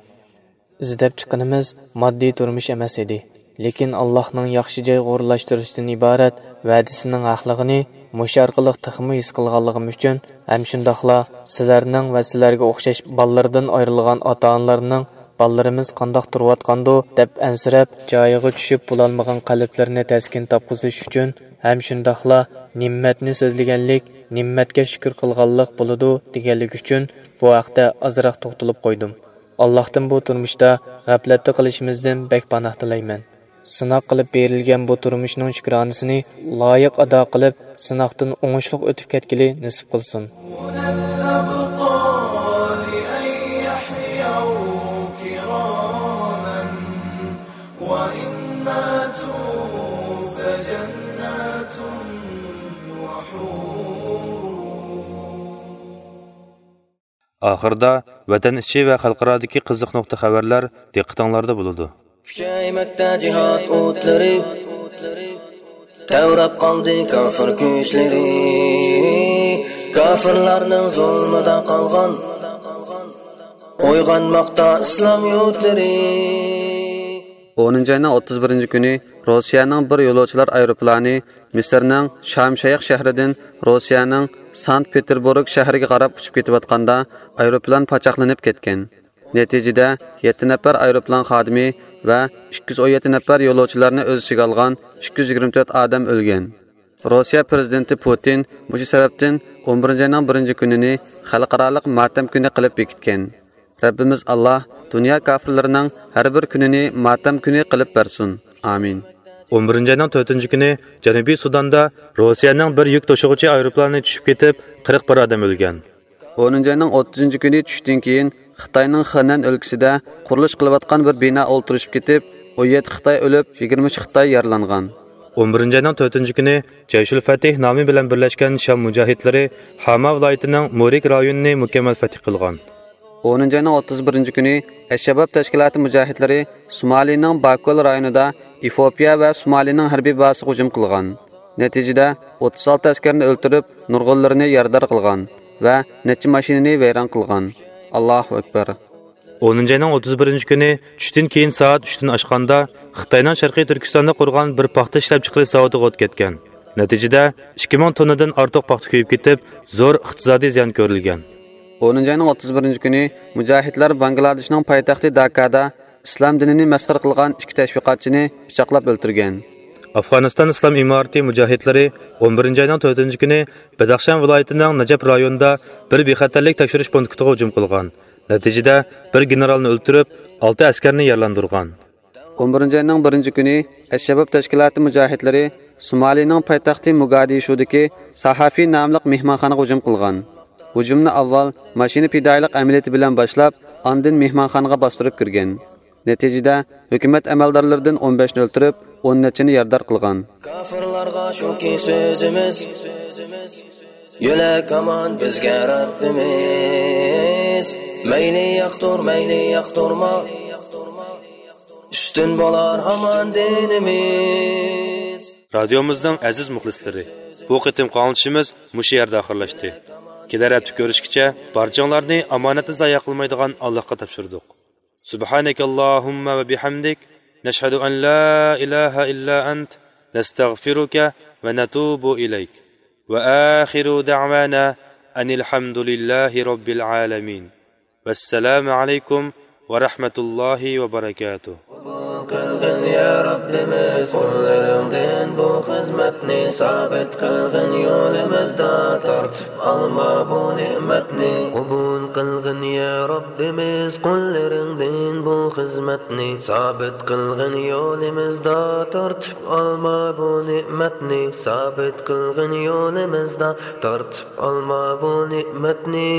ئىزدەپ چىققىنىمىز ماددىي تۇرمۇش ئەمەس ئىدى، لېكىن ئاللاھنىڭ ياخشى جايغا ئورۇنلاشتۇرۇشتىن ئىبارەت ۋەدىسىنىڭ ھەقلىقىنى مۇشۇ ئارقىلىق تېخىمۇ ھېس قىلغانلىقىم ئۈچۈن ھەم شۇنداقلا سىلەرنىڭ ۋە سىلەرگە ئوخشاش بالىلىرىدىن ئايرىلغان ئاتا-ئانىلارنىڭ بالىلىرىمىز قانداق تۇرۇۋاتقاندۇ دەپ ئەنسىرەپ، جايىغا چۈشۈپ بولالمىغان قەلبلىرىنى تەسكىن تاپقۇزۇش ئۈچۈن ھەم شۇنداقلا نېمەتنى سۆزلىگەنلىك نېمەتكە شۈكۈر قىلغانلىق بولىدۇ دېگەنلىك ئۈچۈن بۇ ھەقتە ئازراق توختىلىپ قويدۇم. ئاللاھتىن بۇ تۇرمۇشتا غەپلەتتە قېلىشىمىزدىن بەك پاناھ تىلەيمەن. سىناق قىلىپ بېرىلگەن بۇ تۇرمۇشنىڭ شۈكرانىسىنى لايىق ئادا قىلىپ، سىناقتىن ئوڭۇشلۇق ئۆتۈپ كەتكىلى نېسىپ قىلسۇن. ئاخىرىدا ۋەتەن ئىچى ۋە خەلقئارادىكى قىزىق نۇقتا خەۋەرلەر دىققىتىڭلاردا بولىدۇ. كۈچەيمەكتە جىھاد ئوتلىرى، تەۋرەپ قالدى كافىر كۈچلىرى. كافىرلارنىڭ زۇلمىدا قالغان، ئويغانماقتا ئىسلام يۇرتلىرى. ئونىنچى ئاينىڭ ئوتتۇز بىرىنچى كۈنى روسىيەنىڭ بىر يولۇچىلار ئايروپىلانى مىسىرنىڭ شام شەيخ شەھىرىدىن روسىيەنىڭ سانكت پېتېربۇرگ شەھىرىگە قاراپ ئۇچۇپ كېتىۋاتقاندا، ئايروپىلان پاچاقلىنىپ كەتكەن. نەتىجىدە، يەتتە نەپەر ئايروپىلان خادىمى ۋە ئىككى يۈز ئون يەتتە نەپەر يولۇچىلارنى ئۆز ئىچىگە ئالغان ئىككى يۈز يىگىرمە تۆت ئادەم ئۆلگەن. روسىيە پىرېزىدېنتى پۇتىن مۇشۇ سەۋەبتىن ئون بىرىنچى ئاينىڭ بىرىنچى كۈنىنى خەلقئارالىق ماتەم كۈنى قىلىپ بېكىتكەن. رەببىمىز ئاللاھ دۇنيا كاپىرلىرىنىڭ ھەر بىر كۈنىنى ماتەم كۈنى قىلىپ بەرسۇن. ئامىن. ئون بىرىنچى ئاينىڭ تۆتىنچى كۈنى جەنۇبىي سۇداندا روسىيەنىڭ بىر يۈك توشۇغۇچى ئايروپىلانى چۈشۈپ كېتىپ، قىرىق بىر ئادەم ئۆلگەن. ئونىنچى ئاينىڭ ئوتتۇزىنچى كۈنى چۈشتىن كېيىن خىتاينىڭ خېنەن ئۆلكىسىدە قۇرۇلۇش قىلىۋاتقان بىر بىنا ئولتۇرۇشۇپ كېتىپ، ئون يەتتە خىتاي ئۆلۈپ، يىگىرمە ئۈچ خىتاي يارىلانغان. ئون بىرىنچى ئاينىڭ تۆتىنچى كۈنى جەيشۇل فەتىھ نامى بىلەن بىرلەشكەن شام مۇجاھىدلىرى ھاما ۋىلايىتىنىڭ مۇرىك رايونىنى مۇكەممەل فەتھ قىلغان. ئونىنچى ئاينىڭ ئوتتۇز بىرىنچى كۈنى ئەششەباب تەشكىلاتى مۇجاھىدلىرى سومالىنىڭ باكول رايونىدا ئېفىئوپىيە ۋە سومالىنىڭ ھەربىي بازىسىغا ھۇجۇم قىلغان. نەتىجىدە، ئوتتۇز ئالتە ئەسكەرنى ئۆلتۈرۈپ، نۇرغۇنلىرىنى يارىدار قىلغان ۋە نەچچە ماشىنىنى ۋەيران قىلغان. ئاللاھۇ ئەكبەر. ئونىنچى ئاينىڭ ئوتتۇز بىرىنچى كۈنى چۈشتىن كېيىن سائەت ئۈچتىن ئاشقاندا، خىتاينىڭ شەرقىي تۈركىستاندا قۇرغان بىر پاختا ئىشلەپچىقىرىش زاۋۇتىغا ئوت كەتكەن. نەتىجىدە، ئىككى مىڭ توننىدىن ئارتۇق پاختا كۆيۈپ كېتىپ، زور ئىقتىسادىي زىيان كۆرۈلگەن. ئونىنچى ئاينىڭ ئوتتۇز بىرىنچى كۈنى مۇجاھىدلار باڭگلادېشنىڭ پايتەختى داكادا ئىسلام دىنىنى مەسخىرە قىلغان ئىككى تەشۋىقاتچىنى پىچاقلاپ ئۆلتۈرگەن. ئافغانىستان ئىسلام ئىمارىتى مۇجاھىدلىرى ئون بىرىنچى ئاينىڭ تۆتىنچى كۈنى بەدەخشان ۋىلايىتىنىڭ نەجەپ رايونىدا بىر بىخەتەرلىك تەكشۈرۈش پونكىتىغا ھۇجۇم قىلغان. نەتىجىدە، بىر گېنېرالنى ئۆلتۈرۈپ، ئالتە ئەسكەرنى يارىلاندۇرغان. ئون بىرىنچى ئاينىڭ بىرىنچى كۈنى ئەششەباب تەشكىلاتى مۇجاھىدلىرى سومالىنىڭ پايتەختى موگادىشۇدىكى ساھافى ناملىق مېھمانخانىغا ھۇجۇم قىلغان. ھۇجۇمنى ئاۋۋال ماشىنا پىدائىيلىق ئەمەلىيىتى بىلەن باشلاپ، ئاندىن مېھمانخانىغا باستۇرۇپ كىرگەن. نەتىجىدە، ھۆكۈمەت ئەمەلدارلىرىدىن ئون بەشنى ئۆلتۈرۈپ، ئون نەچچىنى يارىدار قىلغان. كاپىرلارغا شۇكى سۆزىمىز، يۆلەك ئامان بىزگە رەببىمىز. مەيلى ياقتۇر، مەيلى ياقتۇرما، ئۈستۈن بولار ھامان دىنىمىز. رادىيومىزنىڭ ئەزىز مۇخلىسلىرى، بۇ قېتىمقى ئاڭلىتىشىمىز مۇشۇ يەردە ئاخىرلاشتى. كېلەر ھەپتە كۆرۈشكىچە بارچىڭلارنى ئامانەتنى زايە قىلمايدىغان ئاللاھقا تاپشۇردۇق. سبحانك اللهم وبحمدك، نشهد أن لا إله إلا أنت، نستغفرك ونتوب إليك. وآخر دعوانا أن الحمد لله رب العالمين. والسلام عليكم ورحمة الله وبركاته. قوبۇل قىلغىن يا رەببىمىز قۇللىرىڭدىن بۇ خىزمەتنى، سابىت قىلغىن يولىمىزدا تارتىپ ئالما بۇ نېمەتنى. قوبۇل قىلغىن يا رەببىمىز قۇللىرىڭدىن بۇ خىزمەتنى، سابىت قىلغىن يولىمىزدا تارتىپ ئالما بۇ نېمەتنى، سابىت قىلغىن يولىمىزدا تارتىپ ئالما بۇ نېمەتنى.